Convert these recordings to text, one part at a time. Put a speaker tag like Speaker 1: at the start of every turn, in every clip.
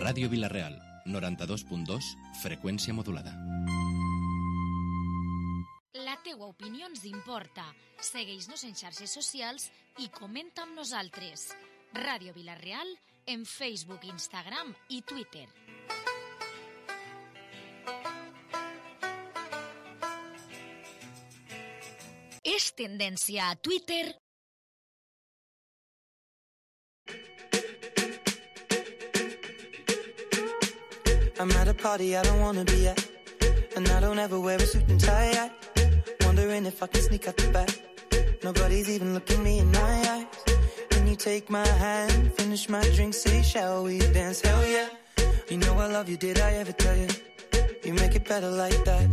Speaker 1: Ràdio Vila-real, 92.2, freqüència modulada.
Speaker 2: La teua opinió ens importa. Segueix-nos en xarxes socials i comenta amb nosaltres. Ràdio Vila-real en Facebook, Instagram i Twitter. És tendència a Twitter.
Speaker 3: I'm at a party I don't wanna be at, and I don't ever wear a suit and tie. Wondering if I can sneak out the back. Nobody's even looking me in my eyes. Can you take my hand, finish my drink, say shall we dance? Hell yeah. You know I love you, did I ever tell you? You make it better like that.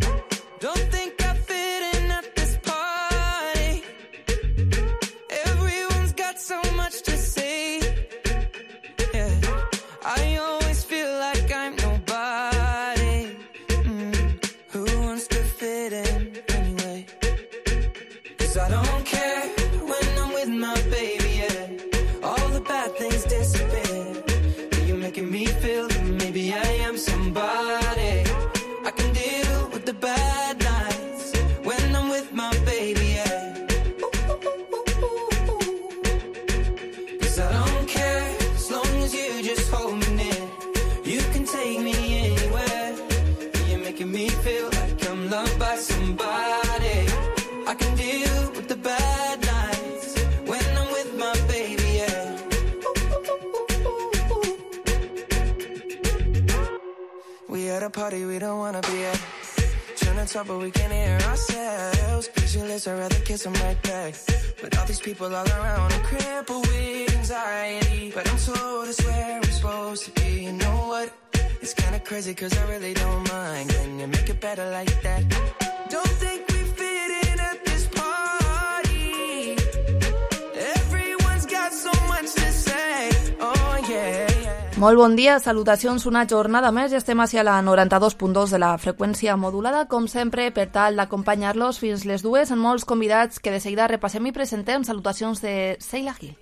Speaker 3: Don't think I fit in at this party. Everyone's got so much to say. Yeah, I always feel like I'm nobody. Who wants to fit in anyway? 'Cause I don't care when I'm with my baby, yeah. All the bad things disappear. You're making me feel that maybe I am somebody. I can deal with the bad nights when I'm with my baby, yeah. 'Cause I don't care as long as you just hold me near. You can take me anywhere. You're making me feel like I'm loved by somebody. I can deal with the bad nights when I'm with my baby, yeah. We at a party we don't wanna be at. Trying to talk but we can't hear ourselves. Pictureless, I'd rather kiss them right back. But all these people all around, I'm crippled with anxiety. But I'm told it's where I'm supposed to be. You know what? It's kinda crazy 'cause I really don't mind. Can you make it better like that? Don't think we fit in at this party. Everyone's got so much to say. Oh yeah, yeah.
Speaker 4: Molt bon dia, salutacions, una jornada més i estem hacia la 92.2 de la freqüència modulada, com sempre, per tal d'acompanyar-los fins les 2 amb molts convidats que de seguida repassem i presentem. Salutacions de Seila Gil.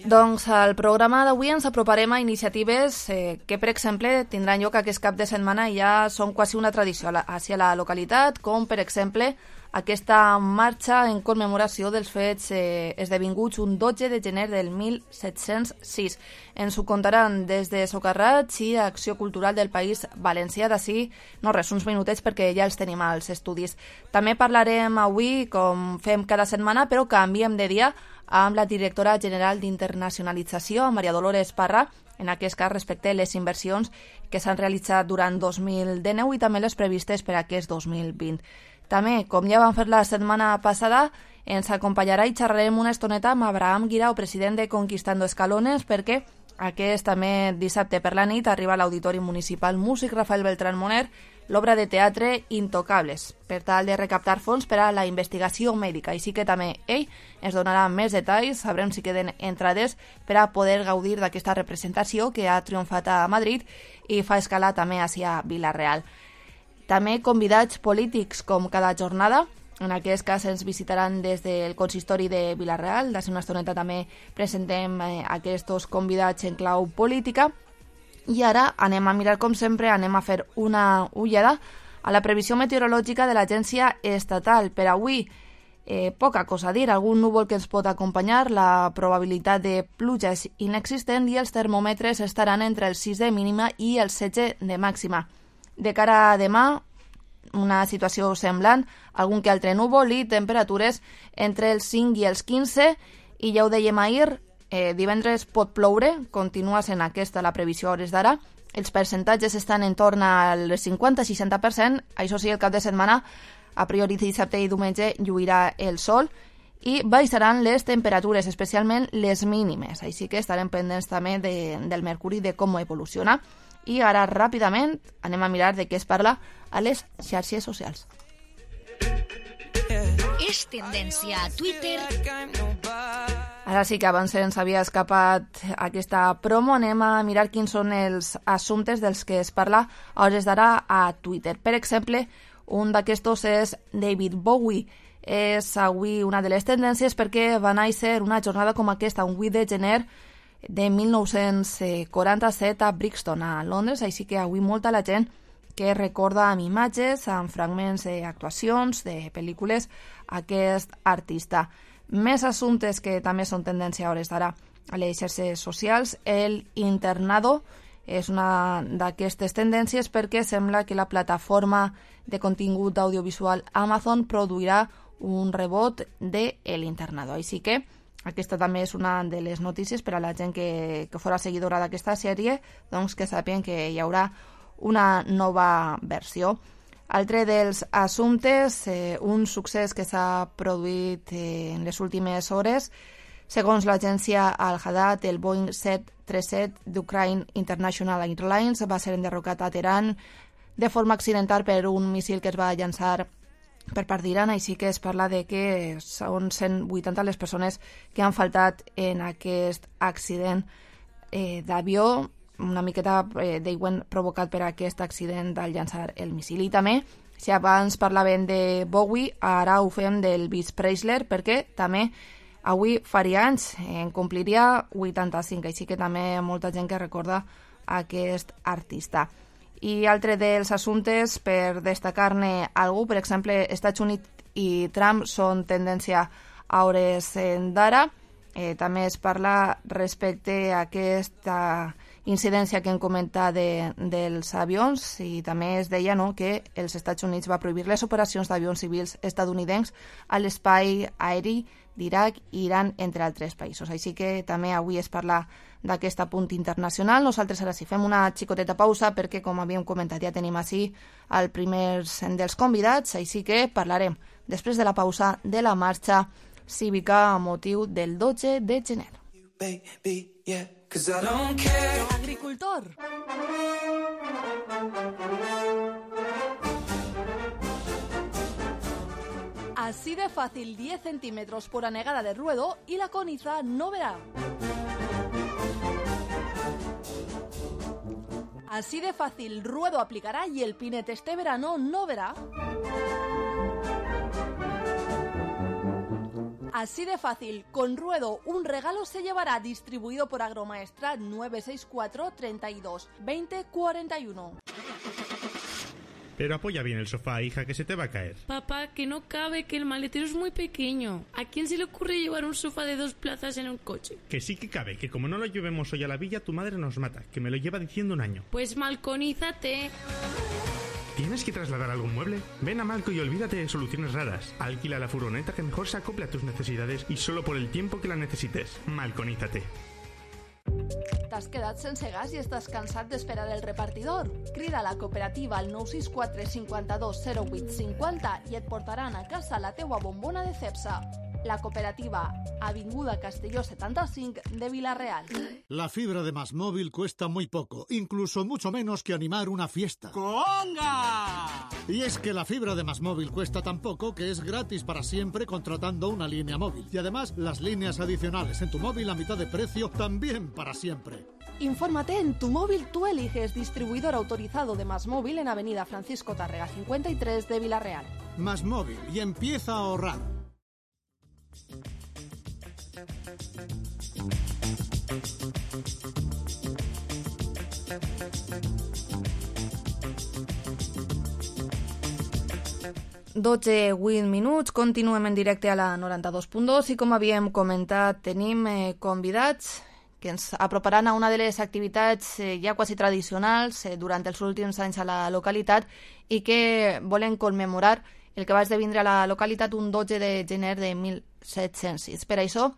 Speaker 4: Doncs al programa d'avui ens aproparem a iniciatives que, per exemple, tindran lloc aquest cap de setmana i ja són quasi una tradició hacia la localitat, com, per exemple, aquesta marxa en commemoració dels fets esdevinguts un 12 de gener del 1706. Ens ho contaran des de Socarrats i Acció Cultural del País Valencià. D'ací, no res, uns minutets perquè ja els tenim als estudis. També parlarem avui, com fem cada setmana, però canviem de dia, amb la directora general d'Internacionalització, Maria Dolores Parra, en aquest cas respecte a les inversions que s'han realitzat durant 2019 i també les previstes per a aquest 2020. També, com ja vam fer la setmana passada, ens acompanyarà i xerrarem una estoneta amb Abraham Guirao, president de Conquistando Escalones, perquè aquest també dissabte per la nit arriba a l'Auditori Municipal Músic Rafael Beltrán Moner l'obra de teatre Intocables, per tal de recaptar fons per a la investigació mèdica. Així que també ell ens donarà més detalls, sabrem si queden entrades per a poder gaudir d'aquesta representació que ha triomfat a Madrid i fa escalar també hacia Vila-real. També convidats polítics com cada jornada. En aquest cas ens visitaran des del consistori de Vila-real. D'ací una estoneta també presentem aquests convidats en clau política. I ara anem a mirar, com sempre, anem a fer una ullada a la previsió meteorològica de l'Agència Estatal. Per avui, poca cosa a dir. Algun núvol que ens pot acompanyar, la probabilitat de pluja és inexistent i els termòmetres estaran entre el 6 de mínima i el 16 de màxima. De cara a demà, una situació semblant, algun que altre núvol i temperatures entre els 5 i els 15, i ja ho dèiem ahir, divendres pot ploure, continua sent aquesta la previsió a hores d'ara, els percentatges estan en torn al 50-60%, això sí, el cap de setmana, a priori dissabte i diumenge, lluirà el sol, i baixaran les temperatures, especialment les mínimes, així que estarem pendents també del mercuri, de com evoluciona. I ara, ràpidament, anem a mirar de què es parla a les xarxes socials.
Speaker 2: És tendència a Twitter.
Speaker 4: Ara sí que abans ens havia escapat aquesta promo, anem a mirar quins són els assumptes dels que es parla a hores d'ara a Twitter. Per exemple, un d'aquestos és David Bowie. és avui una de les tendències perquè va néixer una jornada com aquesta, un 8 de gener de 1947 a Brixton, a Londres, així que avui molta la gent que recorda amb imatges, amb fragments d'actuacions, de pel·lícules, aquest artista. Més assumptes que també són tendència a hores d'ara a les xarxes socials. El Internado és una d'aquestes tendències perquè sembla que la plataforma de contingut audiovisual Amazon produirà un rebot de El Internado. Així que aquesta també és una de les notícies per a la gent que fora seguidora d'aquesta sèrie, doncs que sàpiguen que hi haurà una nova versió. Altre dels assumptes, un succés que s'ha produït en les últimes hores. Segons l'agència Al-Hadad, el Boeing 737 d'Ukraine International Airlines va ser enderrocat a Teheran de forma accidental per un míssil que es va llançar per part d'Iran, així que es parla de que són 180 les persones que han faltat en aquest accident d'avió, una miqueta d'aigüent provocat per aquest accident al llançar el míssil. I també, si abans parlaven de Bowie, ara ho fem del Elvis Presley, perquè també avui faria anys, en compliria 85, així que també molta gent que recorda aquest artista. I altre dels assumptes, per destacar-ne algú, per exemple, Estats Units i Trump són tendència a hores d'ara. També es parla respecte a aquesta incidència que hem comentat dels avions i també es deia que els Estats Units va prohibir les operacions d'avions civils estatunidencs a l'espai aeri d'Iraq i Iran, entre altres països. Així que també avui es parla d'aquest punt internacional. Nosaltres ara sí fem una xicoteta pausa perquè, com havíem comentat, ja tenim així el primer dels convidats, així que parlarem després de la pausa de la marxa cívica a motiu del 12 de gener.
Speaker 5: Agricultor. Así de fácil, 10 centímetros por anegada de ruedo y la coniza no verá. Así de fácil, ruedo aplicará y el pinete este verano no verá. Así de fácil, con ruedo un regalo se llevará, distribuido por Agromaestra 964 32 20 41.
Speaker 6: Pero apoya bien el sofá, hija, que se te va a caer.
Speaker 7: Papá, que no cabe, que el maletero es muy pequeño. ¿A quién se le ocurre llevar un sofá de 2 plazas en un coche?
Speaker 6: Que sí que cabe, que como no lo llevemos hoy a la villa, tu madre nos mata, que me lo lleva diciendo un año.
Speaker 7: Pues malconízate.
Speaker 6: ¿Tienes que trasladar algún mueble? Ven a Malco y olvídate de soluciones raras. Alquila la furgoneta que mejor se acople a tus necesidades y solo por el tiempo que la necesites. Malconízate.
Speaker 5: T'has quedat sense gas i estàs cansat d'esperar el repartidor? Crida a la cooperativa al 964 52 08 50 i et portaran a casa la teua bombona de Cepsa. La cooperativa, Avinguda Castelló 75 de Vila-real.
Speaker 8: La fibra de MásMóvil cuesta muy poco, incluso mucho menos que animar una fiesta.
Speaker 9: ¡Conga!
Speaker 8: Y es que la fibra de MásMóvil cuesta tan poco que es gratis para siempre contratando una línea móvil. Y además, las líneas adicionales en tu móvil a mitad de precio también para siempre.
Speaker 5: Infórmate en Tu Móvil Tú Eliges, distribuidor autorizado de MásMóvil en Avenida Francisco Tárrega 53 de Vila-real.
Speaker 8: MásMóvil, y empieza a ahorrar.
Speaker 4: Dotze 8 minuts, continuem en directe a la 92.2 i com havíem comentat tenim convidats que ens aproparan a una de les activitats ja quasi tradicionals durant els últims anys a la localitat i que volen commemorar el que va esdevindre a la localitat un 12 de gener de 1706. Per això,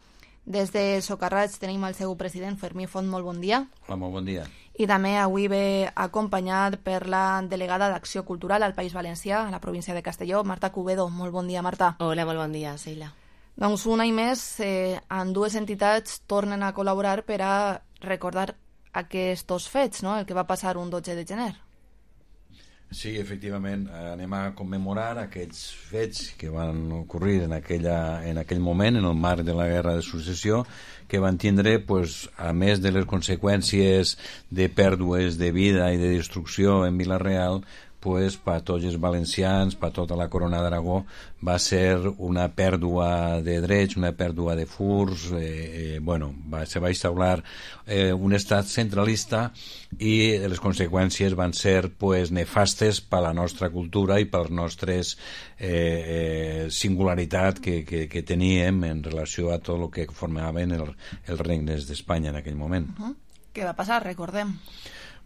Speaker 4: des de Socarrats tenim el seu president, Fermí Font, molt bon dia.
Speaker 10: Hola, molt bon dia.
Speaker 4: I també avui ve acompanyat per la delegada d'Acció Cultural al País Valencià, a la província de Castelló, Marta Cubedo. Molt bon dia, Marta.
Speaker 11: Hola, molt bon dia, Sheila.
Speaker 4: Doncs un any més, ambdues entitats tornen a col·laborar per a recordar aquests fets, no?, el que va passar un 12 de gener.
Speaker 10: Sí, efectivament, anem a commemorar aquells fets que van ocorrir en aquell moment, en el marc de la Guerra de Successió, que van tindre, pues, a més de les conseqüències de pèrdues de vida i de destrucció en Vila-real, pues, per tots els valencians, per tota la Corona d'Aragó, va ser una pèrdua de drets, una pèrdua de furs, se va instaurar un estat centralista i les conseqüències van ser pues, nefastes per la nostra cultura i per les nostres singularitat que teníem en relació a tot el que formaven els regnes d'Espanya en aquell moment.
Speaker 4: Què va passar? Recordem.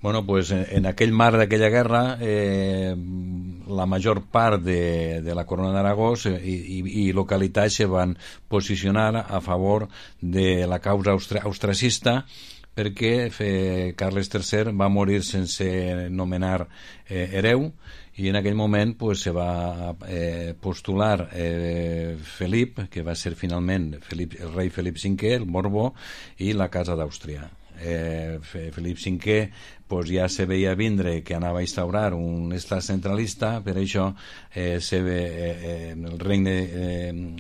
Speaker 10: Bueno, pues en aquell mar d'aquella guerra la major part de la Corona d'Aragó i localitats se van posicionar a favor de la causa austracista perquè Carles III va morir sense nomenar hereu i en aquell moment pues, se va postular Felip, que va ser finalment el rei Felip V, el Borbó, i la Casa d'Àustria. Felip V pues, ja se veia vindre que anava a instaurar un estat centralista, per això el regne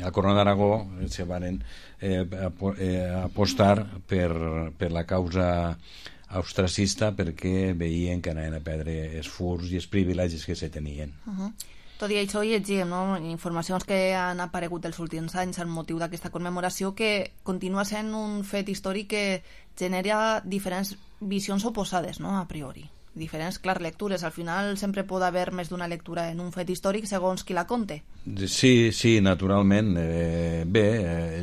Speaker 10: la Corona d'Aragó se van apostar per la causa austracista perquè veien que anaven a perdre els furs i els privilegis que se tenien.
Speaker 4: Tot i això llegim informacions que han aparegut els últims anys al motiu d'aquesta commemoració que continua sent un fet històric que genera diferents visions oposades, no? A priori. Diferents, clar, lectures. Al final sempre pot haver més d'una lectura en un fet històric segons qui la conte.
Speaker 10: Sí, naturalment.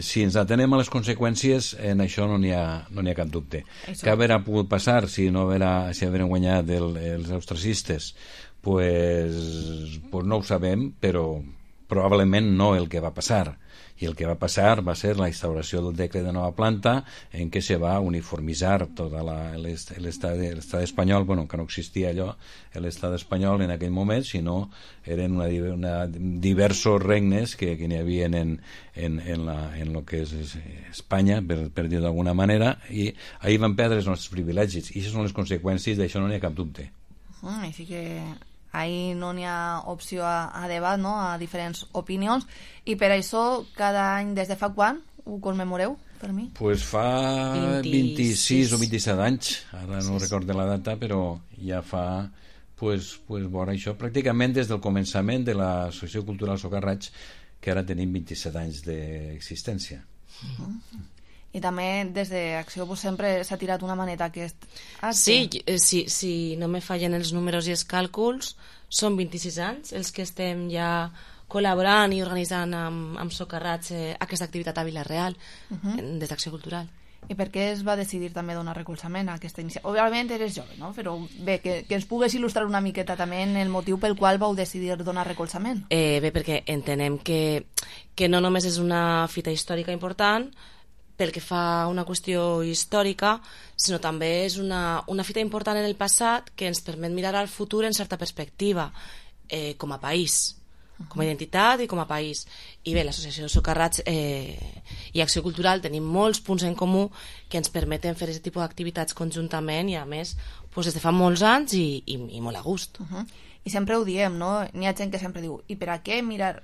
Speaker 10: Si ens atenem a les conseqüències, en això no n'hi ha cap dubte. Què haurà pogut passar si hagueren guanyat els austracistes? Pues no ho sabem, però probablement no el que va passar. I el que va passar va ser la instauració del decret de nova planta en què se va uniformitzar tot l'estat espanyol, que no existia allò, l'estat espanyol en aquell moment, sinó eren diversos regnes que n'hi havia en lo que és Espanya, per dir d'alguna manera, i ahir van perdre els nostres privilegis, i aquestes són les conseqüències, d'això no n'hi ha cap dubte.
Speaker 4: Així que ahí no n'hi ha opció a debat, no? A diferents opinions, i per això cada any, des de fa quan ho commemoreu, per mi?
Speaker 10: Pues fa 26 o 27 anys, ara no recordo la data, però ja fa veure això, pràcticament des del començament de l'Associació Cultural Socarrats, que ara tenim 27 anys d'existència.
Speaker 4: I també des d'Acció sempre s'ha tirat una maneta aquest...
Speaker 7: Si no me fallen els números i els càlculs, són 26 anys els que estem ja col·laborant i organitzant amb Socarrats aquesta activitat a Vila-real des d'Acció Cultural.
Speaker 4: I per què es va decidir també donar recolzament a aquesta iniciativa? Òbviament eres jove, no? Però bé, que ens pugues il·lustrar una miqueta també en el motiu pel qual vau decidir donar recolzament.
Speaker 7: Bé, perquè entenem que no només és una fita històrica important pel que fa a una qüestió històrica, sinó també és una fita important en el passat que ens permet mirar al futur en certa perspectiva, com a país, com a identitat i com a país. I bé, l'Associació Socarrats i Acció Cultural tenim molts punts en comú que ens permeten fer aquest tipus d'activitats conjuntament i a més des de fa molts anys i molt a gust.
Speaker 4: I sempre ho diem, no? N'hi ha gent que sempre diu, i per a què mirar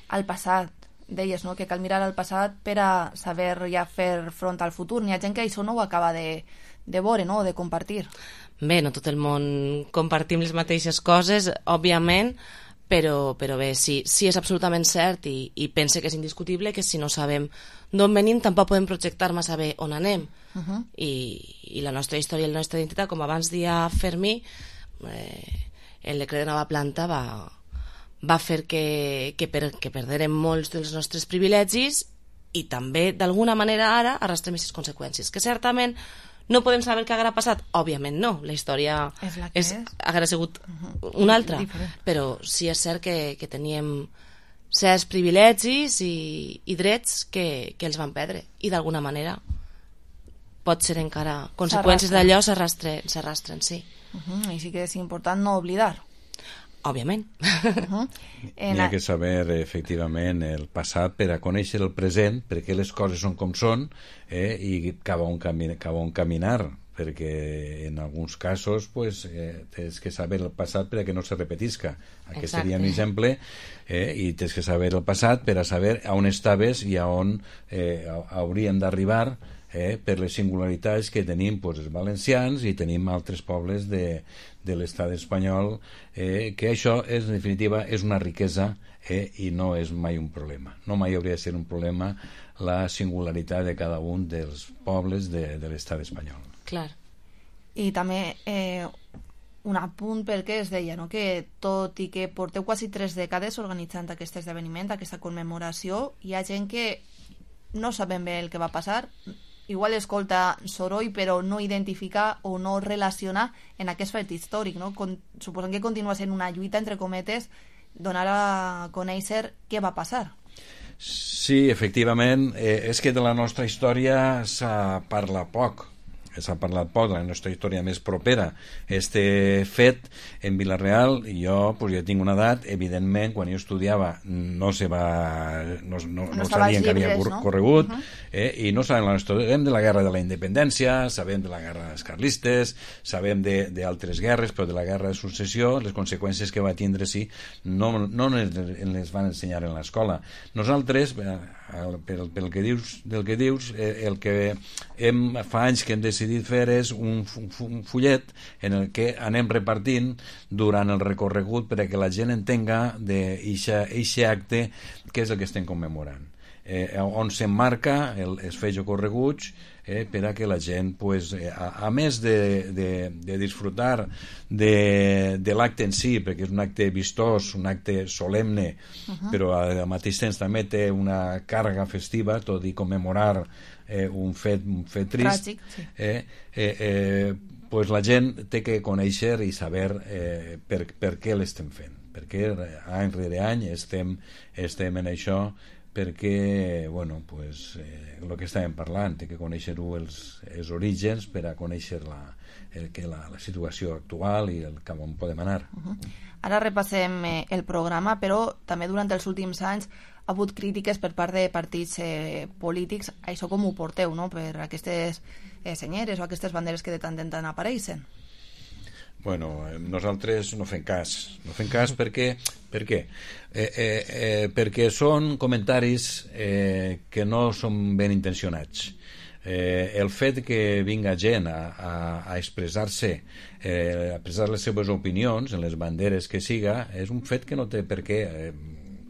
Speaker 4: al passat? Deies, no?, que cal mirar al passat per a saber ja fer front al futur. N'hi ha gent que això no ho acaba de veure, no?, de compartir.
Speaker 7: Bé, no tot el món compartim les mateixes coses, òbviament, però bé, sí és absolutament cert i pense que és indiscutible que si no sabem d'on venim tampoc podem projectar massa bé on anem. I la nostra història i la nostra identitat, com abans dia Fermí, el decret de nova planta va fer que perdérem molts dels nostres privilegis i també, d'alguna manera, ara arrastrem aquestes conseqüències, que certament no podem saber què haurà passat, òbviament no, la història haurà sigut una altra, però sí és cert que teníem certs privilegis i drets que els van perdre, i d'alguna manera pot ser encara conseqüències d'allò s'arrastren, sí.
Speaker 4: Així que és important no oblidar.
Speaker 7: Òbviament.
Speaker 10: N'hi ha que saber efectivament el passat per a conèixer el present, perquè les coses són com són i cap a on caminar, perquè en alguns casos tens que saber el passat per a que no se repetisca. Aquest seria un exemple, i tens que saber el passat per a saber on estaves i a on hauríem d'arribar per les singularitats que tenim els valencians i tenim altres pobles de l'estat espanyol, que això en definitiva és una riquesa i no és mai un problema. No mai hauria de ser un problema la singularitat de cada un dels pobles de l'estat espanyol.
Speaker 7: Clar.
Speaker 4: I també un apunt perquè es deia, no?, que tot i que porteu quasi 3 dècades organitzant aquest esdeveniment, aquesta commemoració, hi ha gent que no sabem bé el que va passar, igual escolta soroll però no identifica o no relaciona en aquest fet històric, no? Suposem que continua sent una lluita, entre cometes, donar a conèixer què va passar.
Speaker 10: Sí, efectivament, és que de la nostra història s'ha parlat poc, de la nostra història més propera. Este fet en Vila-real, jo ja tinc una edat, evidentment, quan jo estudiava no sabien que havia corregut, i no sabem la nostra història. Sabem de la guerra de la independència, sabem de la guerra dels carlistes, sabem d'altres guerres, però de la guerra de successió, les conseqüències que va tindre no les van ensenyar en l'escola. Nosaltres, pel que dius, el que fa anys que hem decidit fer és un fullet en el que anem repartint durant el recorregut perquè la gent entenga d'aquest acte què és el que estem commemorant, on s'emmarca els fets ocorreguts, per a que la gent, a més de disfrutar de l'acte en si, perquè és un acte vistós, un acte solemne, però al mateix temps també té una càrrega festiva, tot i commemorar un fet trist, la gent té que conèixer i saber per què l'estem fent, perquè any rere any estem en això, perquè el que estàvem parlant, té que conèixer-ho els orígens per a conèixer la situació actual i el cap on podem anar.
Speaker 4: Ara repassem el programa, però també durant els últims anys ha hagut crítiques per part de partits polítics. Això com ho porteu, no?, per aquestes senyeres o aquestes banderes que de tant en tant apareixen?
Speaker 10: Nosaltres no fem cas perquè són comentaris que no són ben intencionats. El fet que vinga gent a expressar-se, a expressar les seves opinions en les banderes que siga, és un fet que no té per què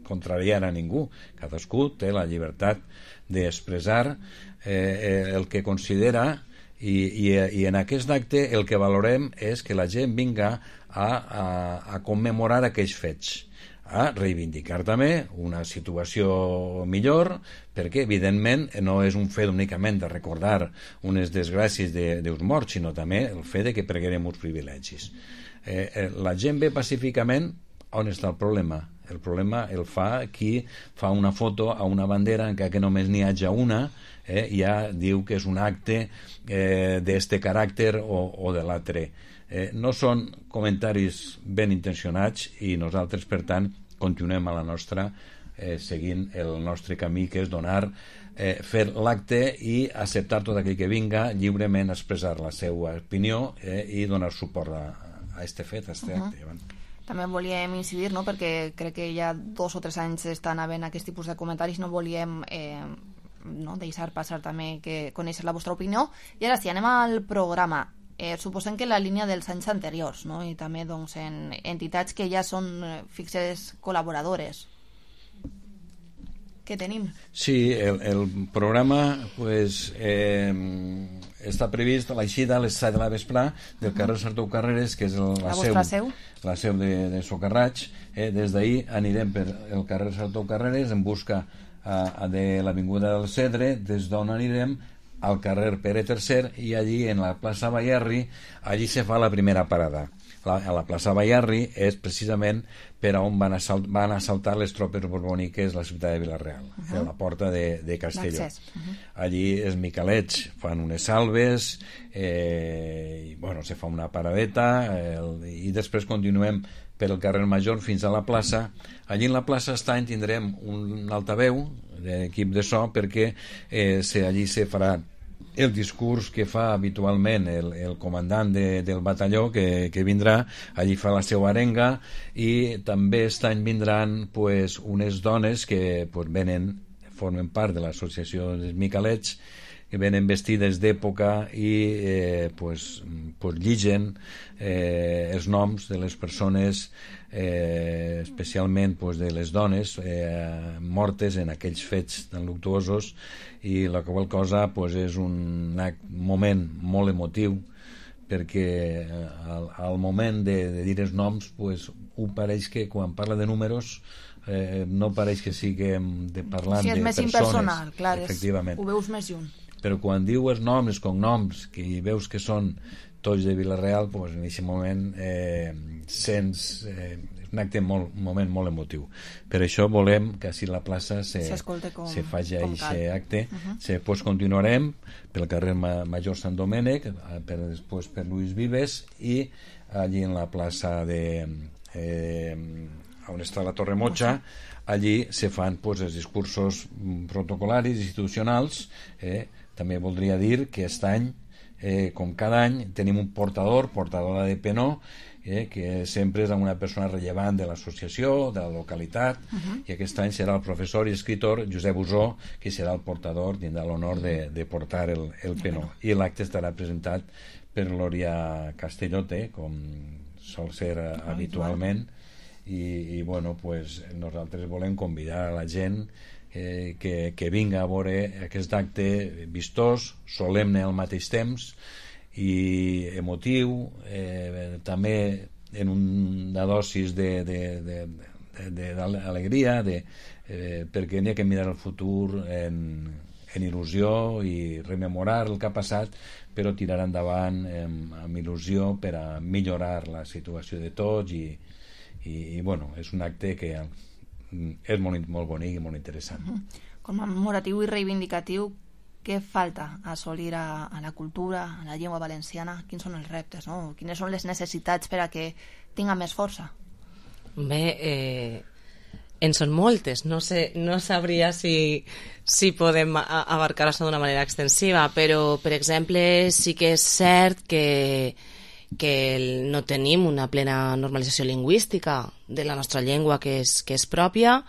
Speaker 10: contrariar a ningú. Cadascú té la llibertat d'expressar el que considera, i en aquest acte el que valorem és que la gent vinga a commemorar aquells fets, a reivindicar també una situació millor, perquè evidentment no és un fet únicament de recordar unes desgràcies dels morts, sinó també el fet que perdrem uns privilegis. La gent ve pacíficament. On està el problema? El problema el fa qui fa una foto a una bandera encara que només n'hi hagi una, ja diu que és un acte d'este caràcter o de l'altre. No són comentaris ben intencionats i nosaltres, per tant, continuem a la nostra, seguint el nostre camí, que és fer l'acte i acceptar tot aquell que vinga lliurement a expressar la seva opinió i donar suport a este fet, a este acte.
Speaker 4: També volíem incidir, no?, perquè crec que ja 2 o 3 anys estan havent aquest tipus de comentaris, no volíem deixar passar també que conèixer la vostra opinió. I ara sí, anem al programa. Suposem que la línia dels anys anteriors, no?, i també en entitats que ja són fixes col·laboradores. Què tenim?
Speaker 10: Sí, el programa està previst a l'eixida a les 7 de la vesprà del carrer Sartou Carreres, que és la seu de Socarraig. Des d'ahir anirem per el carrer Sartou Carreres en busca de l'Avinguda del Cedre, des d'on anirem al carrer Pere III, i allí en la plaça Bayarri, allí se fa la primera parada. A la plaça Bayarri és precisament per on van assaltar les tropes borbòniques la ciutat de Vila-real, a la porta de Castelló. Allí els miquelets fan unes salves, se fa una paradeta, i després continuem per el carrer Major fins a la plaça. Allí en la plaça tindrem un altaveu d'equip de so, perquè allí se farà el discurs que fa habitualment el comandant del batalló que vindrà. Allí fa la seva arenga, i també vindran unes dones que formen part de l'associació dels miquelets, que venen vestides d'època i pues lligen els noms de les persones, especialment pues, de les dones mortes en aquells fets tan luctuosos, i la qual cosa pues, és un moment molt emotiu, perquè al moment de dir els noms pues, ho pareix que quan parla de números no pareix que siguem parlant de persones.
Speaker 4: Sí, és més impersonal, clar,
Speaker 10: efectivament.
Speaker 4: Ho veus més lluny.
Speaker 10: Però quan diu els noms, els cognoms, que veus que són tots de Vila-real, pues, en aquest moment sents un acte un moment molt emotiu. Per això volem que així la plaça se faci aquest acte. Després continuarem pel carrer Major Sant Domènec, després per Lluís Vives, i allí en la plaça on està la Torre Motxa, allí se fan pues, els discursos protocolaris, institucionals. També voldria dir que aquest any, com cada any, tenim un portadora de penó, que sempre és una persona rellevant de l'associació, de la localitat, i aquest any serà el professor i escritor Josep Usó, que serà el portador, tindrà l'honor de portar el penó. I l'acte estarà presentat per Lòria Castellote, com sol ser habitualment, i bueno, pues, nosaltres volem convidar a la gent que vinga a veure aquest acte vistós, solemne al mateix temps i emotiu, també en una dosis d'alegria, perquè n'hi ha que mirar el futur en il·lusió i rememorar el que ha passat, però tirar endavant amb il·lusió per a millorar la situació de tots, i bueno, és un acte que és molt bonic i molt interessant.
Speaker 4: Commemoratiu i reivindicatiu, què falta assolir a la cultura, a la llengua valenciana? Quins són els reptes, no? Quines són les necessitats per a que tinga més força?
Speaker 7: Bé, en són moltes, no sabria si podem abarcar això d'una manera extensiva, però per exemple sí que és cert que no tenim una plena normalització lingüística de la nostra llengua que és pròpia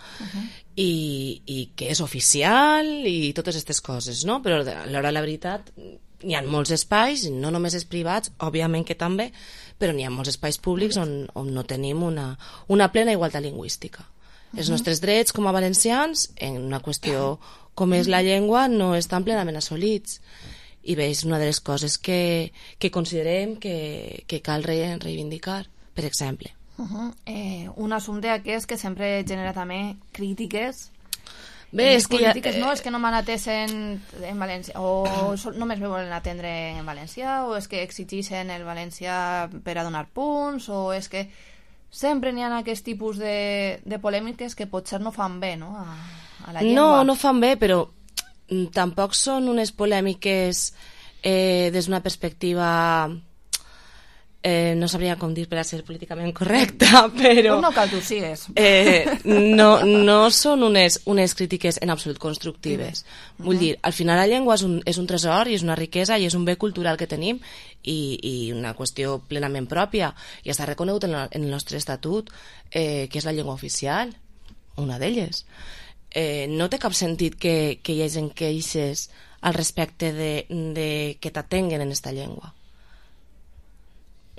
Speaker 7: i que és oficial i totes aquestes coses, no? Però a l'hora de la veritat hi ha molts espais, no només els privats, òbviament que també, però n'hi ha molts espais públics on no tenim una plena igualtat lingüística. Els nostres drets com a valencians en una qüestió com és la llengua no estan plenament assolits. I bé, és una de les coses que considerem que cal reivindicar, per exemple.
Speaker 4: Un assumpte aquest que sempre genera també crítiques.
Speaker 7: Bé, és que
Speaker 4: polítiques, no? És que no m'han atès en valencià, o només me volen atendre en valencià, o és que exigeixen el valencià per a donar punts, o és que sempre n'hi ha aquest tipus de polèmiques que potser no fan bé, no? A la llengua.
Speaker 7: No fan bé, però tampoc són unes polèmiques des d'una perspectiva no sabria com dir per a ser políticament correcta, però
Speaker 4: no cal que ho sigues.
Speaker 7: No són unes crítiques en absolut constructives. Vull dir, al final la llengua és un tresor i és una riquesa i és un bé cultural que tenim i una qüestió plenament pròpia i està reconegut en el nostre estatut, que és la llengua oficial, una d'elles. No té cap sentit que hi hagi queixes al respecte de que t'atenguen en esta llengua.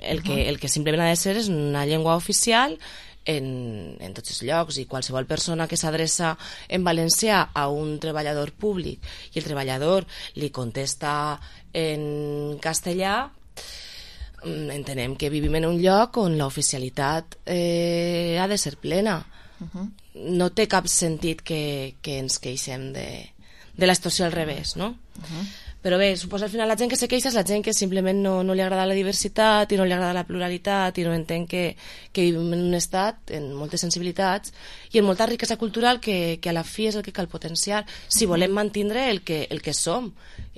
Speaker 7: El que simplement ha de ser és una llengua oficial en tots els llocs, i qualsevol persona que s'adreça en valencià a un treballador públic i el treballador li contesta en castellà, entenem que vivim en un lloc on l'oficialitat ha de ser plena. No té cap sentit que ens queixem de la situació al revés, no? Però bé, suposo al final la gent que se queixa és la gent que simplement no li agrada la diversitat i no li agrada la pluralitat i no entén que vivim en un estat amb moltes sensibilitats i amb molta riquesa cultural que a la fi és el que cal potenciar si volem mantindre el que som,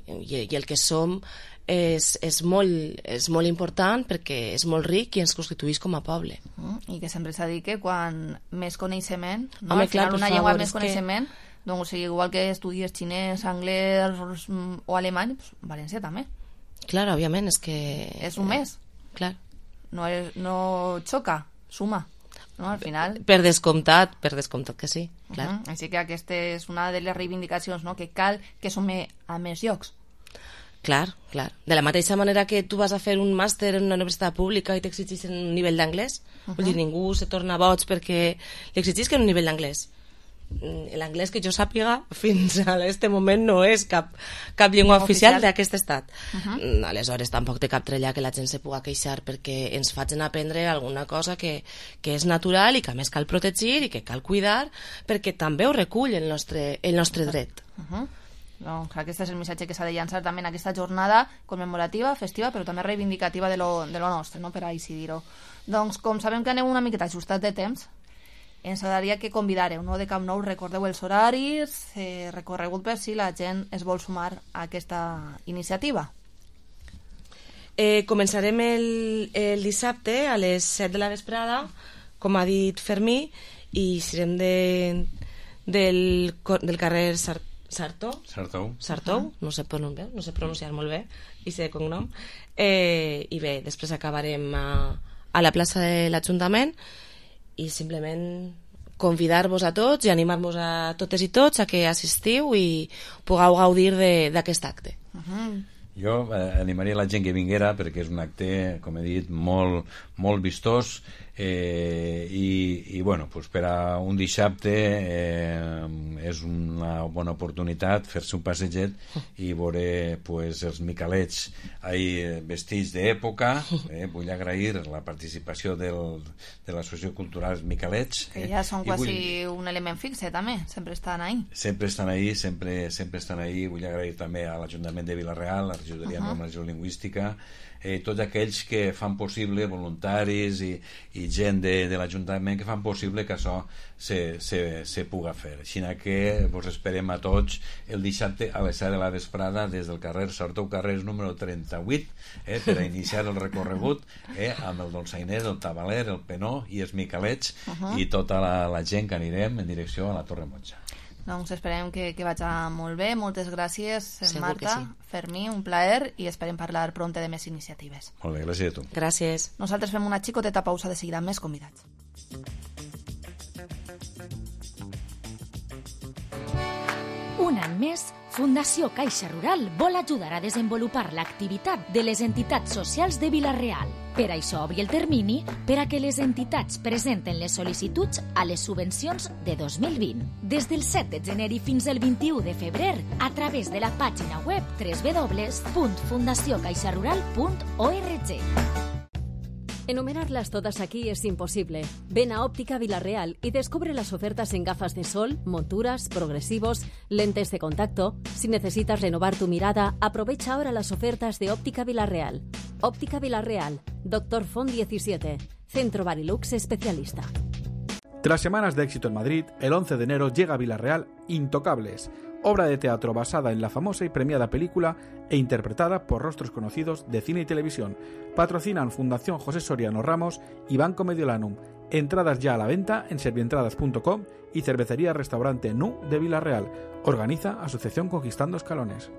Speaker 7: i el que som és molt important perquè és molt ric i ens constituïx com a poble.
Speaker 4: I que sempre s'ha dit que quan més coneixement, no?
Speaker 7: Home,
Speaker 4: al final
Speaker 7: clar,
Speaker 4: una llengua més coneixement, doncs, o sigui, igual que estudies xinès, anglès o alemany, pues, valencià també.
Speaker 7: Clar, òbviament, és que...
Speaker 4: És un més.
Speaker 7: Clar.
Speaker 4: No xoca, suma. No, al final...
Speaker 7: Per descomptat que sí, clar.
Speaker 4: Així que aquesta és una de les reivindicacions, no? Que cal que som a més llocs.
Speaker 7: Clar. De la mateixa manera que tu vas a fer un màster en una universitat pública i t'exigeixen un nivell d'anglès, vull dir, ningú se torna boig perquè li exigeixen un nivell d'anglès. L'anglès que jo sàpiga fins a aquest moment no és cap llengua oficial d'aquest estat. Aleshores tampoc té cap trella que la gent se pugui queixar perquè ens facin aprendre alguna cosa que és natural i que a més cal protegir i que cal cuidar perquè també ho recull el nostre dret.
Speaker 4: Doncs aquest és el missatge que s'ha de llançar també en aquesta jornada commemorativa, festiva, però també reivindicativa de lo nostre, no? Per així dir-ho. Doncs com sabem que aneu una miqueta ajustat de temps, ens agradaria que convidareu, no? De Camp Nou, recordeu els horaris, recorregut per si la gent es vol sumar a aquesta iniciativa.
Speaker 7: Començarem el dissabte a les 7 de la vesprada, com ha dit Fermí, i serem del carrer Sartou, no sé pronunciar molt bé, i sé cognom. I bé, després acabarem a la plaça de l'Ajuntament i simplement convidar-vos a tots i animar-vos a totes i tots a que assistiu i pugueu gaudir d'aquest acte.
Speaker 10: Jo animaria la gent que vinguera perquè és un acte, com he dit, molt vistós i bueno, pues per a un dissabte és una bona oportunitat fer-se un passeget i veure pues, els micalets vestits d'època. Vull agrair la participació de l'Associació Cultural Micalets,
Speaker 4: que ja són quasi un element fixe també, sempre estan ahí.
Speaker 10: Sempre estan ahí. Vull agrair també a l'Ajuntament de Vila-real, a la Regidoria de Normalització Lingüística, tots aquells que fan possible, voluntaris i gent de l'Ajuntament que fan possible que això se puga fer. Així que vos esperem a tots el dissabte a les 7 de la vesprada des del carrer Sartou, carrer número 38, per a iniciar el recorregut amb el dolçainer, el tabaler, el penó i els micalets i tota la gent que anirem en direcció a la Torre Moja.
Speaker 4: Doncs esperem que vagi molt bé. Moltes gràcies, Marta,
Speaker 7: sí.
Speaker 4: Fermí, un plaer, i esperem parlar pronte de més iniciatives.
Speaker 10: Molt bé, gràcies a tu.
Speaker 7: Gràcies.
Speaker 4: Nosaltres fem una xicoteta pausa, de seguida amb més convidats.
Speaker 2: Un any més, Fundació Caixa Rural vol ajudar a desenvolupar l'activitat de les entitats socials de Vila-real. Per això obri el termini per a que les entitats presenten les sol·licituds a les subvencions de 2020. Des del 7 de gener i fins al 21 de febrer, a través de la pàgina web www.fundaciocaixarural.org.
Speaker 11: Enumerarlas todas aquí es imposible. Ven a Óptica Vila-real y descubre las ofertas en gafas de sol, monturas, progresivos, lentes de contacto. Si necesitas renovar tu mirada, aprovecha ahora las ofertas de Óptica Vila-real. Óptica Vila-real, Dr. Font 17, Centro Barilux Especialista.
Speaker 12: Tras semanas de éxito en Madrid, el 11 de enero llega a Vila-real Intocables, obra de teatro basada en la famosa y premiada película e interpretada por rostros conocidos de cine y televisión. Patrocinan Fundación José Soriano Ramos y Banco Mediolanum. Entradas ya a la venta en servientradas.com y Cervecería Restaurante Nu de Vila-real. Organiza Asociación Conquistando Escalones.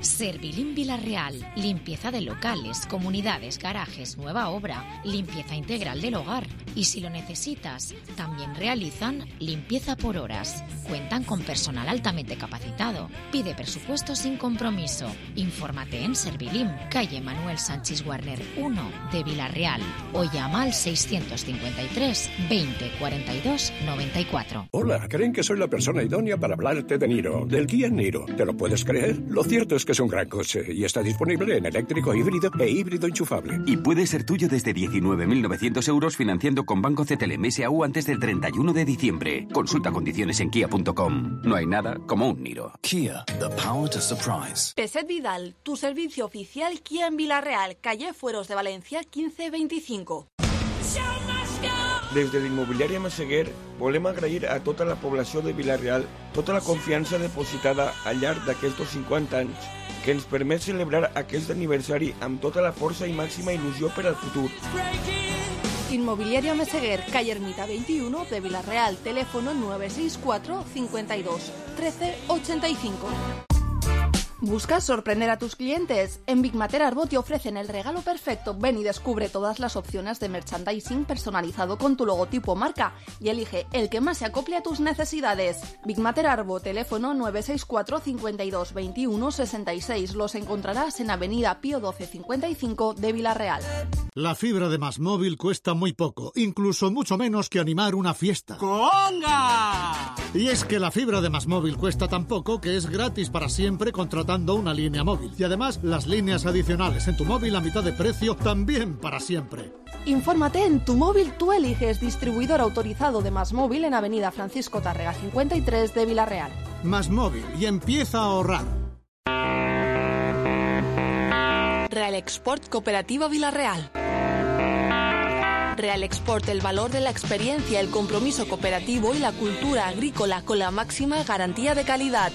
Speaker 2: Servilim Vila-real, limpieza de locales, comunidades, garajes, nueva obra, limpieza integral del hogar. Y si lo necesitas, también realizan limpieza por horas. Cuentan con personal altamente capacitado. Pide presupuesto sin compromiso. Infórmate en Servilim, calle Manuel Sánchez Warner 1 de Vila-real o llama al 653 20 42 94.
Speaker 13: Hola, creen que soy la persona idónea para hablarte de Niro, del Kia Niro. ¿Te lo puedes creer? Lo cierto es que es un gran coche y está disponible en eléctrico, híbrido e híbrido enchufable.
Speaker 14: Y puede ser tuyo desde 19.900 euros financiando con Banco CTLM S.A.U. antes del 31 de diciembre. Consulta condiciones en kia.com. No hay nada como un Niro.
Speaker 15: Kia, the power to surprise.
Speaker 5: Peset Vidal, tu servicio oficial Kia en Vila-real, calle Fueros de Valencia 1525.
Speaker 16: Des de l'immobiliària Massaguer volem agrair a tota la població de Vila-real tota la confiança depositada al llarg d'aquests 50 anys que ens permet celebrar aquest aniversari amb tota la força i màxima il·lusió per al futur.
Speaker 5: Inmobiliaria Meseguer, calle Ermita 21 de Vila-real, teléfono 964 52 13 85. ¿Buscas sorprender a tus clientes? En Big Mater Arbo te ofrecen el regalo perfecto. Ven y descubre todas las opciones de merchandising personalizado con tu logotipo o marca y elige el que más se acople a tus necesidades. Big Mater Arbo, teléfono 964 52 21 66. Los encontrarás en Avenida Pío 12 55 de Vila-real.
Speaker 8: La fibra de Más Móvil cuesta muy poco, incluso mucho menos que animar una fiesta.
Speaker 9: ¡Conga!
Speaker 8: Y es que la fibra de Más Móvil cuesta tan poco que es gratis para siempre contratando una línea móvil. Y además, las líneas adicionales en tu móvil a mitad de precio también para siempre.
Speaker 5: Infórmate en Tu Móvil Tú Eliges, distribuidor autorizado de Más Móvil en Avenida Francisco Tárrega 53 de Vila-real.
Speaker 8: Más Móvil y empieza a ahorrar.
Speaker 5: Real Export Cooperativa Vila-real. Real Export, el valor de la experiencia, el compromiso cooperativo y la cultura agrícola con la máxima garantía de calidad.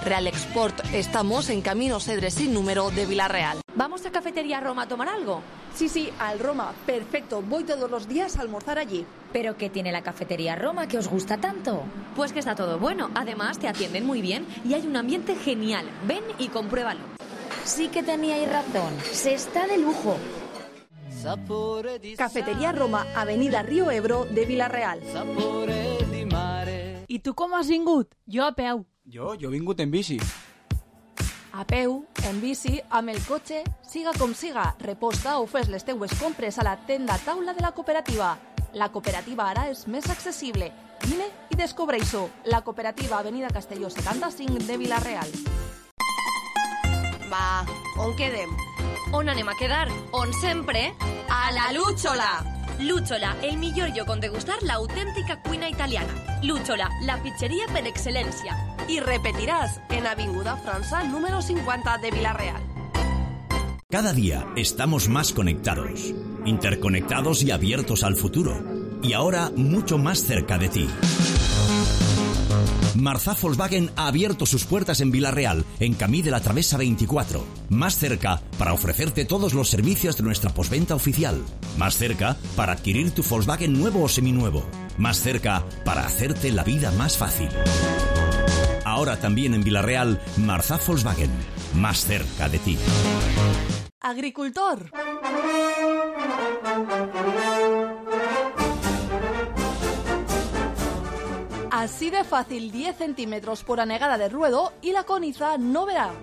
Speaker 5: Real Export, estamos en Camino Cedres sin número de Vila-real.
Speaker 17: ¿Vamos a Cafetería Roma a tomar algo?
Speaker 5: Sí, al Roma, perfecto, voy todos los días a almorzar allí.
Speaker 2: ¿Pero qué tiene la Cafetería Roma que os gusta tanto?
Speaker 17: Pues que está todo bueno, además te atienden muy bien y hay un ambiente genial. Ven y compruébalo.
Speaker 2: Sí que teníais razón, se está de lujo.
Speaker 5: Cafetería Roma, Avenida Río Ebro de Vila-real.
Speaker 18: I tu com has vingut? Jo a peu.
Speaker 19: Jo he vingut en bici.
Speaker 5: A peu, en bici, amb el cotxe, siga com siga, reposta o fes les teues compres a la tenda taula de la cooperativa. La cooperativa ara és més accessible. Vine i descobreix-ho. La cooperativa Avenida Castelló 75 de Vila-real.
Speaker 17: Va, on quedem? On anem a quedar? On sempre? A la Lúchola! Lúchola, el millor lloc on degustar l'autèntica cuina italiana. Lúchola, la pizzeria per excel·lència.
Speaker 5: I repetiràs en Avinguda França número 50 de Vila-real.
Speaker 20: Cada día estamos más conectados, interconectados y abiertos al futuro. Y ahora mucho más cerca de ti. Marzá Volkswagen ha abierto sus puertas en Vila-real, en Camí de la Travesa 24. Más cerca para ofrecerte todos los servicios de nuestra postventa oficial. Más cerca para adquirir tu Volkswagen nuevo o seminuevo. Más cerca para hacerte la vida más fácil. Ahora también en Vila-real, Marzá Volkswagen. Más cerca de ti.
Speaker 5: Agricultor. Así de fácil, 10 centímetros por anegada de ruedo y la coniza no verá.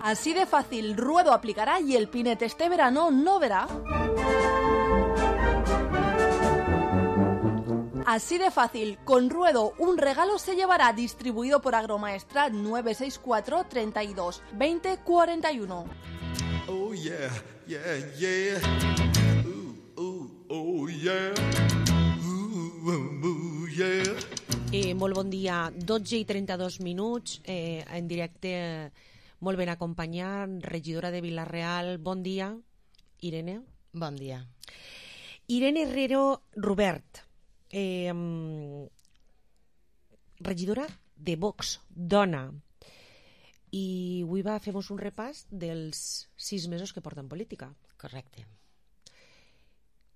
Speaker 5: Así de fácil, ruedo aplicará y el pinete este verano no verá. Así de fácil, con ruedo un regalo se llevará, distribuido por Agromaestrat 964 32 20 41.
Speaker 21: Oh yeah, yeah, yeah. Oh yeah.
Speaker 22: Yeah. Molt bon dia, 12:32 en directe, molt ben acompanyat, regidora de Vila-real. Bon dia, Irene.
Speaker 7: Bon dia.
Speaker 22: Irene Herrero Robert, regidora de Vox, dona. I avui fem un repàs dels 6 mesos que porta en política.
Speaker 7: Correcte.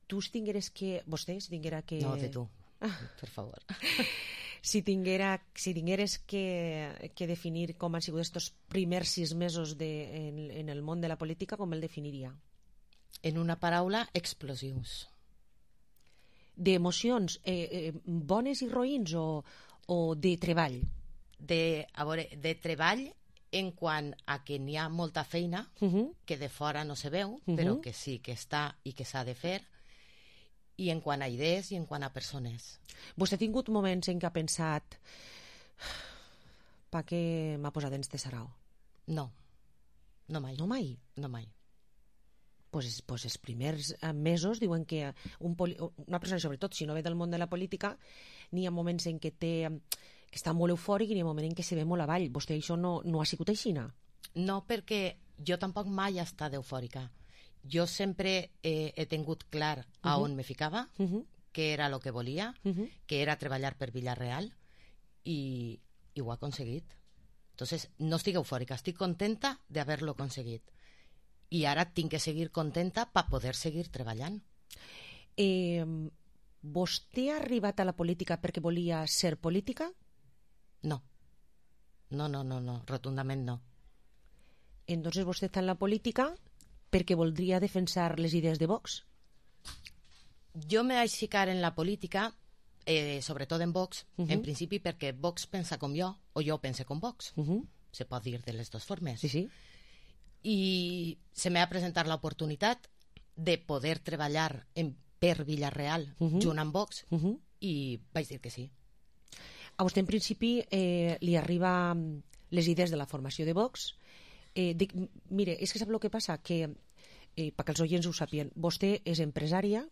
Speaker 22: Tu vostè, si tinguera que...
Speaker 7: No, de tu, per favor.
Speaker 22: Si tingueres que definir com han sigut estos primers 6 mesos en el món de la política, com el definiria?
Speaker 7: En una paraula, explosius.
Speaker 22: D'emocions, bones i roïns o de treball?
Speaker 7: De treball en quant a que n'hi ha molta feina que de fora no se veu, però que sí que està i que s'ha de fer, i en quant a idees i en quant a persones.
Speaker 22: Vostè ha tingut moments en què ha pensat pa què m'ha posat en este sarau?
Speaker 7: No, no mai.
Speaker 22: No mai?
Speaker 7: No mai.
Speaker 22: Pues els primers mesos diuen que una persona, sobretot si no ve del món de la política, n'hi ha moments en què està molt eufòric i n'hi ha moments en què se ve molt avall. Vostè això no ha sigut així?
Speaker 7: No, perquè jo tampoc mai he estat eufòrica. Jo sempre he tingut clar a on me ficava, què era el que volia, que era treballar per Vila-real, i ho ha aconseguit. Entonces, no estic eufòrica, estic contenta d'haver-lo aconseguit. I ara tinc que seguir contenta per poder seguir treballant.
Speaker 22: Vostè ha arribat a la política perquè volia ser política?
Speaker 7: No. No, rotundament no.
Speaker 22: Entonces vostè està en la política perquè voldria defensar les idees de Vox?
Speaker 7: Jo me vaig ficar en la política, sobretot en Vox, en principi perquè Vox pensa com jo, o jo pense com Vox. Se pot dir de les dues formes.
Speaker 22: Sí.
Speaker 7: I se m'ha presentat l'oportunitat de poder treballar per Vila-real junt amb Vox i vaig dir que sí.
Speaker 22: A vostè en principi li arriba les idees de la formació de Vox. Mire, és que sap el que passa? Que, perquè els oients ho sàpien, vostè és empresària,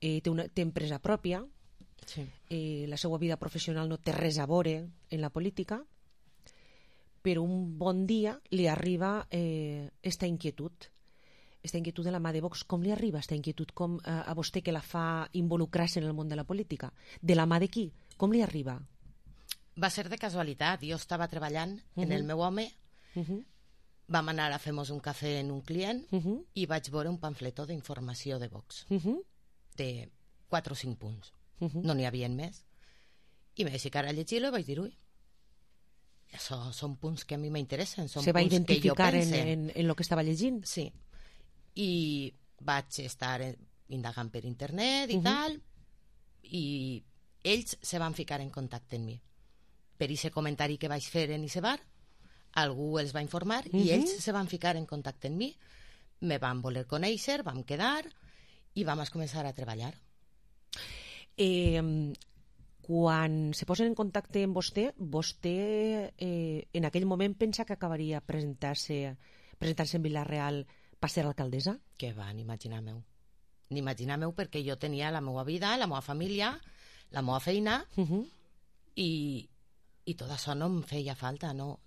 Speaker 22: té empresa pròpia, la seva vida professional no té res a veure en la política, però un bon dia li arriba esta inquietud de la mà de Vox. Com li arriba esta inquietud a vostè que la fa involucrar-se en el món de la política? De la mà de qui? Com li arriba?
Speaker 7: Va ser de casualitat. Jo estava treballant en el meu home, vam anar a fer-nos un cafè en un client i vaig veure un pamfletó d'informació de Vox, de 4 o 5 punts. No n'hi havia més. I me vaig ficar a llegir-lo i vaig dir, ui, això són punts que a mi m'interessen.
Speaker 22: Se va identificar en el que estava llegint?
Speaker 7: Sí. I vaig estar indagant per internet i tal, i ells se van ficar en contacte amb mi. Per aquest comentari que vaig fer en aquest bar, algú els va informar i ells se van ficar en contacte amb mi, me van voler conèixer, vam quedar i vam començar a treballar.
Speaker 22: Quan se posen en contacte amb vostè en aquell moment pensa que acabaria presentant-se en Vila-real per ser alcaldessa?
Speaker 7: Que va, ni imaginar-meu, perquè jo tenia la meva vida, la meva família, la meva feina, i tot això no em feia falta, no.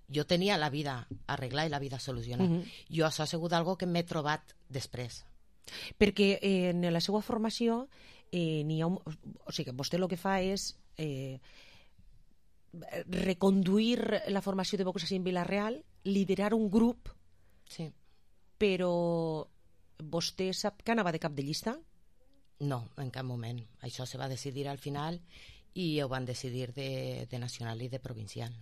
Speaker 7: Jo tenia la vida arreglada i la vida solucionada. Jo això ha sigut algo que m'he trobat després.
Speaker 22: Perquè en la seva formació n'hi ha o sigui, vostè el que fa és reconduir la formació de Vox en Vila-real, liderar un grup, però vostè sap que anava de cap de llista?
Speaker 7: No, en cap moment. Això se va decidir al final i ho van decidir de nacional i de provincial.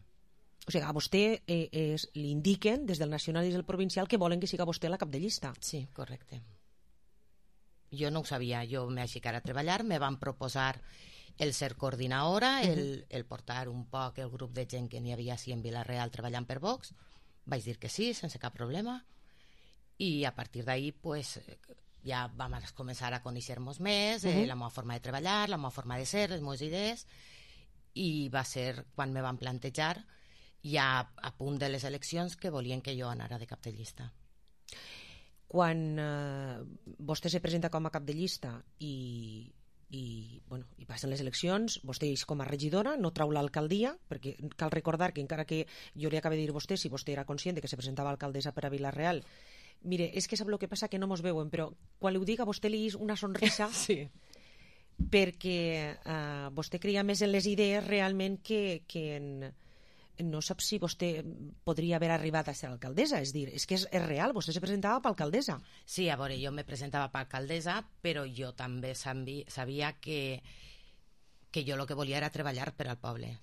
Speaker 22: O sigui, a vostè li indiquen des del nacional i del provincial que volen que siga vostè la cap de llista.
Speaker 7: Sí, correcte. Jo no ho sabia, jo me vaig ficar a treballar, me van proposar el ser coordinadora, el portar un poc el grup de gent que n'hi havia així en Vila-real treballant per Vox. Vaig dir que sí, sense cap problema, i a partir d'ahí pues, ja vam començar a conèixer-nos més, la meva forma de treballar, la meva forma de ser, les meves idees, i va ser quan me van plantejar ja a punt de les eleccions que volien que jo anara de cap de llista.
Speaker 22: Quan vostè se presenta com a cap de llista i passen les eleccions, vostè és com a regidora, no trau l'alcaldia, perquè cal recordar que encara que jo li acabé de dir a vostè, si vostè era conscient que se presentava alcaldessa per a Vila-real, mire, és que sap el que passa, que no mos veuen, però quan li ho dic a vostè li és una sonrisa perquè vostè creia més en les idees realment que no sap si vostè podria haver arribat a ser alcaldessa, és dir, és que és real, vostè se presentava per alcaldessa.
Speaker 7: Sí, a veure, jo me presentava per alcaldessa, però jo també sabia que jo el que volia era treballar per al poble.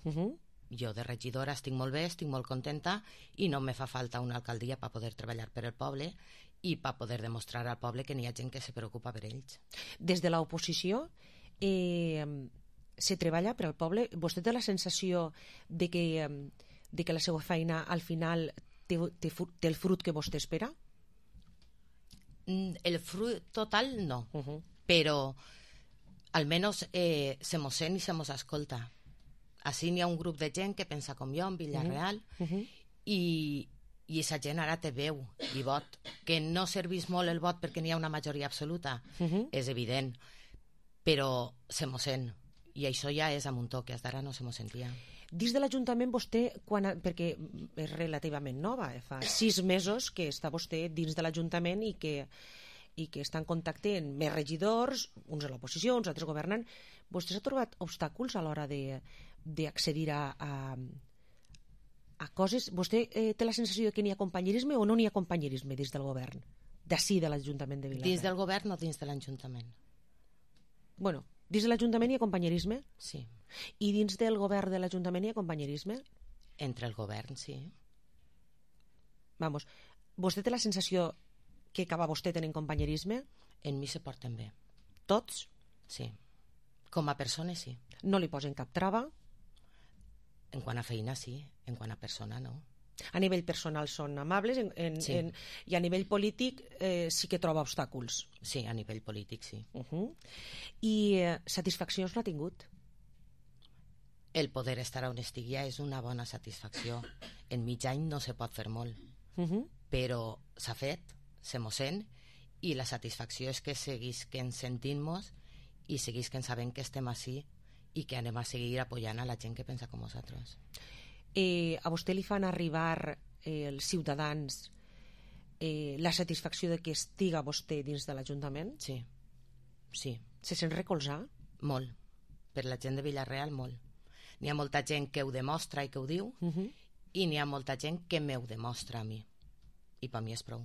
Speaker 7: Jo de regidora estic molt bé, estic molt contenta i no me fa falta una alcaldia per poder treballar per al poble i per poder demostrar al poble que n'hi ha gent que se preocupa per ells.
Speaker 22: Des de l'oposició se treballa per al poble? Vostè té la sensació de que la seva feina al final té el fruit que vostè espera?
Speaker 7: El fruit total no, però almenys se mos sent i se mos escolta. Així n'hi ha un grup de gent que pensa com jo en Vila-real i aquesta gent ara té veu i vot. Que no servís molt el vot perquè n'hi ha una majoria absoluta, és evident, però se mos sent. I això ja és a un toc, que fins ara no se mos sentia.
Speaker 22: Dins de l'Ajuntament vostè, perquè és relativament nova, fa 6 mesos que està vostè dins de l'Ajuntament i que està en contacte amb més regidors, uns a l'oposició, uns altres governant, vostè s'ha trobat obstàculs a l'hora d'accedir a coses? Vostè té la sensació que n'hi ha companyerisme o no n'hi ha companyerisme dins del govern? D'ací, de l'Ajuntament de Vila-real.
Speaker 7: Dins del govern o dins de l'Ajuntament?
Speaker 22: Bueno, Dins de l'Ajuntament hi ha companyerisme?
Speaker 7: Sí.
Speaker 22: I dins del govern de l'Ajuntament hi ha companyerisme?
Speaker 7: Entre el govern, sí.
Speaker 22: Vamos, vostè té la sensació que acaba vostè tenint companyerisme?
Speaker 7: En mi se porten bé.
Speaker 22: Tots?
Speaker 7: Sí. Com a persona, sí.
Speaker 22: No li posen cap trava?
Speaker 7: En quant a feina, sí. En quant a persona, no.
Speaker 22: A nivell personal són amables
Speaker 7: sí.
Speaker 22: I a nivell polític sí que troba obstàculs.
Speaker 7: Sí, a nivell polític, sí.
Speaker 22: I satisfaccions no ha tingut?
Speaker 7: El poder estar on estic ja és una bona satisfacció. En mig any no se pot fer molt, però s'ha fet, se mos sent, i la satisfacció és que seguisquen sentint-nos i seguisquen sabent que estem així i que anem a seguir apoyant a la gent que pensa com nosaltres.
Speaker 22: A vostè li fan arribar els ciutadans la satisfacció de que estiga vostè dins de l'Ajuntament?
Speaker 7: Sí. Sí.
Speaker 22: Se sent recolzar?
Speaker 7: Molt. Per la gent de Vila-real, molt. N'hi ha molta gent que ho demostra i que ho diu, i n'hi ha molta gent que m'ho demostra a mi. I per mi és prou.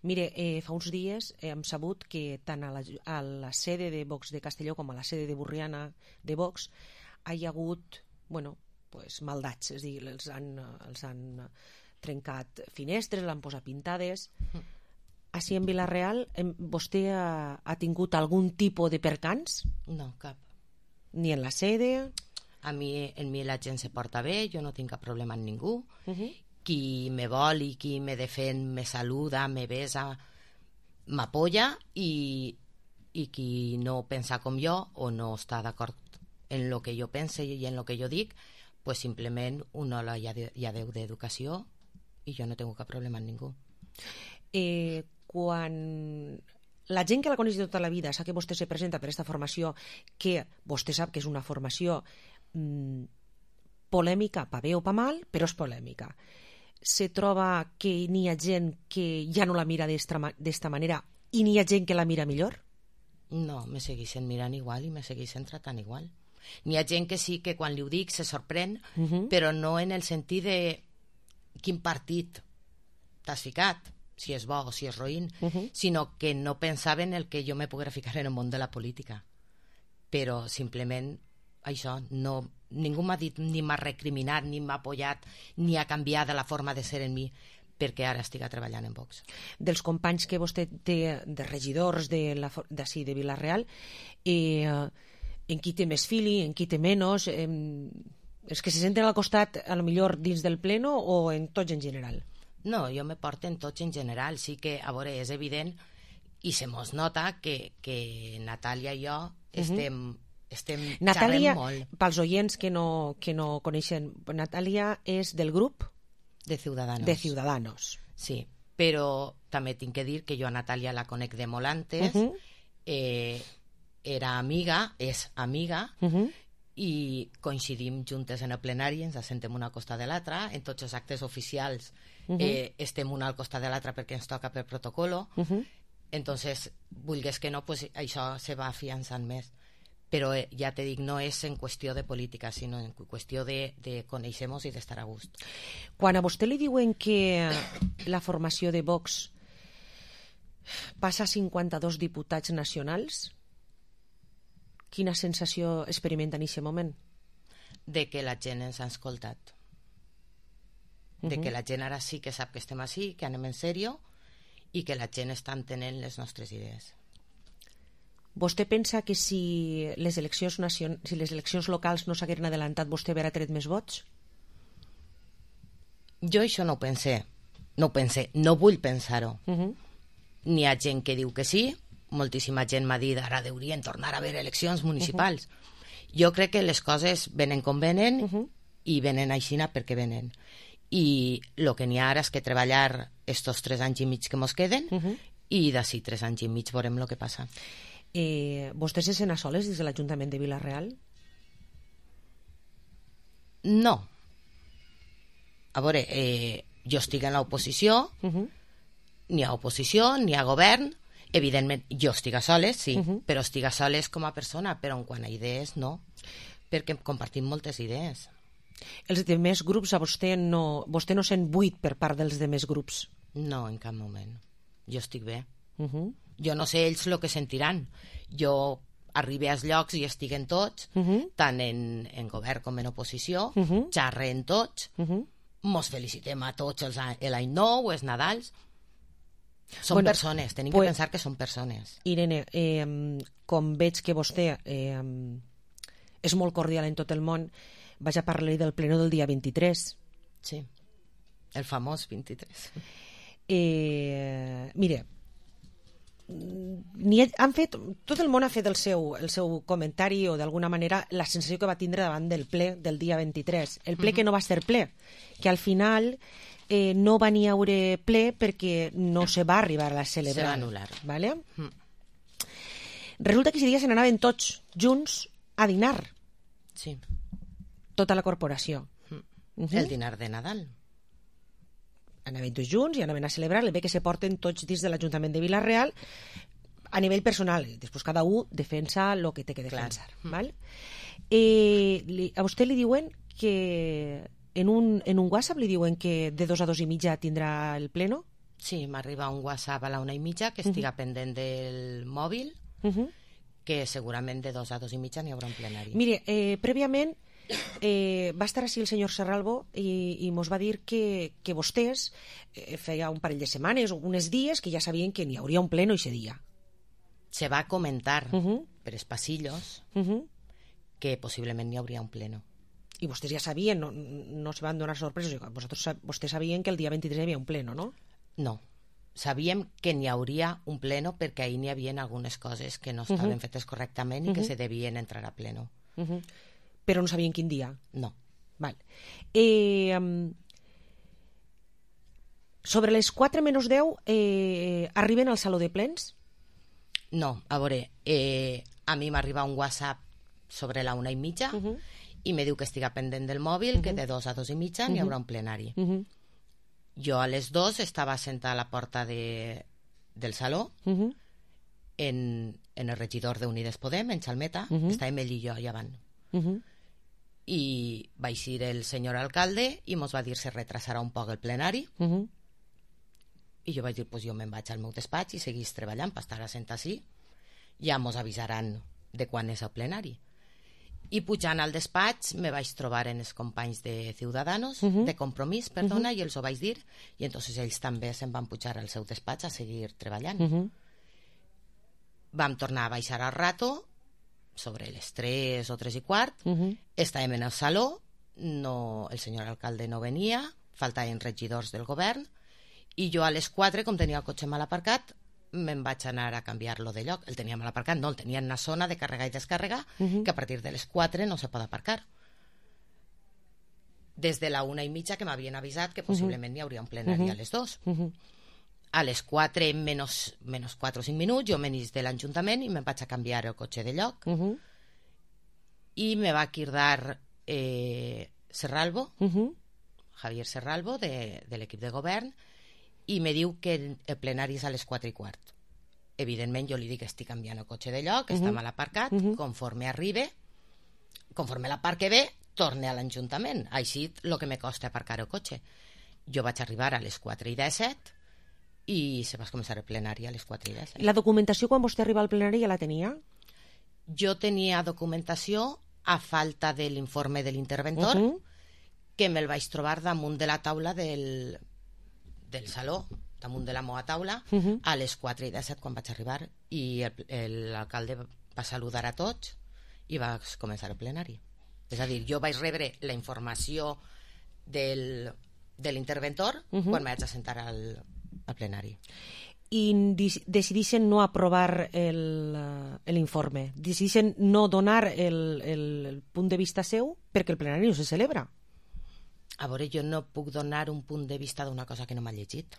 Speaker 22: Mire, fa uns dies hem sabut que tant a la sede de Vox de Castelló com a la sede de Borriana de Vox hi ha hagut, maldats, és a dir, els han trencat finestres, l'han posat pintades. Així en Vila-real, vostè ha tingut algun tipus de percans?
Speaker 7: No, cap.
Speaker 22: Ni en la sede?
Speaker 7: En mi la gent se porta bé, jo no tinc cap problema amb ningú. Qui me vol i qui me defèn me saluda, me besa, m'apoya, i qui no pensa com jo o no està d'acord en el que jo pense i en el que jo dic, pues simplement una ola ja deu d'educació i jo no tinc cap problema amb ningú.
Speaker 22: Quan la gent que la coneix de tota la vida sap que vostè se presenta per aquesta formació, que vostè sap que és una formació polèmica, pa bé o pa mal, però és polèmica, se troba que n'hi ha gent que ja no la mira d'esta manera i n'hi ha gent que la mira millor?
Speaker 7: No, me segueixen mirant igual i me segueixen tratant igual. N'hi ha gent que sí que quan li ho dic se sorprèn, però no en el sentit de quin partit t'has ficat, si és bo o si és roïn, sinó que no pensaven el que jo me poguera ficar en el món de la política. Però simplement això, ningú m'ha dit, ni m'ha recriminat, ni m'ha apoyat, ni ha canviat la forma de ser en mi perquè ara estic treballant en Vox.
Speaker 22: Dels companys que vostè té de regidors d'ací de Vila-real, en qui té més fili, en qui té menys, els que se senten al costat a lo millor dins del pleno o en tots en general?
Speaker 7: No, jo me porto en tots en general. Sí que, a veure, és evident i se mos nota que Natàlia i jo estem
Speaker 22: Natàlia,
Speaker 7: xerrem molt.
Speaker 22: Pels oients que no coneixen, Natàlia és del grup
Speaker 7: de Ciudadanos.
Speaker 22: De Ciudadanos.
Speaker 7: Sí, però també tinc que dir que jo a Natàlia la conec de molt antes, era amiga, és amiga, i coincidim juntes en el plenari, ens assentem una al costat de l'altra, en tots els actes oficials estem una al costat de l'altra perquè ens toca per protocolo, entonces, vulgues que no, pues, això se va afiançant més. Però ja te dic, no és en qüestió de política, sinó en qüestió de conèixer-nos i d'estar a gust.
Speaker 22: Quan a vostè li diuen que la formació de Vox passa a 52 diputats nacionals, quina sensació experimenta en aquest moment?
Speaker 7: De que la gent ens ha escoltat. De que la gent ara sí que sap que estem així, que anem en sèrio i que la gent està entenent les nostres idees.
Speaker 22: Vostè pensa que si les eleccions locals no s'hagueren adelantat, vostè haurà tret més vots?
Speaker 7: Jo això no ho pensé. No vull pensar-ho. N'hi ha gent que diu que sí, moltíssima gent m'ha dit ara haurien tornar a haver eleccions municipals. Jo crec que les coses venen com venen i venen aixina perquè venen. I el que n'hi ha ara és que treballar estos 3 anys i mig que mos queden i d'ací 3 anys i mig veurem el que passa.
Speaker 22: Vostè se sent a soles des de l'Ajuntament de Vila-real?
Speaker 7: No. A veure, jo estic en l'oposició, n'hi ha oposició, n'hi ha govern, evidentment jo estic a soles, sí, però estic a soles com a persona, però en quant a idees no, perquè compartim moltes idees.
Speaker 22: Els demés grups a vostè no sent buit per part dels demés grups?
Speaker 7: No, en cap moment. Jo estic bé. Jo no sé ells el que sentiran. Jo arribi als llocs i estiguen tots, tant en govern com en oposició, xerren tots, mos felicitem a tots l'any nou, els Nadals. Són persones, tenim que pensar que són persones.
Speaker 22: Irene, com veig que vostè és molt cordial en tot el món, vaig a parlar del pleno del dia 23.
Speaker 7: Sí, el famós 23.
Speaker 22: Mire, tot el món ha fet el seu comentari o d'alguna manera la sensació que va tindre davant del ple del dia 23. El ple que no va ser ple, que al final no va ni haure ple perquè no se va arribar a celebrar.
Speaker 7: Se va anul·lar.
Speaker 22: ¿Vale? Resulta que aquest dia se n'anaven tots junts a dinar.
Speaker 7: Sí.
Speaker 22: Tota la corporació.
Speaker 7: El dinar de Nadal.
Speaker 22: Anaven tots junts i anaven a celebrar el bé que se porten tots dins de l'Ajuntament de Vila-real a nivell personal. Després cada un defensa el que té que defensar. Val? A vostè li diuen que en un WhatsApp li diuen que de 2 a 2 i mitja tindrà el pleno?
Speaker 7: Sí, m'arriba un WhatsApp a la 1:30 que estiga pendent del mòbil, que segurament de 2 a 2 i mitja n'hi haurà un plenari.
Speaker 22: Mire, prèviament va estar així el senyor Serralvo i mos va dir que vostès feia un parell de setmanes o uns dies que ja sabien que n'hi hauria un pleno aquest dia.
Speaker 7: Se va comentar per els passillos que possiblement n'hi hauria un pleno.
Speaker 22: I vostès ja sabien, no se van donar sorpreses. Vostès sabien que el dia 23 hi havia un pleno, no?
Speaker 7: No. Sabíem que n'hi hauria un pleno perquè ahir n'hi havia algunes coses que no estaven fetes correctament i que se devien entrar a pleno.
Speaker 22: Però no sabien quin dia?
Speaker 7: No.
Speaker 22: Val. Sobre les 4 menys 10 arriben al saló de plens?
Speaker 7: No, a veure, a mi m'arriba un WhatsApp sobre la 1:30 i me diu que estiga pendent del mòbil, que de 2 a 2 i mitja n'hi haurà un plenari. Jo a les 2 estava sentada a la porta del saló, en el regidor d'Unides Podem, en Xalmeta, estàvem ell i jo allà avant. I va eixir el senyor alcalde i mos va dir se retrasarà un poc el plenari, i jo vaig dir, pues jo me'n vaig al meu despatx i seguís treballant per estar assentat així, ja mos avisaran de quan és el plenari. I pujant al despatx me vaig trobar en els companys de Ciudadanos, de Compromís, perdona, i els ho vaig dir, i entonces ells també se'n van pujar al seu despatx a seguir treballant. Vam tornar a baixar al rato, sobre les 3 o 3:15, estàvem en el saló, el senyor alcalde no venia, faltaven regidors del govern, i jo a les 4, com tenia el cotxe mal aparcat, me'n vaig anar a canviar-lo de lloc. El tenia mal aparcat, no, el tenia en una zona de carregar i descarregar, que a partir de les 4 no se pot aparcar. Des de la 1:30 que m'havien avisat que possiblement n'hi hauria un plenari a les 2. A les 4 menys 4 o 5 minuts jo m'anís de l'Ajuntament i me'n vaig a canviar el cotxe de lloc. I me va cridar Serralvo, Javier Serralvo, de l'equip de govern, i me diu que el plenari és a les 4:15. Evidentment jo li dic que estic canviant el cotxe de lloc, està mal aparcat, conforme l'aparque bé, torne a l'Ajuntament. Així el que me costa aparcar el cotxe. Jo vaig arribar a les 4:17 i se va començar el plenari a les 4:17.
Speaker 22: La documentació quan vostè arriba al plenari ja la tenia?
Speaker 7: Jo tenia documentació a falta de l'informe de l'interventor, que me'l vaig trobar damunt de la taula del saló, damunt de la meva taula, a les 4:17 quan vaig arribar, i l'alcalde va saludar a tots i va començar el plenari. És a dir, jo vaig rebre la informació de l'interventor quan vaig assentar al plenari.
Speaker 22: I decidixen no aprovar l'informe, decidixen no donar el punt de vista seu perquè el plenari no se celebra.
Speaker 7: A veure, jo no puc donar un punt de vista d'una cosa que no m'ha llegit.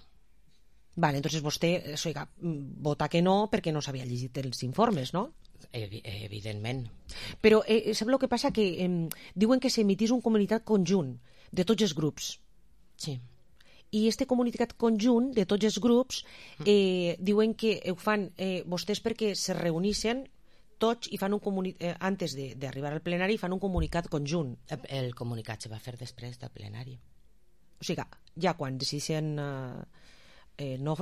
Speaker 22: Vale, entonces vostè vota que no perquè no s'havia llegit els informes, no?
Speaker 7: Evidentment.
Speaker 22: Però sap el que passa? Que diuen que s'emitís un comunicat conjunt de tots els grups.
Speaker 7: Sí.
Speaker 22: I este comunicat conjunt de tots els grups diuen que ho fan vostès perquè se reuneixen tots i fan un comunicat, antes d'arribar al plenari, fan un comunicat conjunt.
Speaker 7: El comunicat se va fer després del plenari.
Speaker 22: O sigui, ja quan decideixen no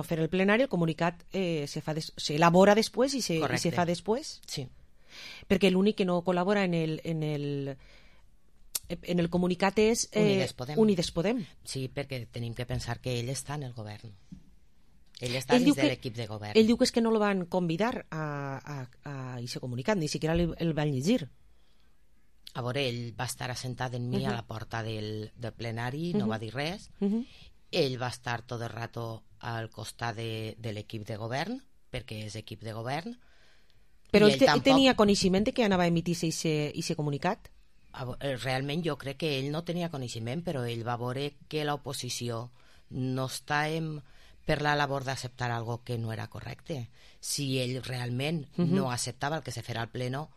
Speaker 22: fer el plenari, el comunicat s'elabora després i se fa després.
Speaker 7: Sí.
Speaker 22: Perquè l'únic que no col·labora en el comunicat és Unides Podem.
Speaker 7: Sí, perquè tenim que pensar que ell està en el govern. Ell està dins de l'equip de govern.
Speaker 22: Ell diu que és que no el van convidar a aquest comunicat, ni siquiera el van llegir.
Speaker 7: A veure, ell va estar assentat en mi a la porta del plenari, no va dir res. Ell va estar tot el rato al costat de l'equip de govern, perquè és equip de govern.
Speaker 22: Però ell tenia coneixement de que anava a emitir-se aquest comunicat?
Speaker 7: Realment jo crec que ell no tenia coneixement, però ell va veure que l'oposició no estàvem per la labor d'acceptar algo que no era correcte. Si ell realment no acceptava el que se farà al pleno,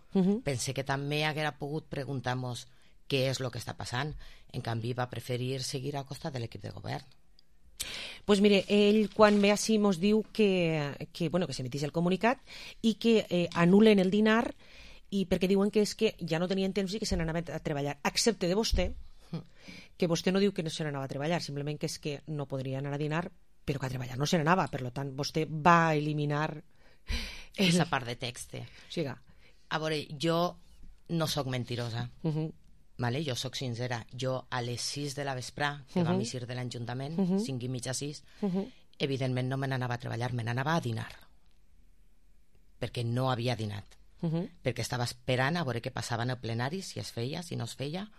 Speaker 7: pense que també haguera pogut preguntar-nos què és el que està passant. En canvi, va preferir seguir al costat de l'equip de govern.
Speaker 22: Pues mire, ell quan ve així mos diu que s'emitís el comunicat i que anulen el dinar i perquè diuen que és que ja no tenien temps i que se n'anaven a treballar, excepte de vostè, que vostè no diu que no se n'anava a treballar, simplement que és que no podria anar a dinar, però que a treballar no se n'anava, per tant, vostè va eliminar
Speaker 7: aquesta part de text.
Speaker 22: Siga.
Speaker 7: A veure, jo no sóc mentirosa, vale? Jo sóc sincera. Jo a les 6 de la vesprà, que vam eixir de l'Ajuntament, 5:30, 6, evidentment no me n'anava a treballar, me n'anava a dinar, perquè no havia dinat. Perquè estava esperant a veure què passava en el plenari, si es feia, si no es feia,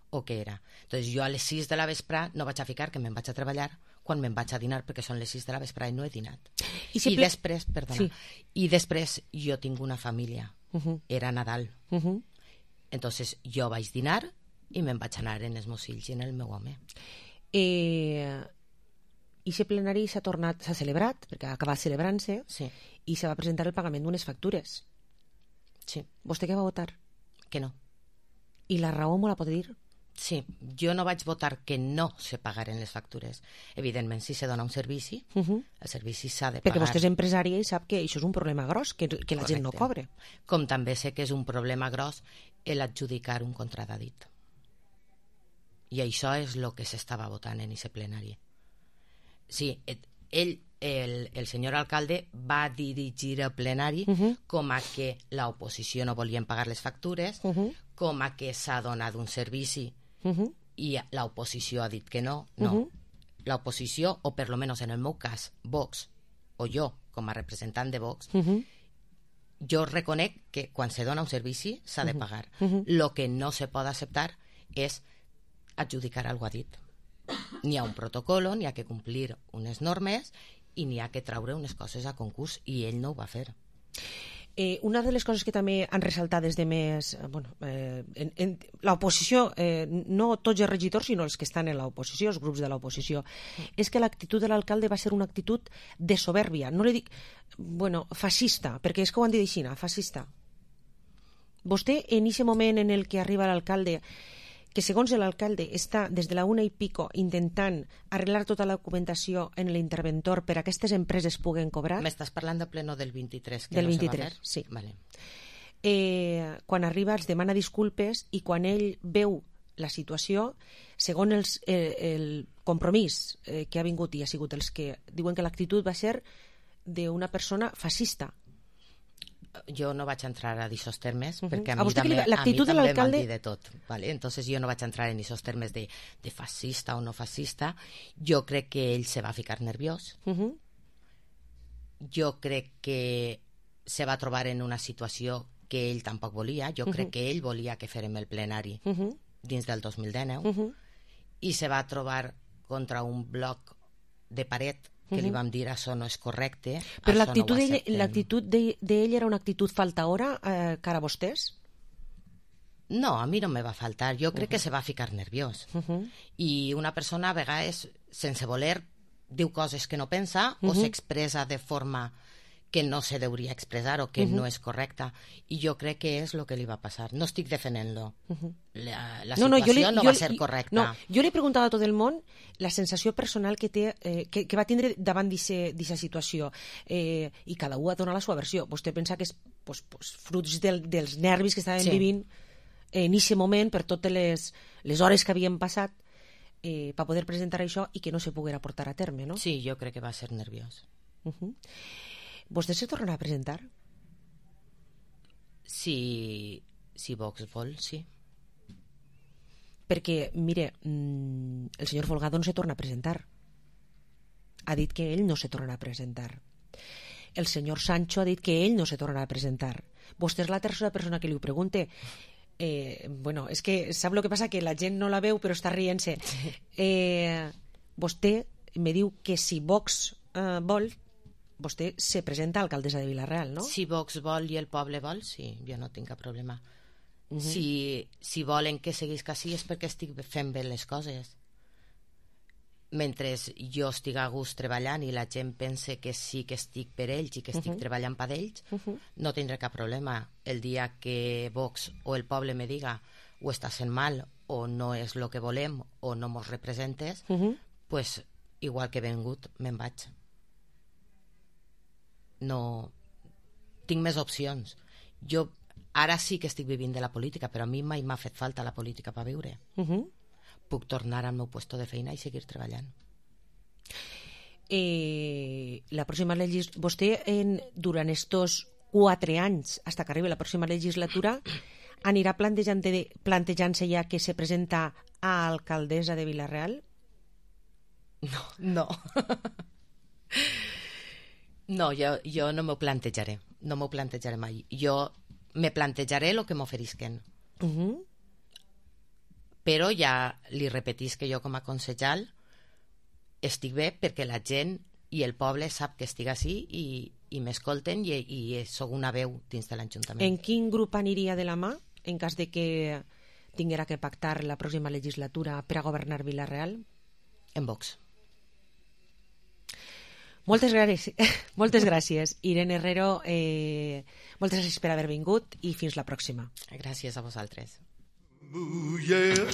Speaker 7: o què era. Entonces jo a les 6 de la vesprà no vaig a ficar que me'n vaig a treballar quan me'n vaig a dinar, perquè són les 6 de la vesprà i no he dinat. I després, perdona, i després jo tinc una família, era Nadal. Entonces jo vaig dinar i me'n vaig anar en els meus fills i en el meu home.
Speaker 22: I aquest plenari s'ha celebrat, perquè ha acabat celebrant-se, i se va presentar el pagament d'unes factures.
Speaker 7: Sí.
Speaker 22: Vostè què va votar?
Speaker 7: Que no.
Speaker 22: I la raó m'ho la pot dir?
Speaker 7: Sí, jo no vaig votar que no se pagaren les factures. Evidentment, si se dona un servici, el servici s'ha de pagar.
Speaker 22: Perquè vostè és empresària i sap que això és un problema gros, que la gent no cobre.
Speaker 7: Com també sé que és un problema gros l'adjudicar un contradit. I això és el que s'estava votant en aquest plenari. Sí, el senyor alcalde va dirigir el plenari com a que l'oposició no volien pagar les factures, com a que s'ha donat un servici i l'oposició ha dit que no. L'oposició, o per lo menos en el meu cas, Vox, o jo, com a representant de Vox, jo reconec que quan se dona un servici s'ha de pagar. Lo que no se pot acceptar és adjudicar algo a dit. N'hi ha un protocolo, n'hi ha que complir unes normes i n'hi ha que traure unes coses a concurs, i ell no ho va fer.
Speaker 22: Una de les coses que també han ressaltat des de més... l'oposició, no tots els regidors, sinó els que estan en l'oposició, els grups de l'oposició, és que l'actitud de l'alcalde va ser una actitud de soberbia. No li dic, fascista, perquè és que ho han dit així, fascista. Vostè, en aquest moment en el que arriba l'alcalde, que segons l'alcalde està des de la 1:15 intentant arreglar tota la documentació en l'interventor per a que aquestes empreses puguen cobrar...
Speaker 7: M'estàs parlant del pleno del 23, que
Speaker 22: del
Speaker 7: no
Speaker 22: 23,
Speaker 7: se va fer?
Speaker 22: Sí.
Speaker 7: Vale.
Speaker 22: Quan arriba els demana disculpes i quan ell veu la situació, segons el compromís que ha vingut i ha sigut els que diuen que l'actitud va ser d'una persona fascista.
Speaker 7: Jo no vaig entrar a aquests termes, perquè a mi també m'han dit de tot. Vale? Entonces jo no vaig entrar en aquests termes de fascista o no fascista. Jo crec que ell se va ficar nerviós. Jo crec que se va trobar en una situació que ell tampoc volia. Jo crec que ell volia que fèrem el plenari dins del 2019 i se va trobar contra un bloc de paret que li vam dir això no és correcte.
Speaker 22: Però l'actitud d'ell era una actitud faltaora cara a vostès?
Speaker 7: No, a mi no me va faltar. Jo crec que se va ficar nerviós. I una persona a vegades, sense voler, diu coses que no pensa o s'expressa de forma que no se deuria expressar o que no és correcta. I jo crec que és el que li va passar. No estic defendent-lo. La situació no va ser correcta.
Speaker 22: No, jo li he preguntat a tot el món la sensació personal que té, que va tindre davant d'aquesta situació. I cada un ha donat la seva versió. Vostè pensa que és fruits dels nervis que estaven vivint en aquest moment per totes les hores que havien passat. per poder presentar això i que no se poguera portar a terme, no?
Speaker 7: Sí, jo crec que va ser nerviós.
Speaker 22: Vostè se tornarà a presentar?
Speaker 7: Si Vox vol, sí.
Speaker 22: Perquè, mire, el senyor Folgado no se torna a presentar. Ha dit que ell no se tornarà a presentar. El senyor Sancho ha dit que ell no se tornarà a presentar. Vostè és la tercera persona que li ho pregunte. Bueno, és que sap el que passa? Que la gent no la veu però està rient-se. Vostè me diu que si Vox vol, vostè se presenta a alcaldessa de Vila-real, no?
Speaker 7: Si Vox vol i el poble vol, sí, jo no tinc cap problema. Si volen que seguís així és perquè estic fent bé les coses. Mentre jo estic a gust treballant i la gent pense que sí que estic per ells i que estic treballant per ells, no tindré cap problema. El dia que Vox o el poble me diga o estàs fent mal o no és el que volem o no mos representes, pues igual que he vengut, me'n vaig. No tinc més opcions. Jo ara sí que estic vivint de la política, però a mi mai m'ha fet falta la política per viure. Puc tornar al meu puesto de feina i seguir treballant.
Speaker 22: La pròxima vostè durant estos 4 anys fins que arribi la pròxima legislatura anirà plantejant-se ja que se presenta a alcaldessa de Vila-real?
Speaker 7: No. No, jo no m'ho plantejaré. No m'ho plantejaré mai. Jo me plantejaré el que m'oferisquen. Però ja li repetís que jo com a concejal estic bé perquè la gent i el poble sap que estic així i m'escolten i sóc una veu dins de l'Ajuntament.
Speaker 22: En quin grup aniria de la mà en cas de que tinguera que pactar la pròxima legislatura per a governar Vila-real?
Speaker 7: En Vox.
Speaker 22: Moltes gràcies, Irene Herrero. Moltes gràcies per haver vingut i fins la pròxima.
Speaker 7: Gràcies a vosaltres.
Speaker 21: Ooh, yeah.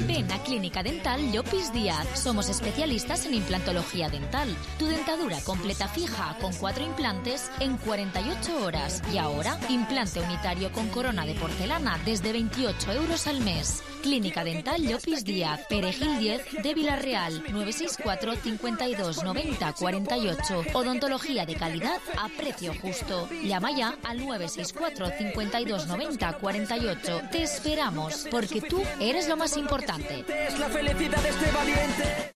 Speaker 2: Ven a Clínica Dental Llopis Díaz. Somos especialistas en implantología dental. Tu dentadura completa fija con 4 implantes en 48 horas. Y ahora, implante unitario con corona de porcelana desde 28 euros al mes. Clínica Dental Llopis Díaz, Perejil 10 de Vila-real, 964 52 90 48. Odontología de calidad a precio justo. Llama ya al 964 52 90 48. Te esperamos, porque tú eres lo más importante.
Speaker 21: Es la felicidad de este valiente.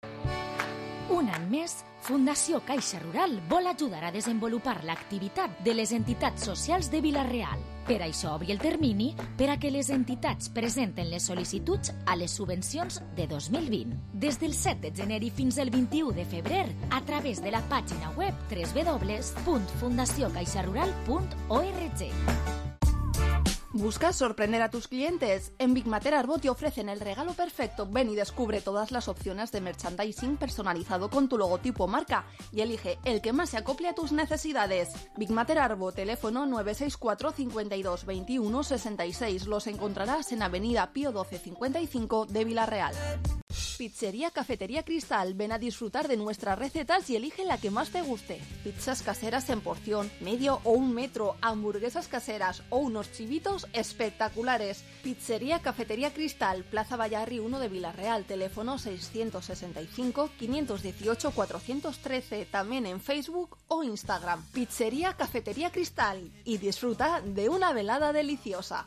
Speaker 2: Un any més, Fundació Caixa Rural vol ajudar a desenvolupar l'activitat de les entitats socials de Vila-real. Per això obri el termini per a que les entitats presenten les sol·licituds a les subvencions de 2020. Des del 7 de gener i fins al 21 de febrer, a través de la pàgina web www.fundaciocaixarural.org.
Speaker 5: ¿Buscas sorprender a tus clientes? En Big Mater Arbo te ofrecen el regalo perfecto. Ven y descubre todas las opciones de merchandising personalizado con tu logotipo o marca y elige el que más se acople a tus necesidades. Big Mater Arbo, teléfono 964 52 21 66. Los encontrarás en Avenida Pío 12 55 de Vila-real. Pizzería Cafetería Cristal. Ven a disfrutar de nuestras recetas y elige la que más te guste. Pizzas caseras en porción, medio o 1 metro, hamburguesas caseras o unos chivitos espectaculares. Pizzería Cafetería Cristal, Plaza Vallarri 1 de Vila-real, teléfono 665 518 413, también en Facebook o Instagram. Pizzería Cafetería Cristal y disfruta de una velada deliciosa.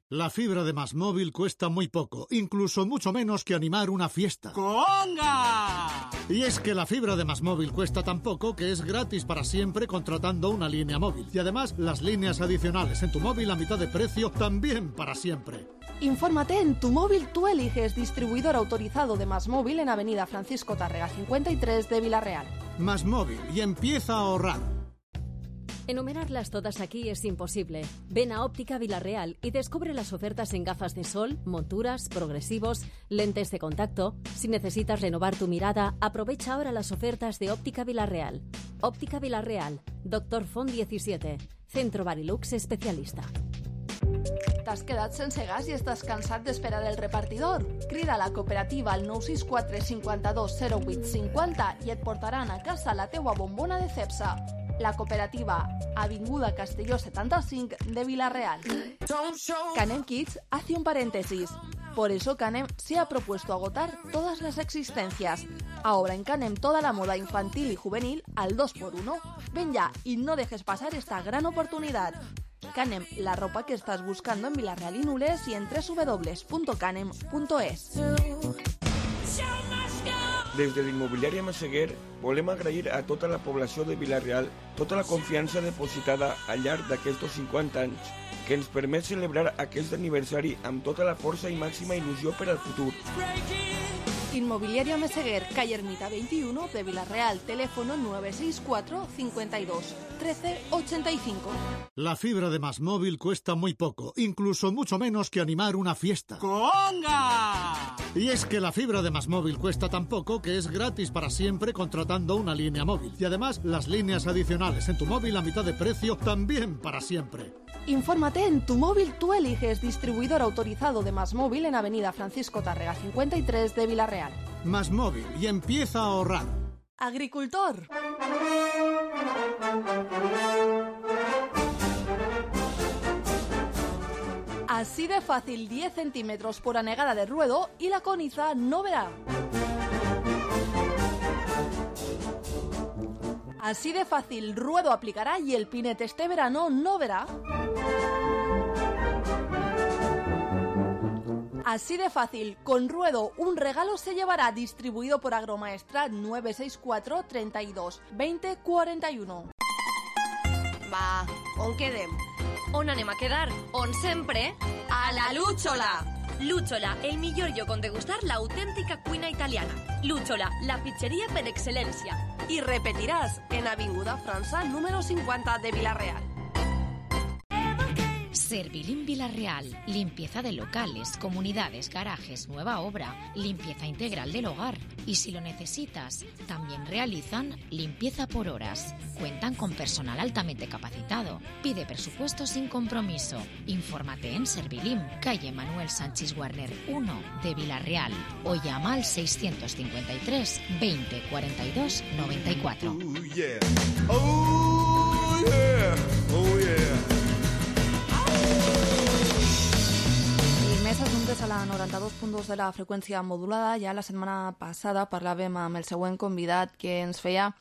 Speaker 8: La fibra de Más Móvil cuesta muy poco, incluso mucho menos que animar una fiesta.
Speaker 9: ¡Conga!
Speaker 8: Y es que la fibra de Más Móvil cuesta tan poco que es gratis para siempre contratando una línea móvil. Y además, las líneas adicionales en tu móvil a mitad de precio también para siempre.
Speaker 5: Infórmate en Tu Móvil Tú Eliges, distribuidor autorizado de Más Móvil en Avenida Francisco Tárrega 53 de Vila-real.
Speaker 8: Más Móvil y empieza a ahorrar.
Speaker 11: Enumerarlas todas aquí es imposible. Ven a Óptica Vila-real y descubre las ofertas en gafas de sol, monturas, progresivos, lentes de contacto. Si necesitas renovar tu mirada, aprovecha ahora las ofertas de Óptica Vila-real. Óptica Vila-real, Dr. Font 17, Centro Barilux especialista.
Speaker 5: T'has quedat sense gas i estàs cansat d'esperar el repartidor? Crida a la cooperativa al 964 52 08 50 i et portaran a casa la teua bombona de Cepsa. la cooperativa Avinguda Castelló 75 de Vila-real. Canem Kids hace un paréntesis. Por eso Canem se ha propuesto agotar todas las existencias. Ahora en Canem toda la moda infantil y juvenil al 2x1. Ven ya y no dejes pasar esta gran oportunidad. Canem, la ropa que estás buscando en Vila-real i Nules i en www.canem.es.
Speaker 16: Des de l'immobiliària Massaguer volem agrair a tota la població de Vila-real tota la confiança depositada al llarg d'aquests 50 anys que ens permet celebrar aquest aniversari amb tota la força i màxima il·lusió per al futur.
Speaker 5: Inmobiliaria Meseguer, calle Ermita 21 de Vila-real, teléfono 964 52 13 85.
Speaker 8: La fibra de Más Móvil cuesta muy poco, incluso mucho menos que animar una fiesta.
Speaker 9: ¡Conga!
Speaker 8: Y es que la fibra de Más Móvil cuesta tan poco que es gratis para siempre contratando una línea móvil. Y además, las líneas adicionales en tu móvil a mitad de precio también para siempre.
Speaker 5: Infórmate en Tu Móvil Tú Eliges, distribuidor autorizado de Más Móvil en Avenida Francisco Tárrega 53 de Vila-real.
Speaker 8: Más Móvil y empieza a ahorrar.
Speaker 5: Agricultor. Así de fácil, 10 centímetros por anegada de ruedo y la coniza no verá. Así de fácil, ruedo aplicará y el pinete este verano no verá. Así de fácil, con ruedo un regalo se llevará, distribuido por Agromaestrat 964 32 20 41.
Speaker 17: Va, on quedem? On anem a quedar? On sempre? A la Lúchola! Lúchola, el millor lloc on degustar l'autèntica cuina italiana. Lúchola, la pizzeria per excel·lència. I repetiràs en Avinguda França número 50 de Vila-real.
Speaker 2: Servilín Vila-real, limpieza de locales, comunidades, garajes, nueva obra, limpieza integral del hogar. Y si lo necesitas, también realizan limpieza por horas. Cuentan con personal altamente capacitado. Pide presupuesto sin compromiso. Infórmate en Servilín, calle Manuel Sánchez Warner 1 de Vila-real o llama al 653 20 42 94.
Speaker 21: Oh yeah, oh yeah, oh yeah.
Speaker 4: Més assumptes a la 92.2 de la freqüència modulada. Ja la setmana passada parlàvem amb el següent convidat que ens feia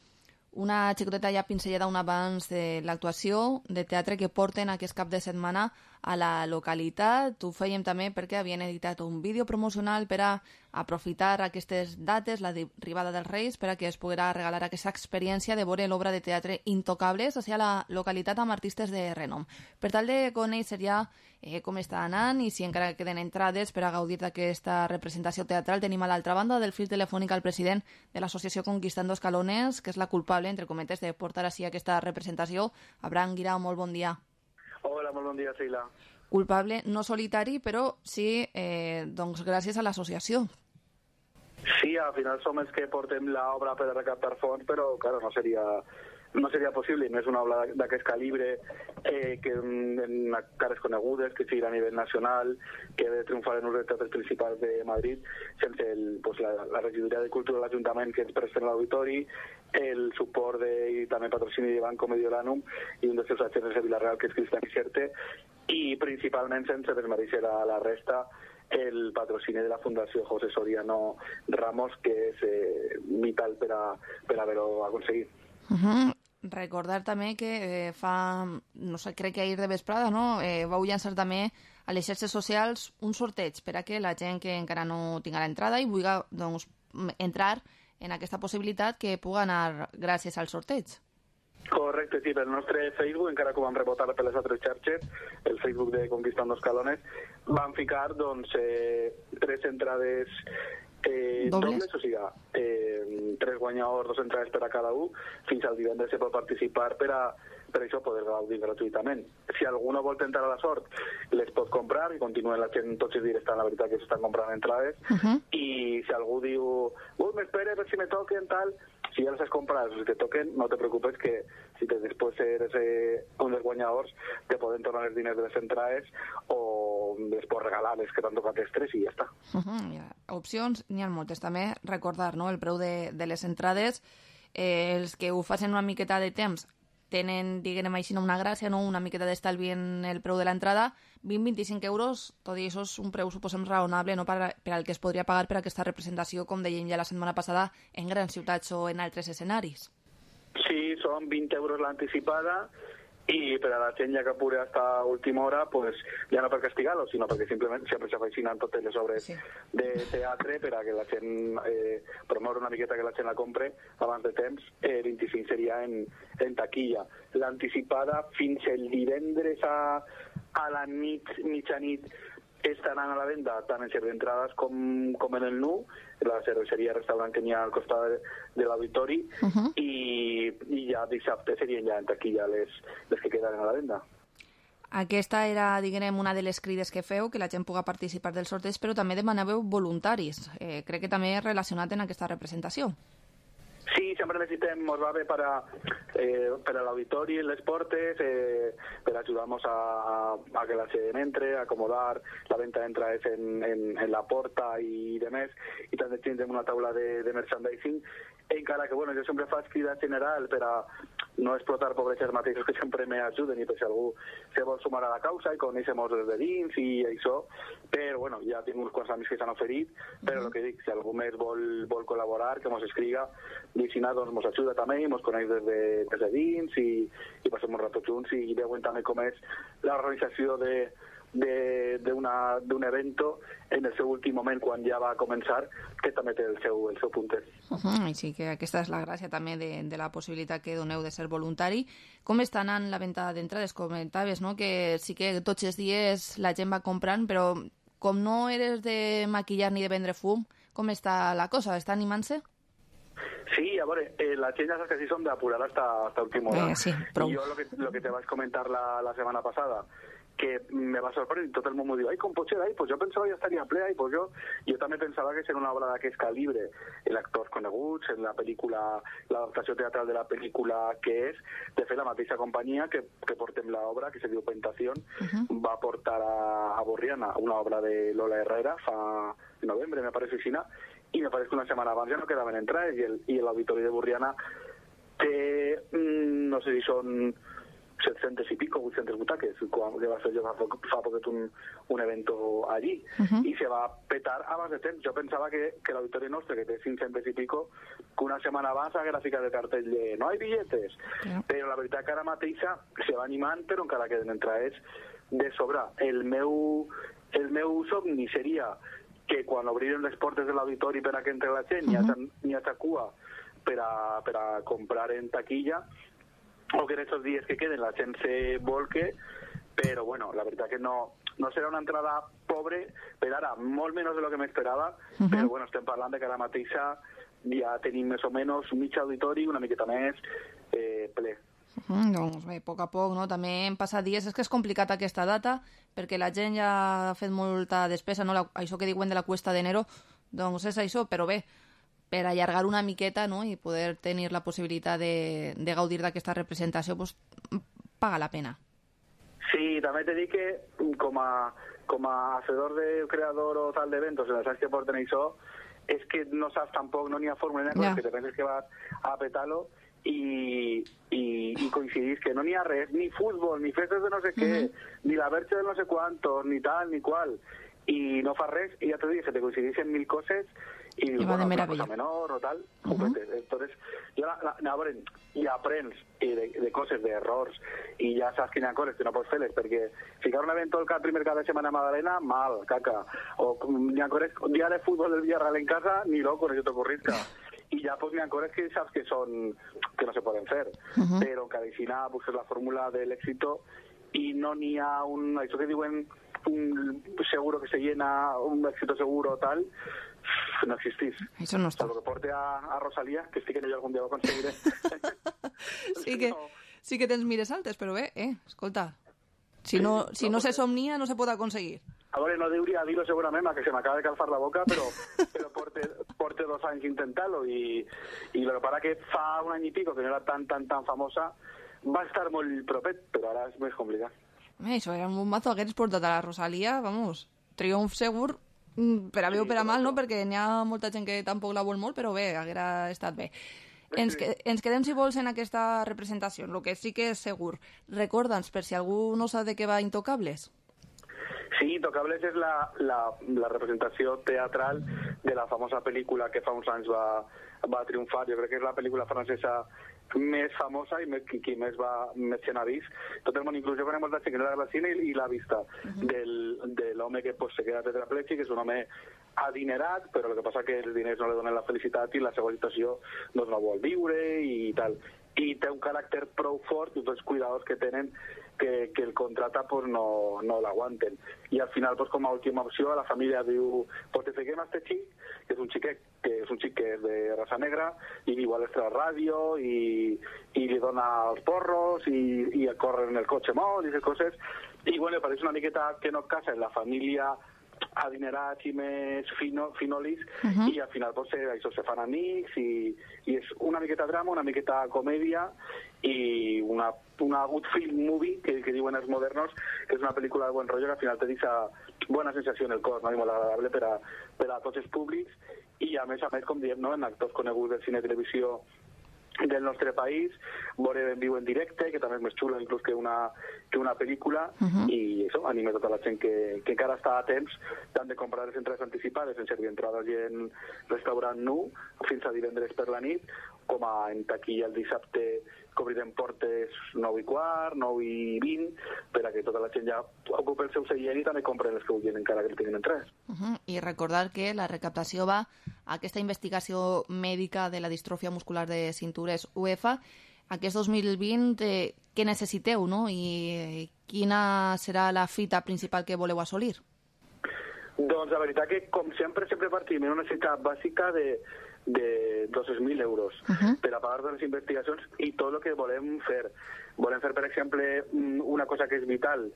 Speaker 4: una xicoteta ja pinzellada un abans de l'actuació de teatre que porten aquest cap de setmana a la localitat. Ho fèiem també perquè havien editat un vídeo promocional per a aprofitar aquestes dates, la arribada dels Reis, per a que es poguera regalar aquesta experiència de veure l'obra de teatre Intocables a la localitat amb artistes de renom. Per tal de conèixer ja com està anant i si encara queden entrades per a gaudir d'aquesta representació teatral, tenim a l'altra banda del fil telefònic al president de l'associació Conquistando Escalones, que és la culpable, entre cometes, de portar així aquesta representació. Abraham Guirao, molt bon dia.
Speaker 1: Hola, molt bon dia, Sheila.
Speaker 4: Culpable no solitari, però sí, doncs gràcies a l'associació.
Speaker 1: Sí, al final som els que portem l'obra per recaptar fons, però, claro, no seria possible, no és una obra d'aquest calibre, que en cares conegudes, que sigui a nivell nacional, que ha de triomfar en un dels teatres principals de Madrid, sense la regidoria de Cultura de l'Ajuntament que ens presten l'auditori, el suport i també patrocini de Banco Mediolanum i un dels seus agents de Vila-real, que és Cristian Ixerte, i principalment sense desmereixer a la resta el patrocini de la Fundació José Soriano Ramos, que és vital per haver-ho aconseguit.
Speaker 4: Recordar també que fa, no sé, crec que ahir de vesprada, no? Vau llançar també a les xarxes socials un sorteig per a que la gent que encara no tinga l'entrada i vulgui, doncs, entrar en aquesta possibilitat que pugui anar gràcies al sorteig.
Speaker 1: Correcte, sí, pel nostre Facebook, encara que ho vam rebotar per les altres xarxes, el Facebook de Conquistando Escalones, vam ficar, doncs, 3 entrades dobles, o sigui, 3 guanyadors, 2 entrades per a cada un, fins al divendres se pot participar per això poder gaudir gratuïtament. Si algú no vol tentar a la sort, les pot comprar i continuen la gent, tots els dies estan, la veritat, que s'estan comprant entrades, i si algú diu, m'espera per si me toquen, tal, si ja les has comprat, si te toquen, no te preocupes, que si després eres un dels guanyadors, te poden tornar els diners de les entrades o després regalar les que t'han tocat els 3 i ja està.
Speaker 4: Opcions n'hi ha moltes. També recordar, no?, el preu de les entrades. Els que ho facin una miqueta de temps tenen, diguem així, una gràcia, no? Una miqueta d'estalvi en el preu de l'entrada, 20-25 euros, tot i això és un preu, suposem, raonable, no? per al que es podria pagar per aquesta representació, com dèiem ja la setmana passada, en grans ciutats o en altres escenaris.
Speaker 1: Sí, són 20 euros l'anticipada, i per a la gent ja que pure hasta última hora, pues, ja no per castigar-lo, sinó perquè simplement sempre s'afeicinen totes les obres de teatre per a que la gent promoure una miqueta que la gent la compre abans de temps. 25 seria en taquilla. L'anticipada fins el divendres a la mitjanit estaran a la venda tant en d'entrades com en el NU, la cerveseria restaurant que n'hi ha al costat de l'auditori, i ja dissabte serien ja en taquilla les que queden a la venda.
Speaker 4: Aquesta era, diguem, una de les crides que feu, que la gent pugui participar dels sorteig, però també demanàveu voluntaris. Crec que també és relacionat en aquesta representació.
Speaker 1: Sí, sempre necessitem, ens va bé per a l'auditori, les portes, per ajudar-nos a que la gent entre, a acomodar la venta d'entrades en la porta i demés, i també tindrem una taula de merchandising, encara que, bueno, jo sempre faig crida general per a no explotar pobres mateixos que sempre m'ajuden, i per si algú se vol sumar a la causa i conèixer-nos des de dins i això, però, bueno, ja tinc uns quants amics que s'han oferit, però el que dic, si algú més vol col·laborar, que mos escriga, i si no, doncs mos ajuda també, i mos coneix des de dins, i passem un rato junts, i veuen també com és l'organització d'un evento en el seu últim moment, quan ja va començar, que també té el seu puntet.
Speaker 4: Així que aquesta és la gràcia també de la possibilitat que doneu de ser voluntari. Com està anant la venda d'entrades? Comentaves, no?, que sí que tots els dies la gent va comprant, però com no eres de maquillar ni de vendre fum, com està la cosa? Està animant-se?
Speaker 1: Sí, a veure, la gent ja saps que sí som d'apurar hasta última hora.
Speaker 4: Sí, prou.
Speaker 1: I jo lo que te vaig comentar la setmana passada, que me va sorprendre, i tot el món m'ho diu, ai, com pot ser, ai, pues jo pensava ja estaria ple, ai, pues jo també pensava que ser una obra d'aquest calibre, en actors coneguts, en la pel·lícula, l'adaptació teatral de la pel·lícula que és, de fer la mateixa companyia que portem l'obra, que se diu Pentación, va portar a Borriana una obra de Lola Herrera fa novembre, me parece aixina, i me parece que una setmana abans ja no quedaven entrades, i l'auditori de Borriana té, no sé si són 700 y pico, 800 butaques, que va ser jo fa poquet un evento allí, i se va petar abans de temps. Jo pensava que l'auditori nostre, que té 500 y pico, que una setmana abans haguera ficat de cartell de no hay billetes, però la veritat que ara mateixa se va animant, però encara queden entrades de sobra. El meu somni seria que quan obriren les portes de l'auditori per a que entre la gent n'hi ha cua per a comprar en taquilla, o que en estos dies que queden la gent se volque, però bueno, la veritat que no serà una entrada pobre, per ara molt menys de lo que m'esperava, però bueno, estem parlant de que ara mateixa ja tenim més o menys mig auditori, una miqueta més ple.
Speaker 4: Doncs bé, a poc, no? També hem passat dies, és que és complicat aquesta data, perquè la gent ja ha fet molta despesa, no? Això que diuen de la cuesta d'enero, doncs és això, però bé, per allargar una miqueta, no?, i poder tenir la possibilitat de gaudir d'aquesta representació, pues, paga la pena.
Speaker 1: Sí, també t'he dit que com a hacedor de creador o tal d'eventos, en els anys que porten això, és que no saps tampoc, no n'hi ha fórmula, que te penses que vas a petar-lo i coincidís que no n'hi ha res, ni futbol, ni festes de no sé què, ni la verge de no sé quantos, ni tal, ni qual, i no fa res, i ja t'ho dic, que te coincidís en mil coses, i bueno, una cosa menor o tal, entonces ja aprens de coses, d'errors, i ja saps que hi ha coses que no pots fer-les, perquè ficar un evento el primer cada setmana a Madalena, mal, caca, o hi ha coses, un dia de futbol del Villarreal en casa, ni loco, no se t'ocorrisca, i ja pues, hi ha coses que saps que no se poden fer, però cada vegada busques la fórmula de l'éxito i no n'hi ha això que diuen un seguro que se llena, un éxito seguro o tal, no existís.
Speaker 4: Eso no está.
Speaker 1: Lo que porte a Rosalía, que sí que yo algún día lo conseguiré.
Speaker 4: Sí que tens mires altes, però bé, escolta, si no se somnia no se pot aconseguir.
Speaker 1: A veure, no deuria dir-ho segurament, que se m'acaba de calfar la boca, però porte 2 anys intentant-lo, i lo que para que fa un any i pico, que no era tan famosa, va estar molt propet, però ara és més complicat.
Speaker 4: Això era un bombazo, hagués portat a la Rosalía, vamos, triomf segur, per a bé o per a mal, no? Perquè n'hi ha molta gent que tampoc la vol molt, però bé, haguera estat bé. Ens quedem, si vols, en aquesta representació. El que sí que és segur. Recorda'ns, per si algú no sap de què va Intocables.
Speaker 1: Sí, Intocables és la representació teatral de la famosa pel·lícula que fa uns anys va triomfar. Jo crec que és la pel·lícula francesa més famosa i qui més gent ha vist. Tot el món, inclús jo conec molta gent que no l'ha vist al cine i l'ha vista, de l'home que se queda tetraplègic, que és un home adinerat, però el que passa que els diners no li donen la felicitat i la seva situació no vol viure i tal. I té un caràcter prou fort, tots els cuidadors que tenen, que el contrata pues no l'aguanten. I al final, pues, com a última opció, la família diu, pues te fiquem a este xic, que és un xic que és de raça negra, i igual està a la ràdio, i li dona els porros, i corre en el cotxe molt, i aquestes coses. I bueno, pareix una miqueta que no casa en la família adinerats i més finolis, i al final pues, això se fan amics, i és una miqueta drama, una miqueta comèdia, i una good film movie, que diuen els modernos, que és una pel·lícula de buen rotllo que al final te deixa bona sensació en el cos, no? I molt agradable per a tots els públics, i a més, com diem, no? En actors coneguts del cine i televisió del nostre país, veure en viu en directe, que també és més xulo inclús que una pel·lícula, i això, anime tota la gent que encara està a temps tant de comprar les entrades anticipades en servir entrades i en restaurant nu fins a divendres per la nit, com en taquilla el dissabte que obrirem portes 9:15, 9:20, per a que tota la gent ja ocupi el seu seient i també compren els que vulguin encara que el tinguin entrades.
Speaker 4: I recordar que la recaptació va a aquesta investigació mèdica de la distròfia muscular de cintures UEFA. Aquest 2020, què necessiteu, no? I quina serà la fita principal que voleu assolir?
Speaker 1: Doncs la veritat que, com sempre partim en una necessitat bàsica de 200.000 euros per a pagar les investigacions i tot el que volem fer. Volem fer, per exemple, una cosa que és vital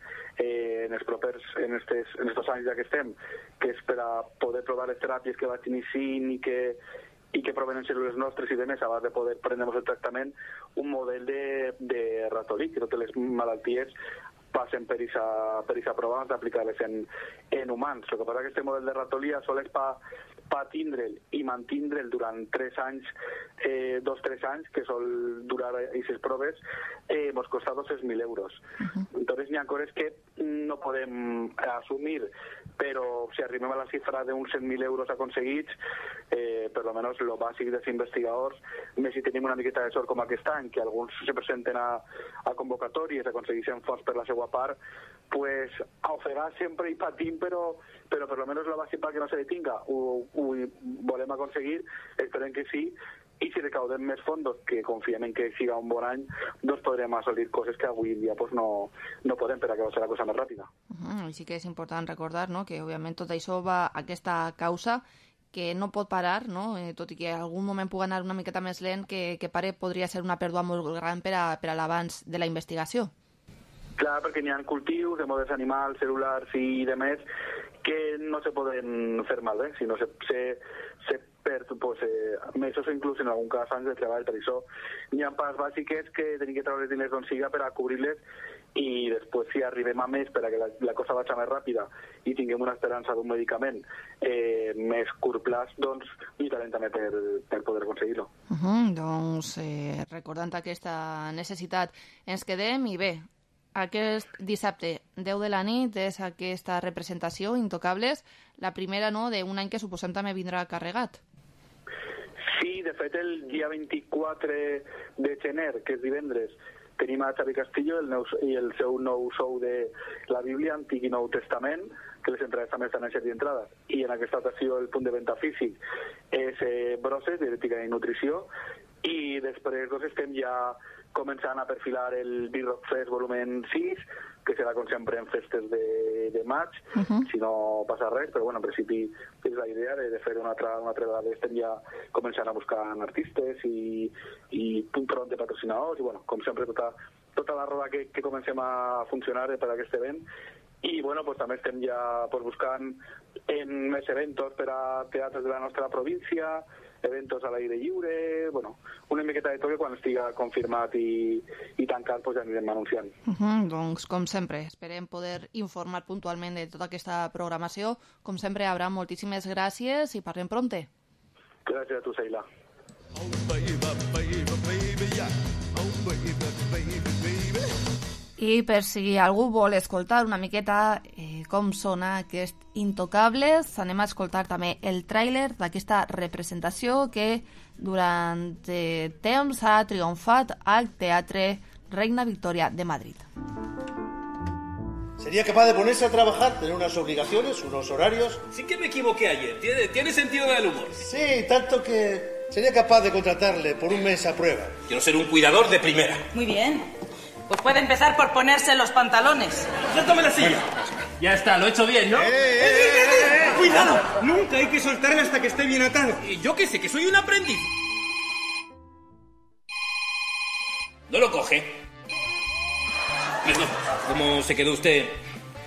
Speaker 1: en estos anys ja que estem, que és per a poder provar les teràpies que vaig iniciant i que provenen cèl·lules nostres i demés abans de poder prendre el tractament, un model de ratolí, que totes les malalties passen per aquesta prova abans d'aplicar-les en humans. El que passa que aquest model de ratolí sols per tindre'l i mantindre'l durant 3 anys, 2-3 anys, que sol durar aquestes proves, ens costa 200.000 euros. Entonces n'hi ha coses que no podem assumir, però si arribem a la xifra d'uns 100.000 euros aconseguits, per lo menos lo bàsic dels investigadors, més si tenim una miqueta de sort com aquest any, que alguns se presenten a convocatòries, aconsegueixen fons per la seva part, pues a ofegar sempre i patim, però per lo menos lo bàsic perquè no se detinga ho volem aconseguir, esperem que sí, i si recaudem més fondos, que confiem en que siga un bon any, doncs podrem assolir coses que avui dia pues, no podem, per a que va ser la cosa més ràpida.
Speaker 4: Sí que és important recordar, no?, que òbviament tot això va a aquesta causa que no pot parar, no? Tot i que en algun moment pugui anar una miqueta més lent, que pare podria ser una pèrdua molt gran per a l'avanç de la investigació.
Speaker 1: Clar, perquè n'hi ha cultius de models animals, cel·lulars i demés que no se poden fer malbé, sinó se perd mesos o inclús en algun cas anys de treball. Per això n'hi ha parts bàsiques que tenim que treure els diners d'on siga per a cobrir-les, i després si arribem a més per a que la cosa vagi més ràpida i tinguem una esperança d'un medicament més curt plaç, doncs lluitarem també per poder aconseguir-lo.
Speaker 4: Doncs recordant aquesta necessitat ens quedem, i bé, aquest dissabte 10 de la nit és aquesta representació Intocables, la primera, no?, d'un any que suposem també vindrà carregat.
Speaker 1: Sí, de fet el dia 24 de gener, que és divendres, tenim a Xavi Castillo i el seu nou show de la Bíblia, Antic i Nou Testament, que les entrades també estan en servir d'entrades. I en aquesta ocasió el punt de venda físic és Brosses, Dietètica i Nutrició, i després estem ja començant a perfilar el Big Rock Fest volumen 6, que serà com sempre en festes de maig, si no passa res, però bueno, en principi és la idea de fer una altra vegada. Estem ja començant a buscar artistes i front de patrocinadors, i bueno, com sempre tota la roda que comencem a funcionar per a aquest event. I bueno, pues també estem ja buscant en més eventos per a teatres de la nostra província, eventos a l'aire lliure, bueno, una miqueta de tot, que quan estiga confirmat i tancat pues ja anirem anunciant.
Speaker 4: Doncs, com sempre, esperem poder informar puntualment de tota aquesta programació. Com sempre, Abraham, moltíssimes gràcies i parlem pronte.
Speaker 1: Gràcies a tu, Sheila.
Speaker 21: Oh, baby, baby.
Speaker 4: I per si algú vol escoltar una miqueta com sona aquest Intocables, anem a escoltar també el tràiler d'aquesta representació que durant temps ha triomfat al Teatre Reina Victoria de Madrid.
Speaker 3: Sería capaz de ponerse a trabajar, tener unas obligaciones, unos horarios.
Speaker 19: Sí que me equivoqué ayer, tiene sentido del humor.
Speaker 3: Sí, tanto que sería capaz de contratarle por un mes a prueba.
Speaker 19: Quiero ser un cuidador de primera.
Speaker 23: Muy bien. Pues puede empezar por ponerse los pantalones.
Speaker 19: Suéltame la silla. Ya está, lo he hecho bien, ¿no?
Speaker 3: ¡Cuidado! Nunca hay que soltarle hasta que esté bien atado.
Speaker 19: Y yo qué sé, que soy un aprendiz. No lo coge. Perdón, ¿cómo se quedó usted?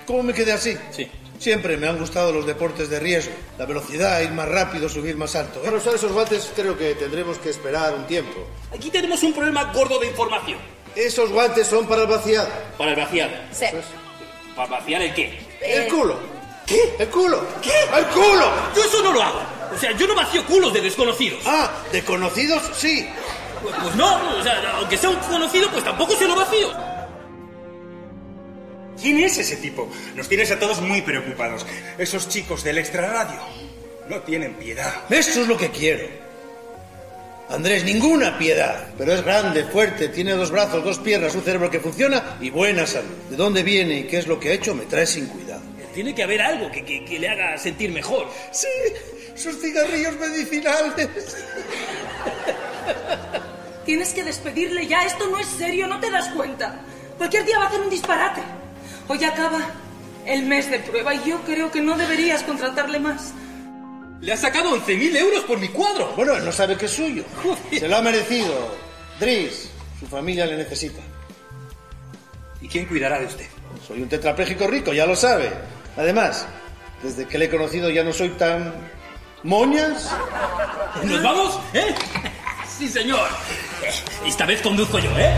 Speaker 3: ¿Cómo me quedé así?
Speaker 19: Sí.
Speaker 3: Siempre me han gustado los deportes de riesgo. La velocidad, ir más rápido, subir más alto. Para usar esos guantes creo que tendremos que esperar un tiempo.
Speaker 19: Aquí tenemos un problema gordo de información.
Speaker 3: Esos guantes son para el vaciado.
Speaker 19: ¿Para el vaciado?
Speaker 23: Sí.
Speaker 19: ¿Para vaciar el qué?
Speaker 3: El culo. ¿Qué? ¿El culo? ¿Qué? ¡El culo!
Speaker 19: Yo eso no lo hago. O sea, yo no vacío culos de desconocidos.
Speaker 3: Ah, ¿de conocidos? Sí.
Speaker 19: Pues no, o sea, aunque sea un conocido, pues tampoco se lo vacío.
Speaker 24: ¿Quién es ese tipo? Nos tienes a todos muy preocupados. Esos chicos del extrarradio no tienen piedad.
Speaker 3: Esto es lo que quiero. Andrés, ninguna piedad. Pero es grande, fuerte, tiene 2 brazos, 2 piernas, un cerebro que funciona y buena salud. ¿De dónde viene y qué es lo que ha hecho? Me trae sin cuidado.
Speaker 19: Tiene que haber algo que le haga sentir mejor.
Speaker 3: Sí, sus cigarrillos medicinales.
Speaker 23: Tienes que despedirle ya. Esto no es serio, ¿no te das cuenta? Cualquier día va a hacer un disparate. Hoy acaba el mes de prueba y yo creo que no deberías contratarle más.
Speaker 19: Le ha sacado 11.000 euros por mi cuadro.
Speaker 3: Bueno, él no sabe que es suyo. Joder. Se lo ha merecido. Dries, su familia le necesita.
Speaker 19: ¿Y quién cuidará de usted?
Speaker 3: Soy un tetrapléjico rico, ya lo sabe. Además, desde que le he conocido ya no soy tan... ¿Moñas?
Speaker 19: ¿Nos vamos? ¿Eh? Sí, señor. Esta vez conduzco yo, ¿eh?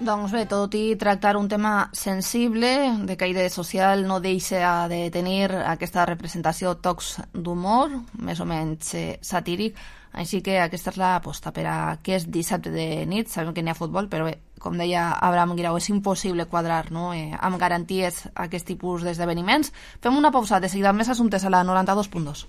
Speaker 4: Doncs bé, tot i tractar un tema sensible, de caire social, no deixa de tenir aquesta representació tocs d'humor, més o menys satíric, així que aquesta és l'aposta per a aquest dissabte de nit. Sabem que n'hi ha futbol, però bé, com deia Abraham Guirao, és impossible quadrar, no?, amb garanties aquest tipus d'esdeveniments. Fem una pausa, de seguida més assumptes a la 92.2.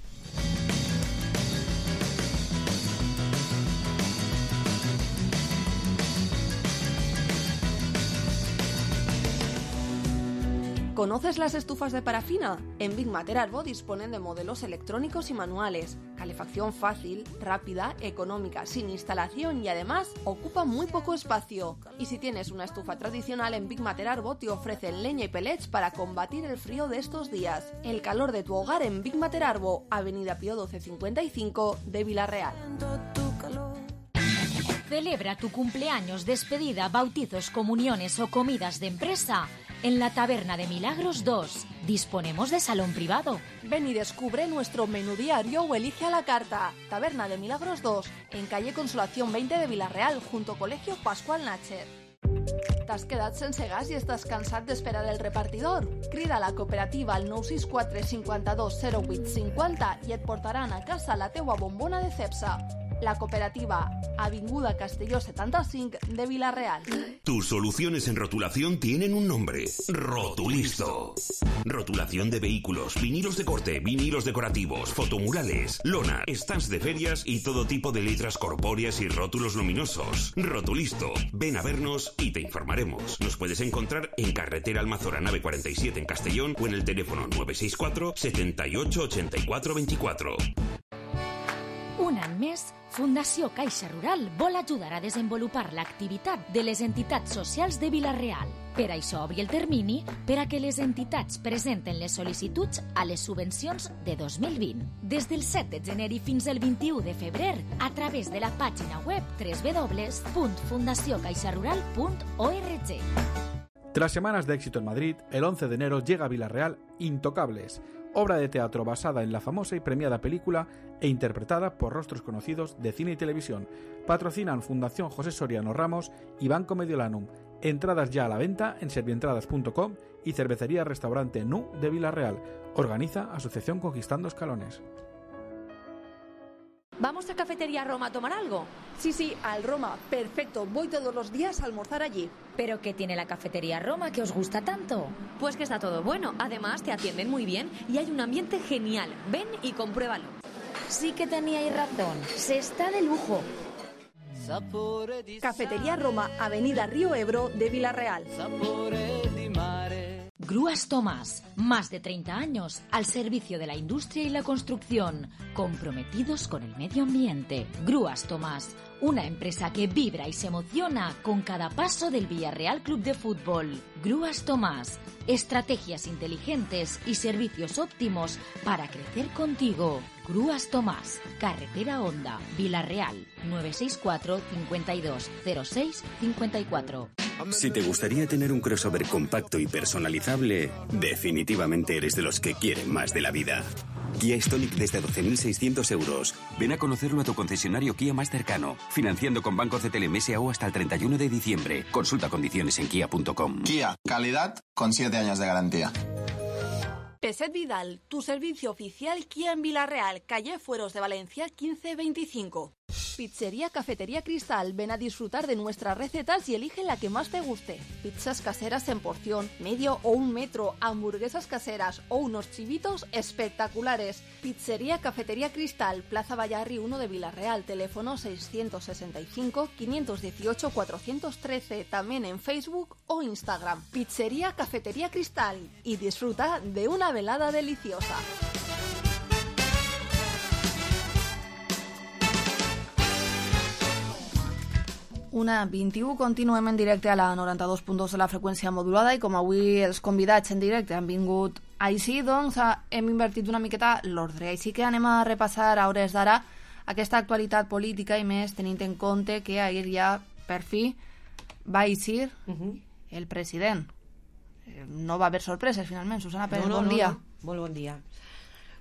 Speaker 5: ¿Conoces las estufas de parafina? En Big Mater Arbo disponen de modelos electrónicos y manuales, calefacción fácil, rápida, económica, sin instalación y además ocupa muy poco espacio. Y si tienes una estufa tradicional, en Big Mater Arbo te ofrecen leña y pellets para combatir el frío de estos días. El calor de tu hogar en Big Mater Arbo, Avenida Pío 1255 de Vila-real.
Speaker 2: Celebra tu cumpleaños, despedida, bautizos, comuniones o comidas de empresa en la Taberna de Milagros 2. Disponemos de salón privado.
Speaker 5: Ven y descubre nuestro menú diario o elige a la carta. Taberna de Milagros 2, en calle Consolación 20 de Vila-real, junto Colegio Pascual Natcher. T'has quedat sense gas i estàs cansat d'esperar el repartidor? Crida a la cooperativa al 964 52 08 50 i et portaran a casa la teua bombona de Cepsa. La cooperativa, Avinguda Castelló 75 de Vila-real.
Speaker 20: Tus soluciones en rotulación tienen un nombre: Rotulisto. Rotulación de vehículos, vinilos de corte, vinilos decorativos, fotomurales, lona, stands de ferias y todo tipo de letras corpóreas y rótulos luminosos. Rotulisto. Ven a vernos y te informaremos. Nos puedes encontrar en carretera Almazora nave 47 en Castellón o en el teléfono 964 78 84 24.
Speaker 2: Un any més, Fundació Caixa Rural vol ajudar a desenvolupar l'activitat de les entitats socials de Vila-real. Per això obri el termini per a que les entitats presenten les sol·licituds a les subvencions de 2020. Des del 7 de gener i fins al 21 de febrer, a través de la pàgina web www.fundaciocaixarural.org.
Speaker 12: Tras semanas de éxito en Madrid, el 11 de enero llega a Vila-real Intocables, obra de teatro basada en la famosa y premiada película e interpretada por rostros conocidos de cine y televisión. Patrocinan Fundación José Soriano Ramos y Banco Mediolanum. Entradas ya a la venta en servientradas.com y Cervecería Restaurante Nu de Vila-real. Organiza Asociación Conquistando Escalones.
Speaker 17: ¿Vamos a Cafetería Roma a tomar algo?
Speaker 5: Sí, al Roma. Perfecto. Voy todos los días a almorzar allí.
Speaker 2: ¿Pero qué tiene la Cafetería Roma que os gusta tanto?
Speaker 17: Pues que está todo bueno. Además, te atienden muy bien y hay un ambiente genial. Ven y compruébalo.
Speaker 2: Sí que teníais razón. Se está de lujo.
Speaker 5: Cafetería Roma, Avenida Río Ebro de Vila-real.
Speaker 2: Grúas Tomás, más de 30 años al servicio de la industria y la construcción, comprometidos con el medio ambiente. Grúas Tomás, una empresa que vibra y se emociona con cada paso del Villarreal Club de Fútbol. Grúas Tomás, estrategias inteligentes y servicios óptimos para crecer contigo. Grúas Tomás, Carretera Honda, Vila-real, 964 52 06 54.
Speaker 6: Si te gustaría tener un crossover compacto y personalizable, definitivamente eres de los que quieren más de la vida. Kia Stonic desde 12.600 euros. Ven a conocerlo a tu concesionario Kia más cercano, financiando con Banco CTLM S.A.O. hasta el 31 de diciembre. Consulta condiciones en kia.com.
Speaker 10: Kia, calidad con 7 años de garantía.
Speaker 5: Peset Vidal, tu servicio oficial Kia en Vila-real, calle Fueros de Valencia 1525. Pizzería Cafetería Cristal, ven a disfrutar de nuestras recetas y elige la que más te guste. Pizzas caseras en porción, medio o 1 metro, hamburguesas caseras o unos chivitos espectaculares. Pizzería Cafetería Cristal, Plaza Vallarri 1 de Vila-real, teléfono 665 518 413, también en Facebook o Instagram. Pizzería Cafetería Cristal y disfruta de una velada deliciosa. Una 21, continuem en directe a la 92.2 de la freqüència modulada i com avui els convidats en directe han vingut així, doncs hem invertit una miqueta l'ordre. Així que anem a repassar a hores d'ara aquesta actualitat política i més tenint en compte que ahir ja per fi va eixir el president. No va haver sorpreses finalment. Susana Pérez, bon dia.
Speaker 22: Molt bon dia.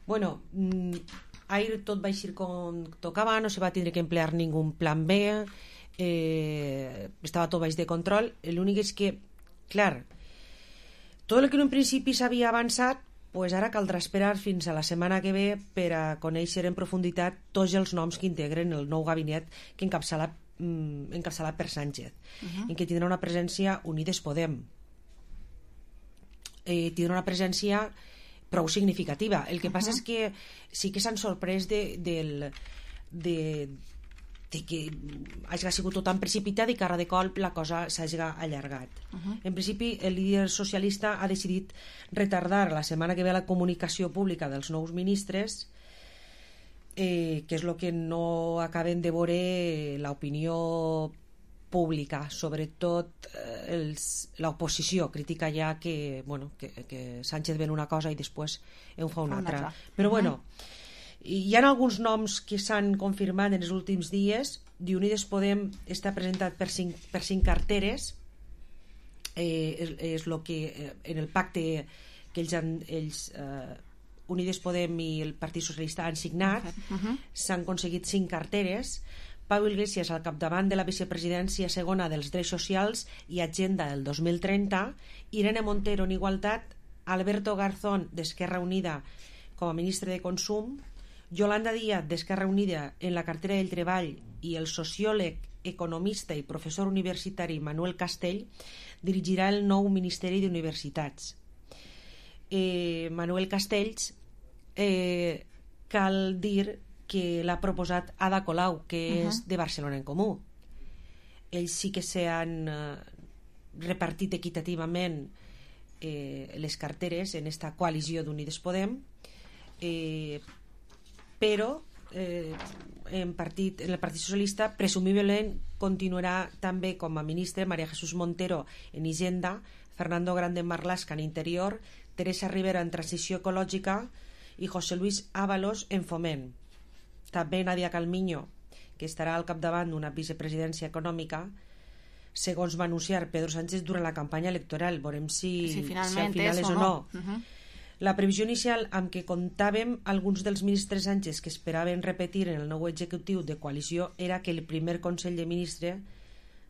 Speaker 22: Bueno, ahir tot va eixir com tocava, no se va tindre que emplear ningú plan B. Estava tot baix de control. L'únic és que, clar, tot el que en un principi s'havia avançat, pues ara caldrà esperar fins a la setmana que ve per a conèixer en profunditat tots els noms que integren el nou gabinet que encapçalat per Sánchez, en què tindrà una presència Unides Podem. Tindrà una presència prou significativa. El que passa és que sí que s'han sorprès de que hagi sigut tot tan precipitat i que ara de colp la cosa s'hagi allargat. En principi, el líder socialista ha decidit retardar la setmana que ve la comunicació pública dels nous ministres, que és el que no acaben de veure l'opinió pública, sobretot l'oposició critica ja que Sánchez ven una cosa i després en fa una altra. Però bueno, hi ha alguns noms que s'han confirmat en els últims dies. Unides Podem està presentat per cinc carteres. És el que en el pacte que ells Unides Podem i el Partit Socialista han signat, s'han aconseguit 5 carteres. Pau Iglesias al capdavant de la vicepresidència segona dels drets socials i agenda del 2030, Irene Montero en igualtat, Alberto Garzón d'Esquerra Unida com a ministre de Consum, Yolanda Díaz d'Esquerra Unida en la cartera del Treball i el sociòleg, economista i professor universitari Manuel Castell dirigirà el nou Ministeri d'Universitats. Manuel Castells cal dir que l'ha proposat Ada Colau, que és de Barcelona en Comú. Ells sí que s'han repartit equitativament les carteres en esta coalició d'Unides Podem, però en el Partit Socialista presumiblement continuarà també com a ministre María Jesús Montero en Hisenda, Fernando Grande Marlaska en Interior, Teresa Rivera en Transició Ecològica i José Luis Ábalos en Foment. També Nadia Calviño, que estarà al capdavant d'una vicepresidència econòmica, segons va anunciar Pedro Sánchez durant la campanya electoral. Veurem si al final és o no. La previsió inicial amb què comptàvem alguns dels ministres Sánchez que esperaven repetir en el nou executiu de coalició era que el primer Consell de Ministres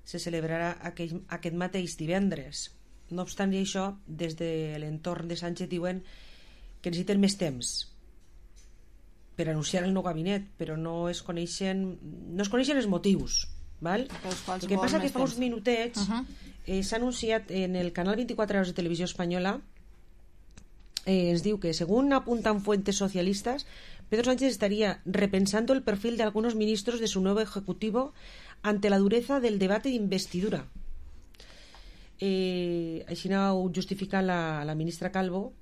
Speaker 22: se celebrarà aquest mateix divendres. No obstant això, des de l'entorn de Sánchez diuen que necessiten més temps per anunciar el nou gabinet, però no es coneixen els motius, val? El que passa que fa uns minutets s'ha anunciat en el canal 24 Horas de Televisió Espanyola, ens diu que según apuntan fuentes socialistas, Pedro Sánchez estaría repensando el perfil de algunos ministros de su nuevo ejecutivo ante la dureza del debate de investidura. Així ho justifica la ministra Calvo,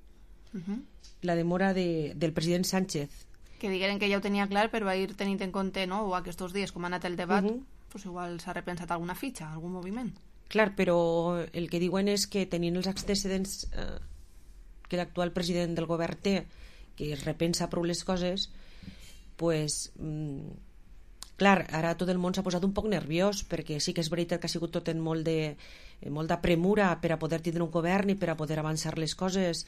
Speaker 22: la demora del president Sánchez.
Speaker 4: Que digueren que ja ho tenia clar, però va ir tenint en compte, no?, o aquests dies, com ha anat el debat, pues igual s'ha repensat alguna fitxa, algun moviment.
Speaker 22: Clar, però el que diuen és que tenint els antecedents que l'actual president del govern té, que es repensa prou les coses, pues, clar, ara tot el món s'ha posat un poc nerviós, perquè sí que és veritat que ha sigut tot en molta premura per a poder tindre un govern i per a poder avançar les coses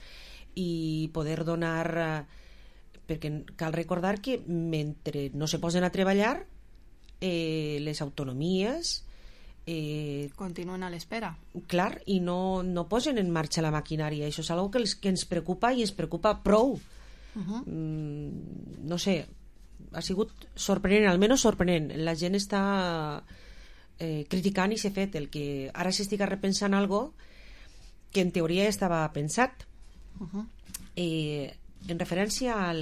Speaker 22: i poder donar... perquè cal recordar que mentre no se posen a treballar, les autonomies
Speaker 4: continuen a l'espera.
Speaker 22: Clar, i no posen en marxa la maquinària. Això és una cosa que ens preocupa i ens preocupa prou. No sé, ha sigut sorprenent, almenys sorprenent. La gent està criticant i s'ha fet el que ara s'estiga repensant algo que en teoria ja estava pensat. En referència a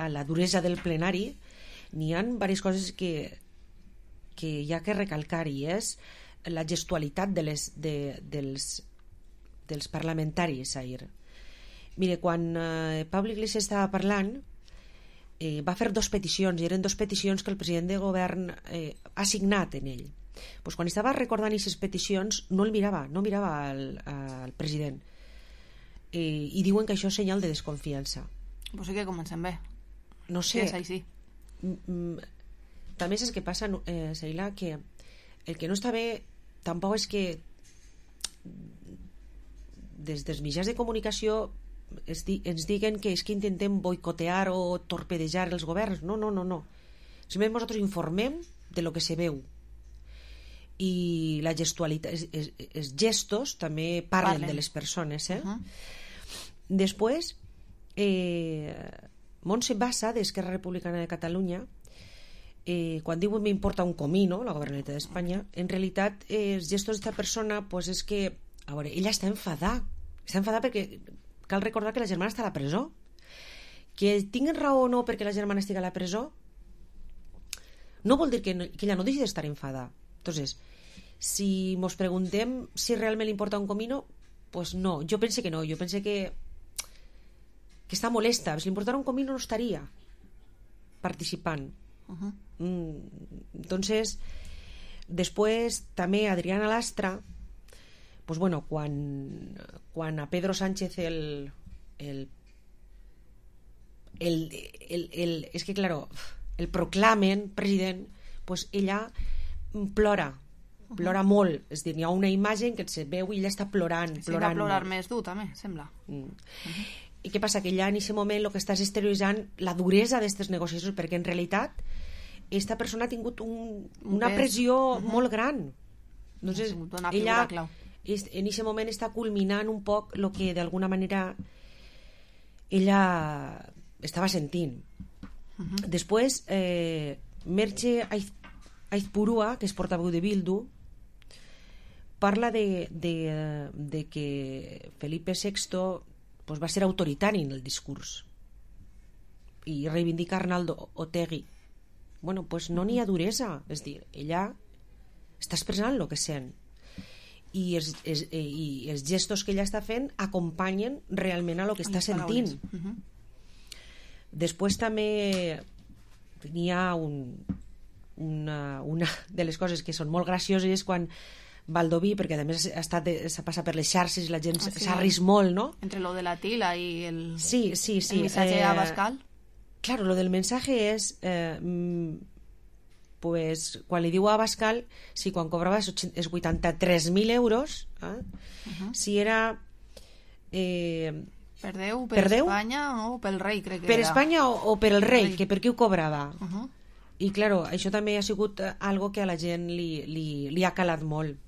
Speaker 22: la duresa del plenari, n'hi ha diverses coses que hi ha que recalcar, i és la gestualitat dels parlamentaris ahir. Mire, quan Pablo Iglesias estava parlant, va fer 2 peticions, i eren 2 peticions que el president de govern ha signat en ell. Pues quan estava recordant aquestes peticions no mirava al president, i diuen que això és senyal de desconfiança.
Speaker 4: Pues sí que comencem bé.
Speaker 22: No sé.
Speaker 4: Sí, sí.
Speaker 22: També saps què passa, Seila, que el que no està bé tampoc és que des dels mitjans de comunicació ens diguen que és que intentem boicotear o torpedejar els governs. No. Simplement nosaltres informem de lo que se veu, i la gestualitat, els gestos també parlen de les persones. Després, Montse Bassa, d'Esquerra Republicana de Catalunya, quan diu me importa un comino, la Governalitat d'Espanya, en realitat els gestos d'esta persona, pues és que, a veure, ella està enfadada perquè cal recordar que la germana està a la presó. Que tinguin raó o no perquè la germana estigui a la presó no vol dir que ella no deixi d'estar enfadada. Entonces, si mos preguntem si realment li importa un comino, pues no, jo pense que no, jo pense que està molesta. Si li importara un comino no estaria participant. Entonces, després també Adriana Lastra, pues bueno, quan a Pedro Sánchez és que claro, el proclamen president, pues ella plora molt, és a dir, hi ha una imatge en què se veu i ella està plorant.
Speaker 4: Sí, va plorar més dur també, sembla.
Speaker 22: I què passa? Que ja en aquest moment el que estàs exterioritzant la duresa d'aquestes negociacions, perquè en realitat esta persona ha tingut una pressió molt gran. Entonces, ella en aquest moment està culminant un poc el que d'alguna manera ella estava sentint. Després, Merche Aizpurua, que és portaveu de Bildu, parla de que Felipe VI pues va ser autoritari en el discurs i reivindica Arnaldo Otegi. Bueno, pues no n'hi ha duresa, és dir, ella està expressant el que sent, i els gestos que ella està fent acompanyen realment a el que està sentint. Després també n'hi ha una de les coses que són molt gracioses és quan Baldoví, perquè a més s'ha passat per les xarxes i la gent s'ha rist molt, no?
Speaker 4: Entre lo de la tila i el
Speaker 22: missatge
Speaker 4: a Abascal.
Speaker 22: Claro, lo del mensaje és pues, quan li diu a Abascal si quan cobrava és 83.000 euros, si era
Speaker 4: per Déu, per Espanya o pel rei, crec que
Speaker 22: per
Speaker 4: era.
Speaker 22: Espanya o per el rei, que per qui ho cobrava. I, claro, això també ha sigut algo que a la gent li ha calat molt.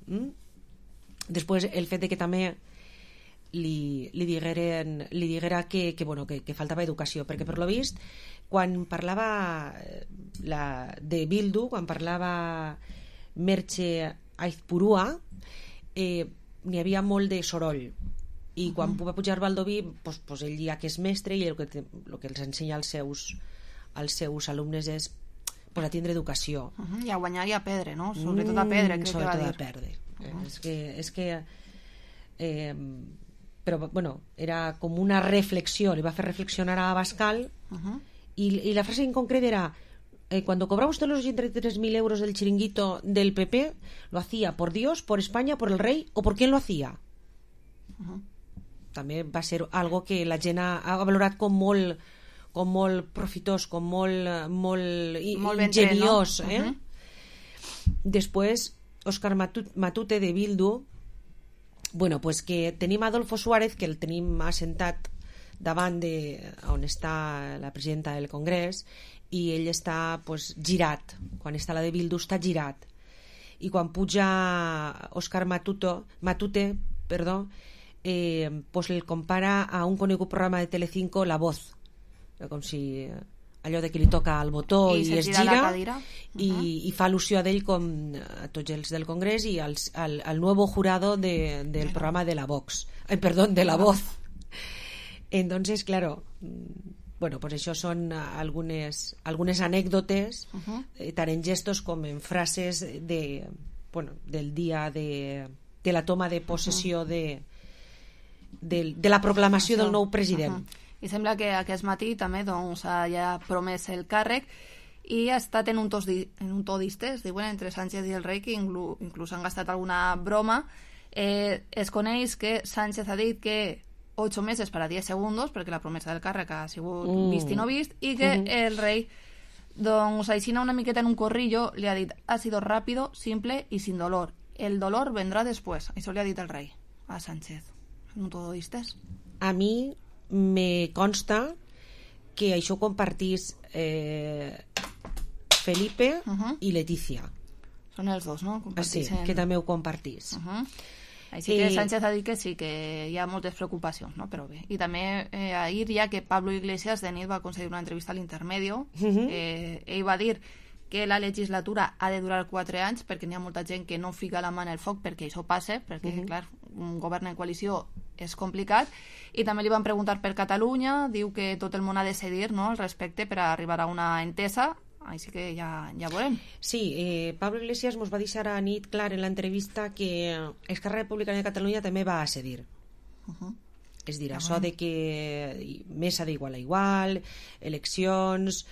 Speaker 22: Després, el fet de que també li diguera que faltava educació, perquè per lo vist, quan parlava de Bildu, quan parlava Merche Aizpurua, n'hi havia molt de soroll. I quan va pujar Baldoví, ell ja que és mestre, i el que els ensenya als seus alumnes és a tindre educació.
Speaker 4: I a guanyar i a perdre, no? Sobretot a perdre, crec que va dir.
Speaker 22: Sobretot a perdre. És que però, bueno, era com una reflexió, li va fer reflexionar a Abascal, y la frase en concreto era: cuando cobraba usted los 83.000 euros del chiringuito del PP, ¿lo hacía por Dios, por España, por el rey o por quién lo hacía? També va ser algo que la gent ha valorat com molt profitós, com molt ingeniós. Després, Òscar Matute de Bildu, bueno, pues que tenim Adolfo Suárez, que el tenim assentat davant on està la presidenta del Congrés, i ell està girat. Quan està la de Bildu està girat, i quan puja Òscar Matute, el compara a un conegut programa de Telecinco, La Voz, com si allò de que li toca el botó i es gira, i fa al·lusió d'ell com a tots els del Congrés i al nuevo jurado del programa de la Vox, de la Voz. Entonces, claro, bueno, pues això són algunes anècdotes, tant en gestos com en frases del dia de la toma de possessió de la proclamació del nou president.
Speaker 4: I sembla que aquest matí també ja ha promès el càrrec i ha estat en un to distès, diuen, entre Sánchez i el rei, que inclús han gastat alguna broma. Es coneix que Sánchez ha dit que 8 meses para 10 segundos, perquè la promesa del càrrec ha sigut vist i no vist, i que el rei, així una miqueta en un corrillo, li ha dit: ha sido rápido, simple y sin dolor. El dolor vendrá después. Això li ha dit el rei a Sánchez. En un todo distès.
Speaker 22: A mi me consta que això ho compartís Felipe i Letícia.
Speaker 4: Són els dos, no?
Speaker 22: Sí, que també ho compartís.
Speaker 4: Així que Sánchez ha dit que sí, que hi ha moltes preocupacions, no? Però bé. I també ahir, ja que Pablo Iglesias de nit va concedir una entrevista a l'Intermedio, ell va dir que la legislatura ha de durar 4 anys perquè n'hi ha molta gent que no fica la mà en el foc perquè això passe, perquè, clar, un govern en coalició és complicat. I també li van preguntar per Catalunya, diu que tot el món ha de cedir, no?, al respecte per arribar a una entesa, així que ja veurem.
Speaker 22: Sí, Pablo Iglesias mos va deixar a nit clar en l'entrevista que Esquerra Republicana de Catalunya també va a cedir. És dir, això de que mesa d'igual a igual, eleccions,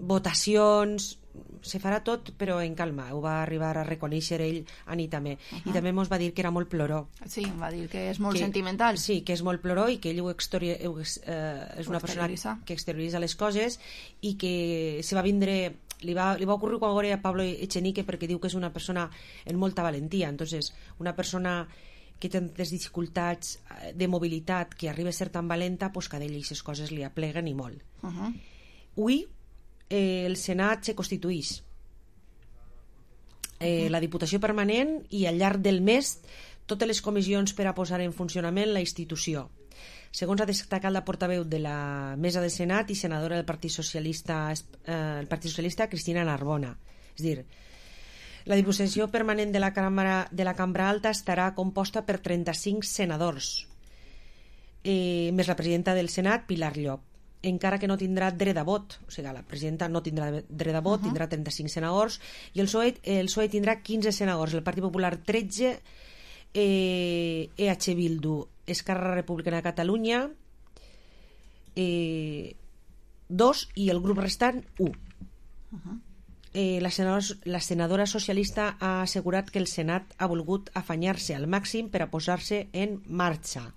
Speaker 22: votacions, se farà tot però en calma. Ho va arribar a reconèixer ell a nit també. I també mos va dir que era molt ploró.
Speaker 4: Sí, va dir que és molt sentimental.
Speaker 22: Sí, que és molt ploró i que ell és una persona que exterioritza les coses i que se va vindre, li va ocurrir quan veure a Pablo Echenique, perquè diu que és una persona en molta valentia. Entonces, una persona que té tantes dificultats de mobilitat, que arriba a ser tan valenta, pues que a ell aquestes coses li apleguen i molt. Avui el Senat se constituïx, la Diputació Permanent, i al llarg del mes totes les comissions per a posar en funcionament la institució. Segons ha destacat la portaveu de la mesa del Senat i senadora del Partit Socialista, Cristina Narbona. És dir, la Diputació Permanent de la Cambra Alta estarà composta per 35 senadors, més la presidenta del Senat, Pilar Llop, encara que no tindrà dret a vot. O sigui, la presidenta no tindrà dret a vot, tindrà 35 senadors, i el PSOE tindrà 15 senadors, el Partit Popular 13, EH Bildu, Esquerra Republicana de Catalunya 2 i el grup restant 1. La senadora socialista ha assegurat que el Senat ha volgut afanyar-se al màxim per a posar-se en marxa.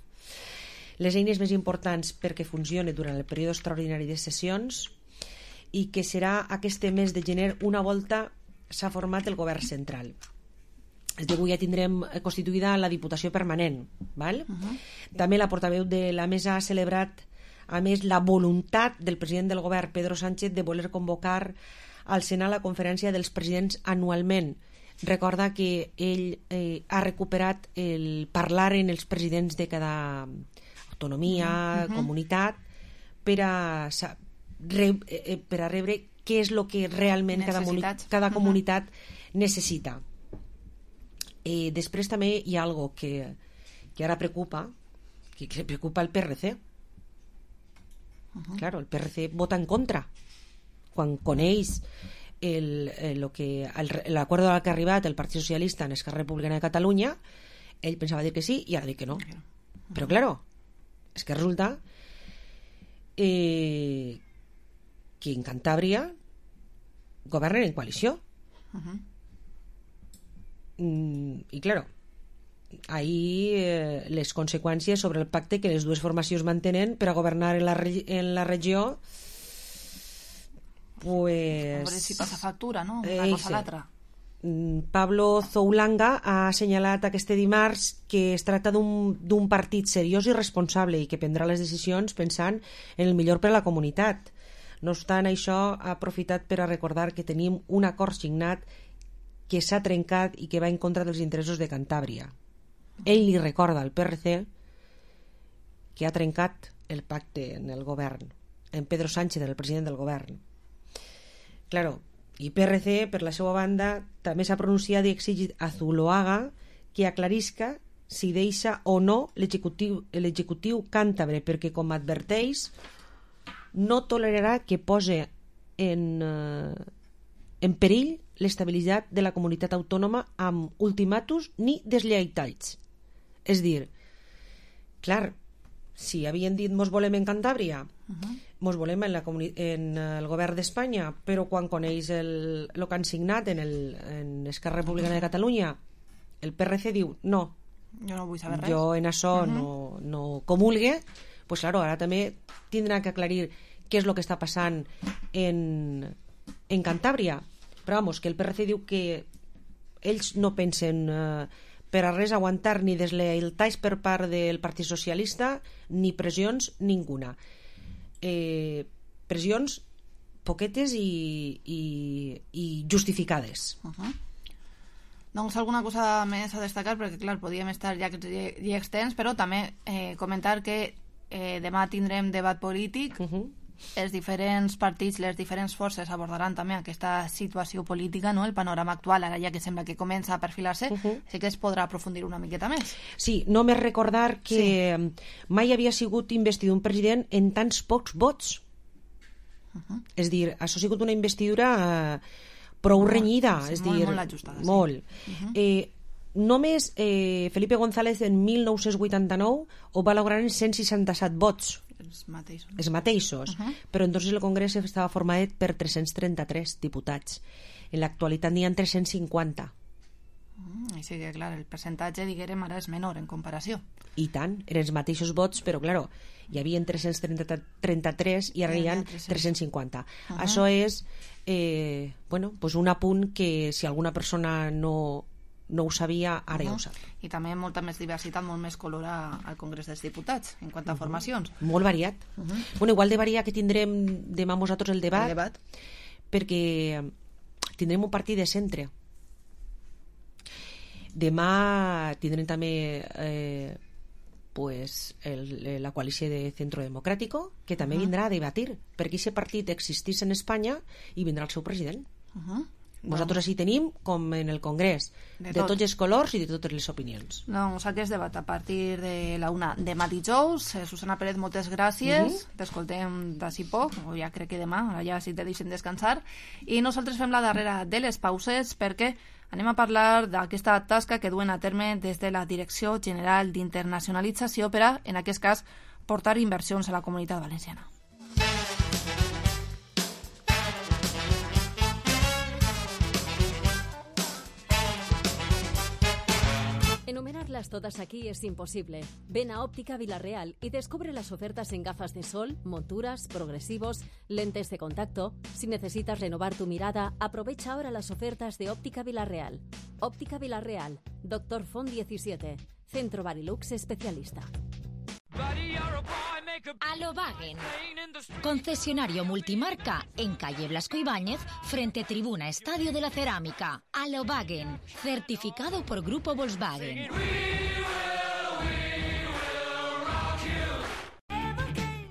Speaker 22: Les eines més importants perquè funcioni durant el període extraordinari de sessions, i que serà aquest mes de gener una volta s'ha format el govern central. És dir, avui ja tindrem constituïda la Diputació Permanent, val? També la portaveu de la mesa ha celebrat a més, la voluntat del president del govern, Pedro Sánchez, de voler convocar al Senat la conferència dels presidents anualment. Recorda que ell ha recuperat el parlar en els presidents de cada autonomia, comunitat, per a rebre què és el que realment cada comunitat necessita. Després també hi ha algo que ara preocupa, que preocupa el PRC. Claro, el PRC vota en contra quan coneix l'acord al que ha arribat el Partit Socialista en Esquerra Republicana de Catalunya. Ell pensava dir que sí i ara diu que no. Però claro, és que resulta que en Cantàbria governen en coalició. I claro, ahí les conseqüències sobre el pacte que les dues formacions mantenen per a governar en la regió, pues...
Speaker 4: A veure si passa factura, no? Una cosa a l'altra.
Speaker 22: Pablo Zoulanga ha assenyalat aquest dimarts que es tracta d'un partit seriós i responsable i que prendrà les decisions pensant en el millor per a la comunitat. No obstant això, ha aprofitat per a recordar que tenim un acord signat que s'ha trencat i que va en contra dels interessos de Cantàbria. Ell li recorda al PRC que ha trencat el pacte en el govern, en Pedro Sánchez, el president del govern. Claro, i PRC, per la seva banda, també s'ha pronunciat i exigit a Zuloaga que aclarisca si deixa o no l'executiu càntabre, perquè, com adverteix, no tolerarà que pose en perill l'estabilitat de la comunitat autònoma amb ultimàtums ni deslleitats. És dir, clar, si havien dit mos volem en Cantàbria, mos volem en el govern d'Espanya, però quan coneix el que han signat en Esquerra Republicana de Catalunya, el PRC diu no,
Speaker 4: jo no vull saber res,
Speaker 22: jo en això no comulgue, pues claro, ara també tindrà que aclarir què és el que està passant en Cantàbria. Però vamos, que el PRC diu que ells no pensen per a res aguantar ni deslleialtats per part del Partit Socialista ni pressions ninguna. Pressions poquetes i justificades.
Speaker 4: Doncs alguna cosa més a destacar, perquè clar, podíem estar llargs i extens, però també comentar que demà tindrem debat polític. Els diferents partits, les diferents forces abordaran també aquesta situació política, no? El panorama actual, ara ja que sembla que comença a perfilar-se, sí que es podrà aprofundir una miqueta més.
Speaker 22: Sí, només recordar que mai havia sigut investit un president en tants pocs vots. És dir, això ha sigut una investidura prou renyida.
Speaker 4: Molt ajustada.
Speaker 22: Molt. Només Felipe González en 1989 ho va lograr en 167 vots. Els mateixos. Però entonces el Congrés estava format per 333 diputats. En l'actualitat n'hi ha 350.
Speaker 4: Així que, clar, el percentatge, diguem, ara és menor en comparació.
Speaker 22: I tant, eren els mateixos vots, però, clar, hi havia 333 i ara hi ha 350. Això és pues un apunt que si alguna persona no ho sabia, ara ja ho sap.
Speaker 4: I també molta més diversitat, molt més color al Congrés dels Diputats en quant a formacions.
Speaker 22: Molt variat. Igual de variat que tindrem demà nosaltres el debat, perquè tindrem un partit de centre. Demà tindrem també la coalició de Centro Democrático, que també vindrà a debatir, perquè aquest partit existís en Espanya i vindrà el seu president. Nosaltres així tenim, com en el Congrés, de tots els colors i de totes les opinions.
Speaker 4: Doncs aquest debat a partir de la 1 demà dijous. Susana Pérez, moltes gràcies. T'escoltem d'ací poc, o ja crec que demà, ja si te deixen descansar. I nosaltres fem la darrera de les pauses perquè anem a parlar d'aquesta tasca que duen a terme des de la Direcció General d'Internacionalització per a, en aquest cas, portar inversions a la Comunitat Valenciana.
Speaker 11: Enumerarlas todas aquí es imposible. Ven a Óptica Vilarreal y descubre las ofertas en gafas de sol, monturas, progresivos, lentes de contacto. Si necesitas renovar tu mirada, aprovecha ahora las ofertas de Óptica Vilarreal. Óptica Vilarreal, Dr. Font 17, Centro Barilux Especialista.
Speaker 2: Alobagen, concesionario multimarca en calle Blasco Ibáñez, frente Tribuna Estadio de la Cerámica. Alobagen, certificado por Grupo Volkswagen.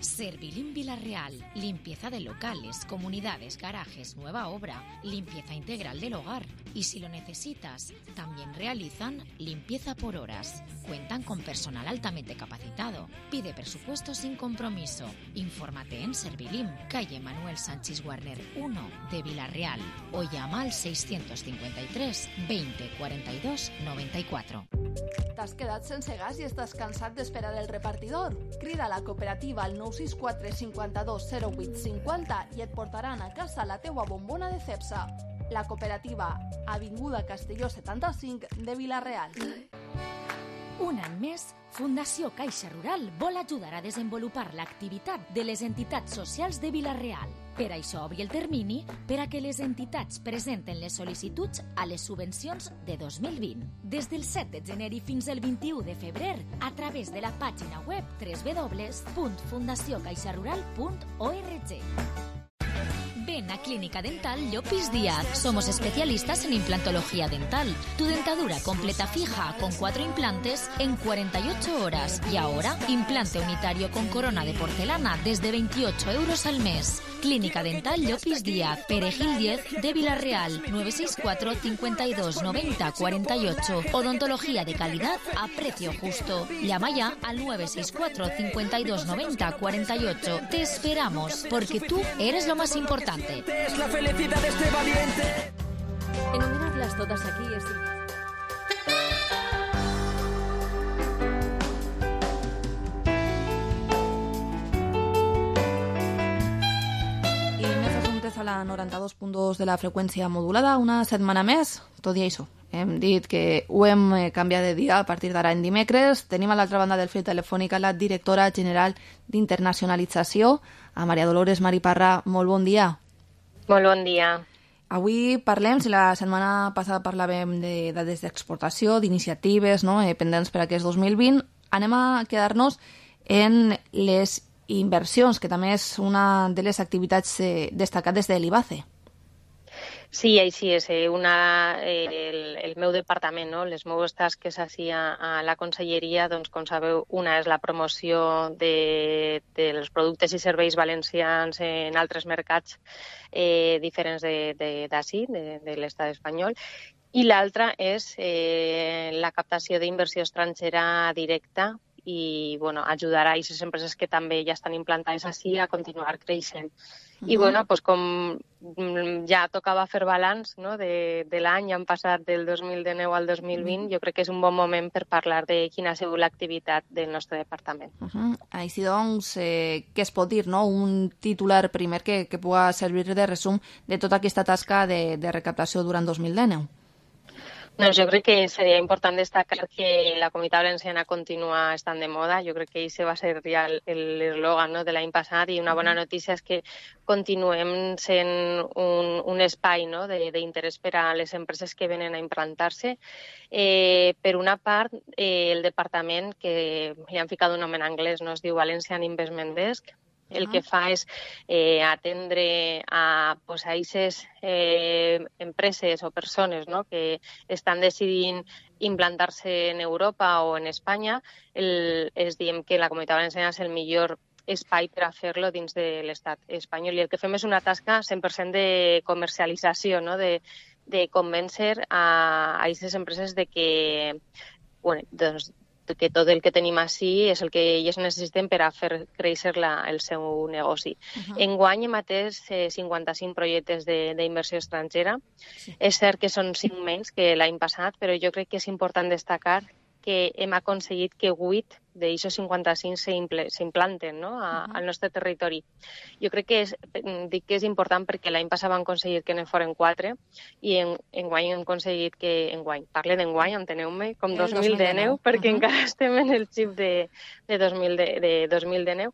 Speaker 2: Servilín Villarreal, limpieza de locales, comunidades, garajes, nueva obra, limpieza integral del hogar. Y si lo necesitas, también realizan limpieza por horas. Cuentan con personal altamente capacitado. Pide presupuesto sin compromiso. Infórmate en Servilín, calle Manuel Sánchez Warner 1 de Villarreal, o llama al 653 20 42 94.
Speaker 5: T'has quedat sense gas i estàs cansat d'esperar el repartidor? Crida a la cooperativa al 964 52 08 50 i et portaran a casa la teua bombona de Cepsa. La cooperativa, Avinguda Castelló 75 de Vila-real.
Speaker 2: Un any més, Fundació Caixa Rural vol ajudar a desenvolupar l'activitat de les entitats socials de Vila-real. Per això obri el termini per a que les entitats presenten les sol·licituds a les subvencions de 2020. Des del 7 de gener i fins al 21 de febrer, a través de la pàgina web www.fundaciocaixarural.org. Ven a Clínica Dental Llopis Díaz. Somos especialistas en implantología dental. Tu dentadura completa fija con 4 implantes en 48 horas. Y ahora, implante unitario con corona de porcelana desde 28 euros al mes. Clínica Dental Llopis Díaz, Perejil 10 de Vila-real, 964 52 90 48. Odontología de calidad a precio justo. Llama ya al 964 52 90 48. Te esperamos, porque tú eres lo más importante.
Speaker 13: Es la felicidad de este valiente.
Speaker 11: Enumerarlas todas aquí es...
Speaker 4: I més assumptes a la 92.2 de la freqüència modulada, una setmana més, tot i això. Hem dit que ho hem canviat de dia a partir d'ara en dimecres. Tenim a l'altra banda del fil telefònic la directora general d'Internacionalització, a Maria Dolores Mariparra. Molt bon dia.
Speaker 14: Molt bon dia.
Speaker 4: Avui parlem, si la setmana passada parlàvem de dades d'exportació, d'iniciatives, no?, pendents per aquest 2020, anem a quedar-nos en les inversions, que també és una de les activitats destacades de l'IBACE.
Speaker 14: Sí, així és. El meu departament, no? Les meves tasques així a la conselleria, doncs, com sabeu, una és la promoció dels productes i serveis valencians en altres mercats diferents d'ací, de l'estat espanyol, i l'altra és la captació d'inversió estrangera directa i ajudar a aquestes empreses que també ja estan implantades així a continuar creixent. I com ja tocava fer balanç de l'any, han passat del 2019 al 2020, jo crec que és un bon moment per parlar de quina ha sigut l'activitat del nostre departament.
Speaker 4: Així doncs, què es pot dir? Un titular primer que pugui servir de resum de tota aquesta tasca de recaptació durant 2019.
Speaker 14: Doncs jo crec que seria important destacar que la Comunitat Valenciana continua estant de moda. Jo crec que aquest va ser ja l'eslògan de l'any passat, i una bona notícia és que continuem sent un espai d'interès per a les empreses que venen a implantar-se. Per una part, el departament, que li han ficat un nom en anglès, es diu Valencian Investment Desk, el que fa és atendre a aquestes empreses o persones que estan decidint implantar-se en Europa o en Espanya. És diem que la Comunitat Valenciana és el millor espai per a fer-lo dins de l'estat espanyol. I el que fem és una tasca 100% de comercialització, de convèncer a aquestes empreses de que que tot el que tenim així és el que ells necessiten per a fer créixer el seu negoci. Enguany hem atès 55 projectes d'inversió estrangera. És cert que són 5 menys que l'any passat, però jo crec que és important destacar que hem aconseguit que 8 d'aixòs 55 s'implanten al nostre territori. Jo crec que dic que és important perquè l'any passat vam aconseguir que ne foren 4 i enguany hem aconseguit que... Parle d'enguany, enteneu-me, com 2019, perquè encara estem en el xip de 2019.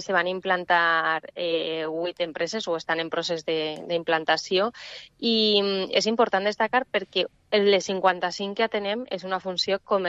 Speaker 14: Se van implantar 8 empreses o estan en procés d'implantació, i és important destacar perquè les 55 que atenem és una funció comercial,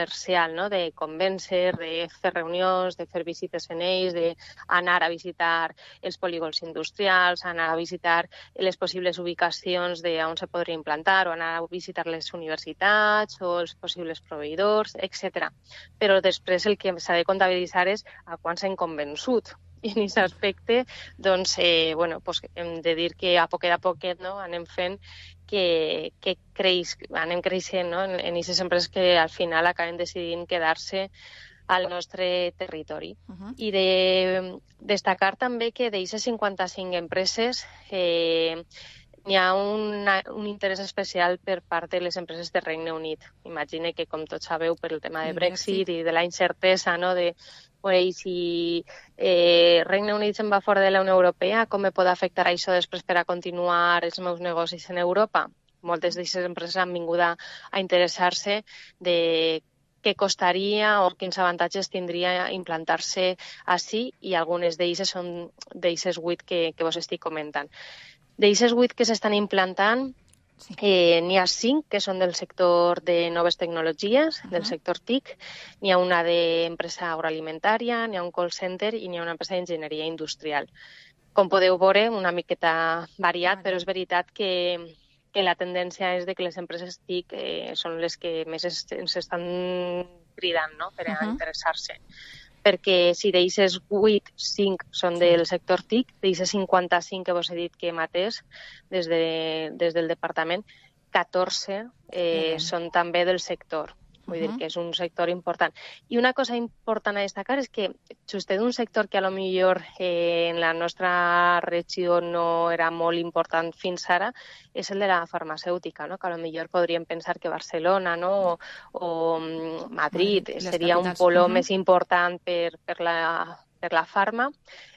Speaker 14: de convèncer, de fer reunions, de fer visites en ells, d'anar a visitar els polígons industrials, anar a visitar les possibles ubicacions on se podria implantar, o anar a visitar les universitats o els possibles proveïdors, etc. Però després el que s'ha de comptabilitzar és a quan s'han convençut. I en aquest aspecte doncs, hem de dir que a poquet anem fent que anem creixent, no? En aquestes empreses que al final acaben decidint quedar-se al nostre territori. I de destacar també que d'aquestes 55 empreses hi ha un interès especial per part de les empreses de Regne Unit. Imagine que, com tots sabeu, per el tema de Brexit i de la incertesa, no?, de si Regne Unit se'n va fora de la Unió Europea, com me pot afectar això després per a continuar els meus negocis en Europa? Moltes d'aquestes empreses han vingut a interessar-se de què costaria o quins avantatges tindria implantar-se així, i algunes d'elles són d'aquestes 8 que vos estic comentant. D'aquestes 8 que s'estan implantant, n'hi ha 5 que són del sector de noves tecnologies, del sector TIC, n'hi ha una d'empresa agroalimentària, n'hi ha un call center i n'hi ha una empresa d'enginyeria industrial. Com podeu veure, una miqueta variat, però és veritat que la tendència és que les empreses TIC són les que més ens estan cridant, no?, per a interessar-se. Perquè si d'aquestes 8, 5 són del sector TIC, d'aquestes 55 que vos he dit que hem atès des del departament, 14 són també del sector. Vull dir que és un sector important. I una cosa important a destacar és que just d'un sector que a lo millor en la nostra regió no era molt important fins ara, és el de la farmacèutica, no? Que a lo millor podríem pensar que Barcelona, no?, o Madrid seria un polo més important per la farma.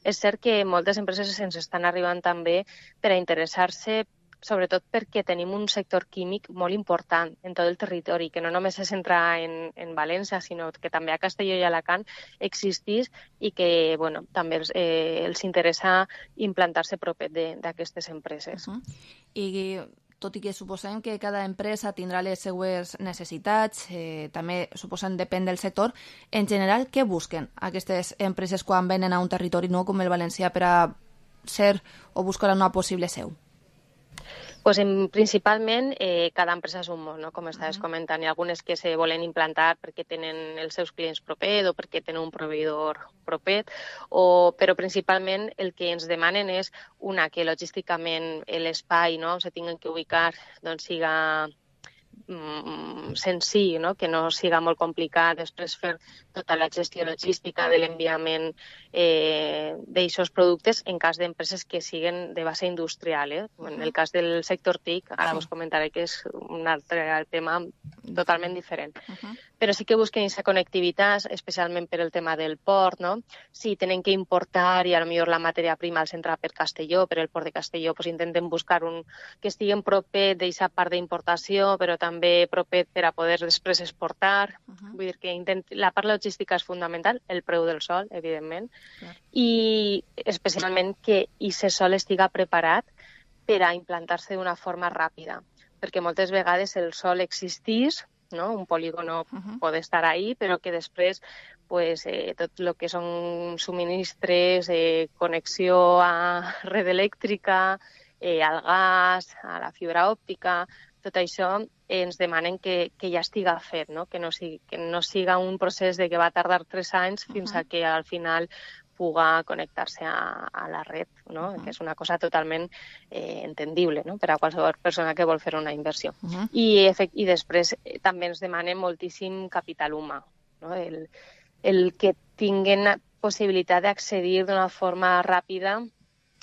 Speaker 14: És cert que moltes empreses ens estan arribant també per a interessar-se, sobretot perquè tenim un sector químic molt important en tot el territori, que no només se centra en València, sinó que també a Castelló i Alacant existís i que també els interessa implantar-se propet d'aquestes empreses.
Speaker 4: I tot i que suposem que cada empresa tindrà les seues necessitats, també suposem depèn del sector, en general, què busquen aquestes empreses quan venen a un territori nou com el valencià per a ser o buscar una possible seu?
Speaker 14: Pues principalment cada empresa és un món, no? Com estaves comentant. Hi ha algunes que se volen implantar perquè tenen els seus clients propet o perquè tenen un proveïdor propet, però principalment el que ens demanen és que logísticament l'espai, no?, on se tinguen que ubicar siga senzill, no?, que no siga molt complicat després fer tota la gestió logística de l'enviament d'aixòs productes en cas d'empreses que siguen de base industrial. En el cas del sector TIC, ara us comentaré que és un altre tema totalment diferent. Però sí que busquen aquesta connectivitat, especialment per el tema del port, no? Si tenen que importar i potser la matèria prima els entra per Castelló, per el port de Castelló, doncs intenten buscar un que estigui propet d'aquesta part d'importació, però també propet per a poder després exportar. Vull dir que la part logística és fundamental, el preu del sol, evidentment, i especialment que aquest sol estiga preparat per a implantar-se d'una forma ràpida, perquè moltes vegades el sol existís, no? Un polígono pot estar ahí, però que després tot el que són subministres, connexió a red elèctrica, al gas, a la fibra òptica, tot això ens demanen que ja estiga fet, no? Que no siga un procés de que va tardar 3 anys fins a que al final puga connectar-se a la red, no? Que és una cosa totalment entendible, no?, per a qualsevol persona que vol fer una inversió. I després també ens demanen moltíssim capital humà, no? El que tinguen possibilitat d'accedir d'una forma ràpida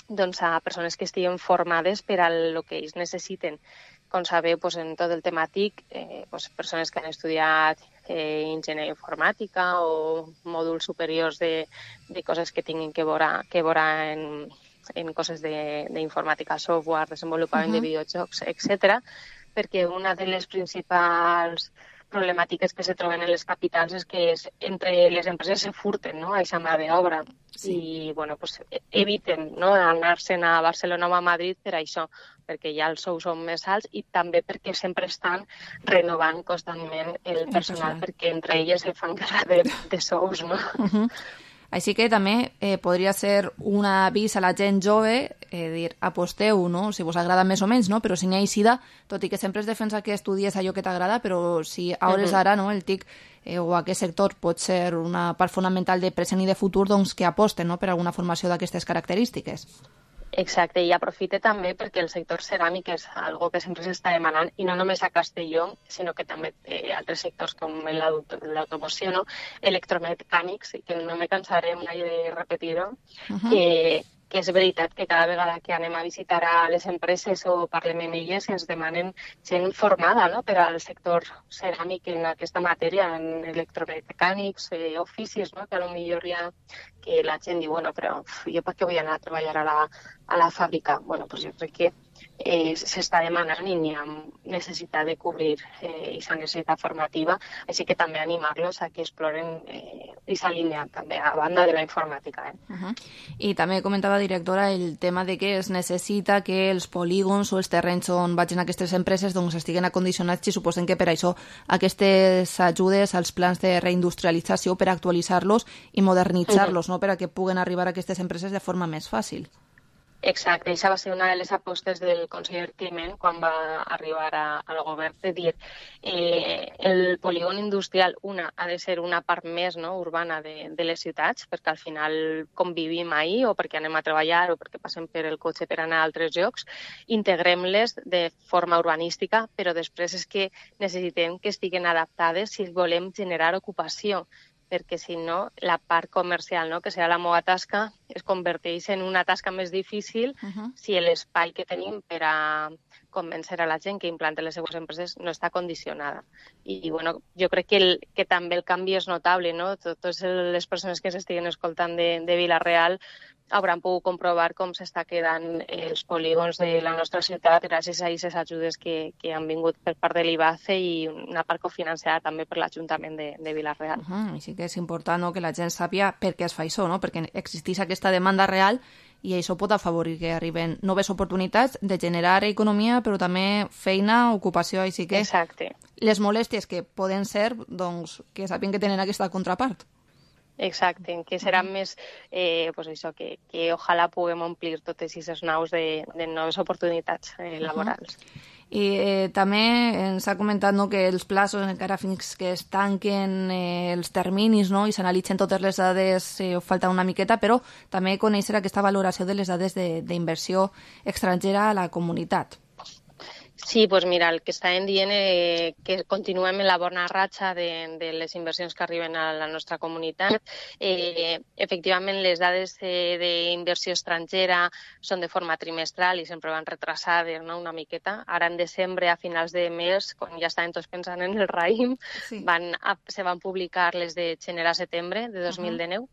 Speaker 14: a persones que estiguen formades per a el que ells necessiten. Com sabeu, en tot el temàtic, persones que han estudiat enginyeria informàtica o mòduls superiors de coses que tinguin que veure en coses d'informàtica, software, desenvolupament de videojocs, etc. Perquè una de les principals problemàtiques que se troben en les capitals és que entre les empreses se furten, no?, aquesta mà d'obra. i bueno, pues, eviten, no?, anar-se'n a Barcelona o a Madrid per això, perquè ja els sous són més alts i també perquè sempre estan renovant constantment el personal, perquè entre elles se fan guerra de sous, no?
Speaker 4: Així que també podria ser un avís a la gent jove, dir, aposteu, no?, si vos agrada més o menys, no?, però si n'hi ha eixida, tot i que sempre es defensa que estudies allò que t'agrada, però si a hores d'ara, no?, el TIC o aquest sector pot ser una part fonamental de present i de futur, doncs que aposten, no?, per alguna formació d'aquestes característiques.
Speaker 14: Exacte, i aprofite també perquè el sector ceràmic és algo que sempre s'està demanant, i no només a Castelló, sinó que també altres sectors com l'automoció, no?, electromecànics, que no me cansaré mai de repetir-ho, que és veritat que cada vegada que anem a visitar a les empreses o parlem amb elles ens demanen gent formada, no?, per al sector ceràmic en aquesta matèria, en electromecànics, oficis, no?, que potser ja que la gent diu, bueno, però jo per què vull anar a treballar a la fàbrica? Bueno, doncs jo crec que s'està demanant i n'hi ha necessitat de cobrir aquesta necessitat formativa, així que també animar-los a que exploren aquesta línia també a banda de la informàtica.
Speaker 4: I també comentava, directora, el tema de que es necessita que els polígons o els terrenys on vagin aquestes empreses doncs estiguen acondicionats, i suposen que per això aquestes ajudes als plans de reindustrialització per actualitzar-los i modernitzar-los, no?, per a que puguen arribar a aquestes empreses de forma més fàcil.
Speaker 14: Exacte, això va ser una de les apostes del conseller Climent quan va arribar al govern, de dir el polígon industrial, ha de ser una part més, no?, urbana de les ciutats, perquè al final convivim ahí, o perquè anem a treballar, o perquè passem per el cotxe per anar a altres llocs, integrem-les de forma urbanística, però després és que necessitem que estiguen adaptades si volem generar ocupació, perquè si no, la part comercial, no?, que serà la meva tasca, es converteix en una tasca més difícil si l'espai que tenim per a convèncer a la gent que implante les seues empreses no està condicionada. I bueno, jo crec que també el canvi és notable, no? Totes les persones que s'estiguen escoltant de Vila-real hauran pogut comprovar com s'està quedant els polígons de la nostra ciutat gràcies a aquestes ajudes que han vingut per part de l'IBACE i una part cofinanciada també per l'Ajuntament de Vila-real.
Speaker 4: Així que és important, no?, que la gent sàpia per què es fa això, no?, perquè existeix aquesta demanda real i això pot afavorir que arriben noves oportunitats de generar economia, però també feina, ocupació, així que les molèsties que poden ser, doncs, que sàpien que tenen aquesta contrapart.
Speaker 14: Exacte, que serà més, pues això, que ojalà puguem omplir totes aquestes naus de noves oportunitats laborals.
Speaker 4: I també ens ha comentat, no?, que els plaços, encara fins que es tanquen els terminis, no?, i s'analitzen totes les dades, falta una miqueta, però també conèixer aquesta valoració de les dades d'inversió estrangera a la comunitat.
Speaker 14: Sí, doncs mira, el que estàvem dient que continuem en la bona ratxa de les inversions que arriben a la nostra comunitat. Efectivament, les dades d'inversió estrangera són de forma trimestral i sempre van retrasades, no?, una miqueta. Ara en desembre, a finals de mes, quan ja estàvem tots pensant en el raïm, se van publicar les de gener a setembre de 2019.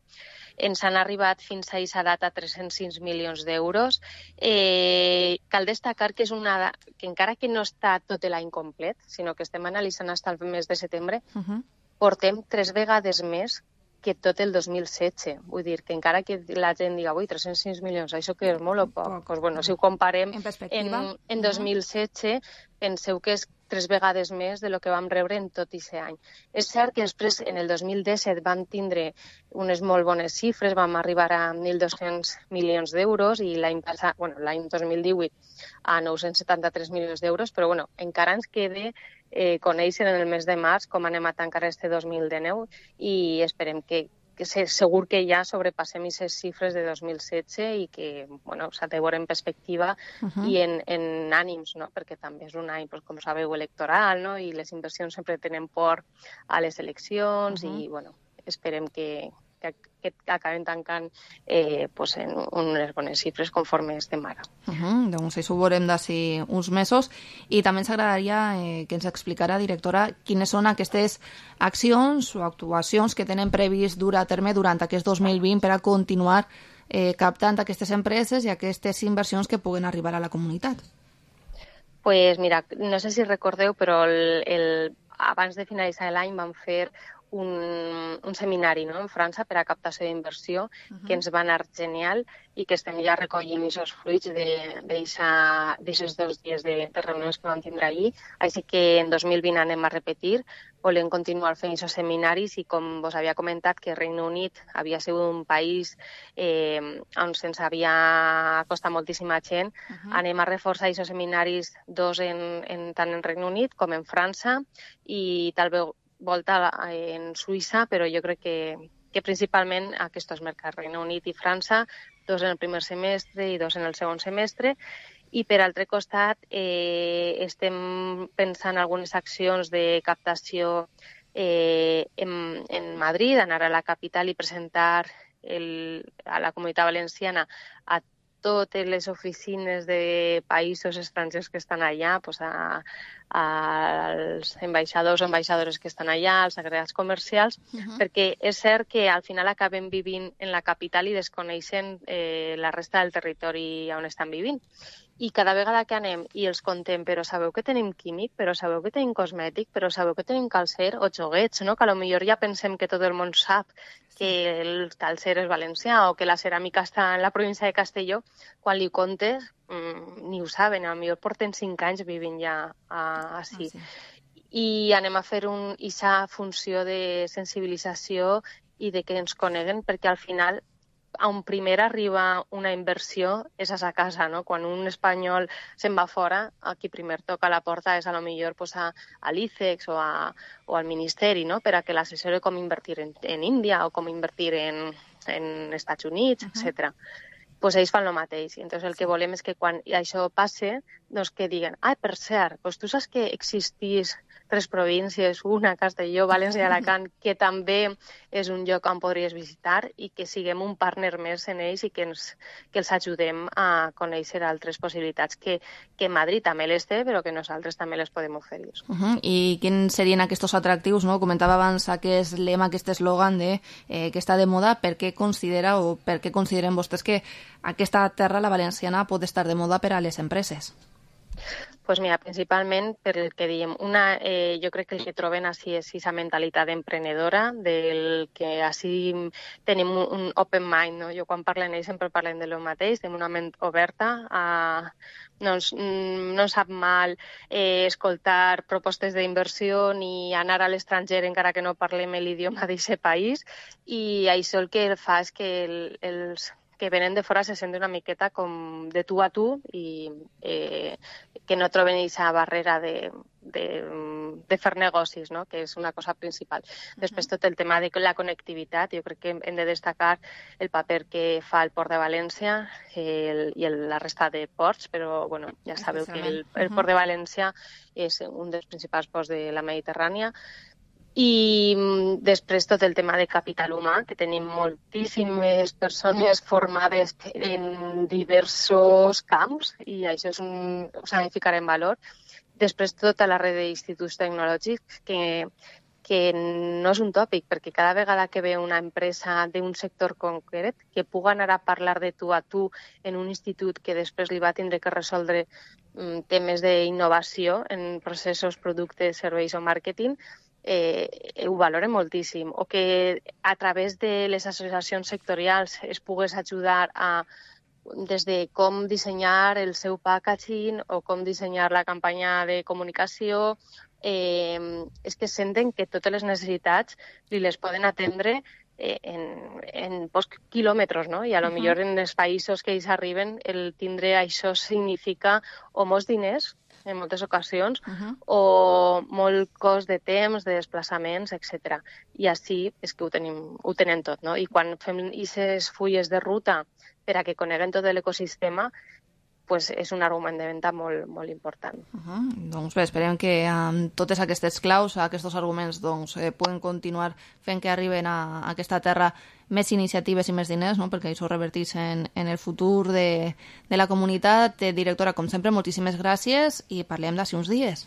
Speaker 14: Ens han arribat fins a aquesta data 306 milions d'euros. Cal destacar que és una que encara que no està tot l'any complet, sinó que estem analitzant fins al mes de setembre, portem 3 vegades més que tot el 2016. Vull dir que encara que la gent diga, ui, 306 milions, això que és molt o poc? Doncs bueno, si ho comparem en 2016, penseu que és 3 vegades més de lo que vam rebre en tot aquest any. És cert que després, en el 2017, vam tindre unes molt bones xifres, vam arribar a 1.200 milions d'euros i l'any 2018 a 973 milions d'euros, però bueno, encara ens queda conèixer en el mes de març com anem a tancar este 2019 i esperem que segur que ja sobrepassem aquestes xifres de 2016 i que s'ha de veure en perspectiva i en ànims, no? Perquè també és un any, com sabeu, electoral, no? I les inversions sempre tenen por a les eleccions i esperem que acaben tancant en unes bones xifres conforme estem ara.
Speaker 4: Doncs això ho veurem d'ací uns mesos. I també ens agradaria que ens explicara, directora, quines són aquestes accions o actuacions que tenen previst dur a terme durant aquest 2020 per a continuar captant aquestes empreses i aquestes inversions que puguen arribar a la comunitat.
Speaker 14: Pues mira, no sé si recordeu, però abans de finalitzar l'any vam fer un seminari, no?, en França per a captació d'inversió, que ens va anar genial i que estem ja recollint aquests fruits d'aixòs 2 dies de reunions que vam tindre ahir. Així que en 2020 anem a repetir, volem continuar fent aquests seminaris i, com vos havia comentat, que Regne Unit havia sigut un país on se'ns havia costat moltíssima gent, anem a reforçar aquests seminaris, 2 tant en Regne Unit com en França i tal volta en Suïssa, però jo crec que principalment aquests mercats, Regne Unit i França, 2 en el primer semestre i 2 en el segon semestre. I per altre costat estem pensant algunes accions de captació en Madrid, anar a la capital i presentar a la Comunitat Valenciana a totes les oficines de països estrangers que estan allà, als ambaixadors o ambaixadores que estan allà, als agregats comercials, perquè és cert que al final acabem vivint en la capital i desconeixen la resta del territori on estan vivint. I cada vegada que anem i els contem, però sabeu que tenim químic, però sabeu que tenim cosmètic, però sabeu que tenim calcer o joguets, no? Que potser ja pensem que tot el món sap que el calcer és valencià o que la ceràmica està en la província de Castelló, quan li contes ni ho saben, potser porten 5 anys vivint ja així. I anem a fer aquesta funció de sensibilització i de que ens coneguen, perquè al final on primer arriba una inversió és a sa casa, no? Quan un espanyol se'n va fora, a qui primer toca la porta és a lo millor a l'ICEX o al Ministeri, no?, per a que l'assessori com invertir en Índia o com invertir en Estats Units, etc. Pues ells fan el mateix. Entonces el que volem és que quan això passe, doncs que diguen, per cert, tu saps que existís 3 províncies, una, Castelló, València i Alacant, que també és un lloc on podries visitar i que siguem un partner més en ells i que els ajudem a conèixer altres possibilitats que Madrid també les té, però que nosaltres també les podem oferir.
Speaker 4: I quins serien aquests atractius, no? Comentava abans aquest lema, aquest eslògan que està de moda. Per què considera o per què consideren vostès que aquesta terra, la valenciana, pot estar de moda per a les empreses?
Speaker 14: Pues mira, principalment per el que diem. Jo crec que el que troben així és aquesta mentalitat emprenedora, del que així tenim un open mind, no? Jo quan parlo amb ells sempre parlem de lo mateix, tenim una ment oberta, no sap mal escoltar propostes d'inversió ni anar a l'estranger encara que no parlem l'idioma d'aquest país, i això el que fa és que els que venen de fora se senten una miqueta com de tu a tu i que no troben aquesta barrera de fer negocis, no?, que és una cosa principal. Després tot el tema de la connectivitat, jo crec que hem de destacar el paper que fa el Port de València i la resta de ports, però bueno, ja sabeu que el Port de València és un dels principals ports de la Mediterrània. I després tot el tema de capital humà, que tenim moltíssimes persones formades en diversos camps i això s'ha de ficar en valor. Després tota la red d'instituts tecnològics, que no és un tòpic, perquè cada vegada que ve una empresa d'un sector concret que puga anar a parlar de tu a tu en un institut que després li va tindre que resoldre temes d'innovació en processos, productes, serveis o màrqueting, ho valora moltíssim, o que a través de les associacions sectorials es pogués ajudar des de com dissenyar el seu packaging o com dissenyar la campanya de comunicació, és que senten que totes les necessitats li les poden atendre en pocs quilòmetres, no? I a lo millor en els països que ells arriben el tindre això significa o molts diners en moltes ocasions, o molt cost de temps, de desplaçaments, etc. I així és que ho tenen tot, no? I quan fem aquestes fulles de ruta per a que coneguen tot l'ecosistema, pues és un argument de venda molt, molt important.
Speaker 4: Doncs bé, esperem que amb totes aquestes claus, aquests arguments, puguen continuar fent que arriben a aquesta terra més iniciatives i més diners, no? Perquè això revertís en el futur de la comunitat. Directora, com sempre, moltíssimes gràcies i parlem d'ací uns dies.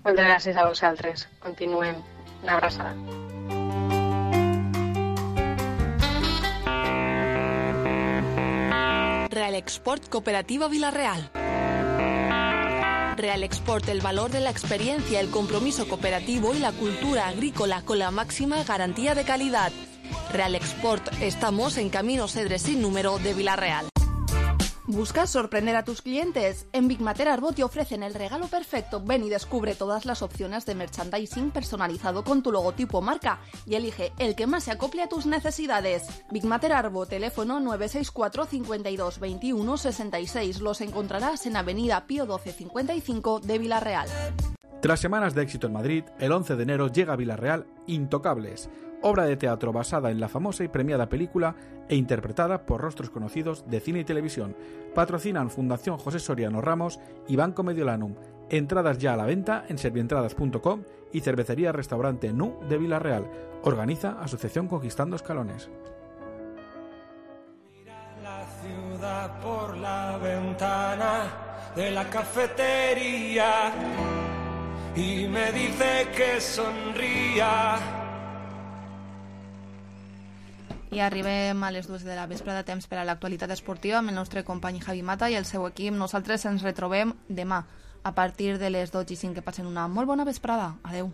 Speaker 14: Moltes gràcies a vosaltres. Continuem. Una abraçada.
Speaker 5: Real Export Cooperativa Vila-real. Real Export el valor de la experiencia, el compromiso cooperativo y la cultura agrícola con la máxima garantía de calidad. Real Export, estamos en Camino Cedre sin número de Vila-real. ¿Buscas sorprender a tus clientes? En Big Mater Arbot te ofrecen el regalo perfecto. Ven y descubre todas las opciones de merchandising personalizado con tu logotipo o marca y elige el que más se acople a tus necesidades. Big Mater Arbot, teléfono 964 52 21 66. Los encontrarás en Avenida Pío 12 55 de Vila-real.
Speaker 12: Tras semanas de éxito en Madrid, el 11 de enero llega a Vila-real Intocables, obra de teatro basada en la famosa y premiada película e interpretada por rostros conocidos de cine y televisión. Patrocinan Fundación José Soriano Ramos y Banco Mediolanum. Entradas ya a la venta en servientradas.com y Cervecería Restaurante Nu de Vila-real. Organiza Asociación Conquistando Escalones.
Speaker 13: Mira la ciudad por la ventana de la cafetería y me dice que sonría.
Speaker 4: I arribem a les 2 de la vespre de temps per a l'actualitat esportiva amb el nostre company Javi Mata i el seu equip. Nosaltres ens retrobem demà a partir de les 12:05. Que passen una molt bona vesprada. Adeu.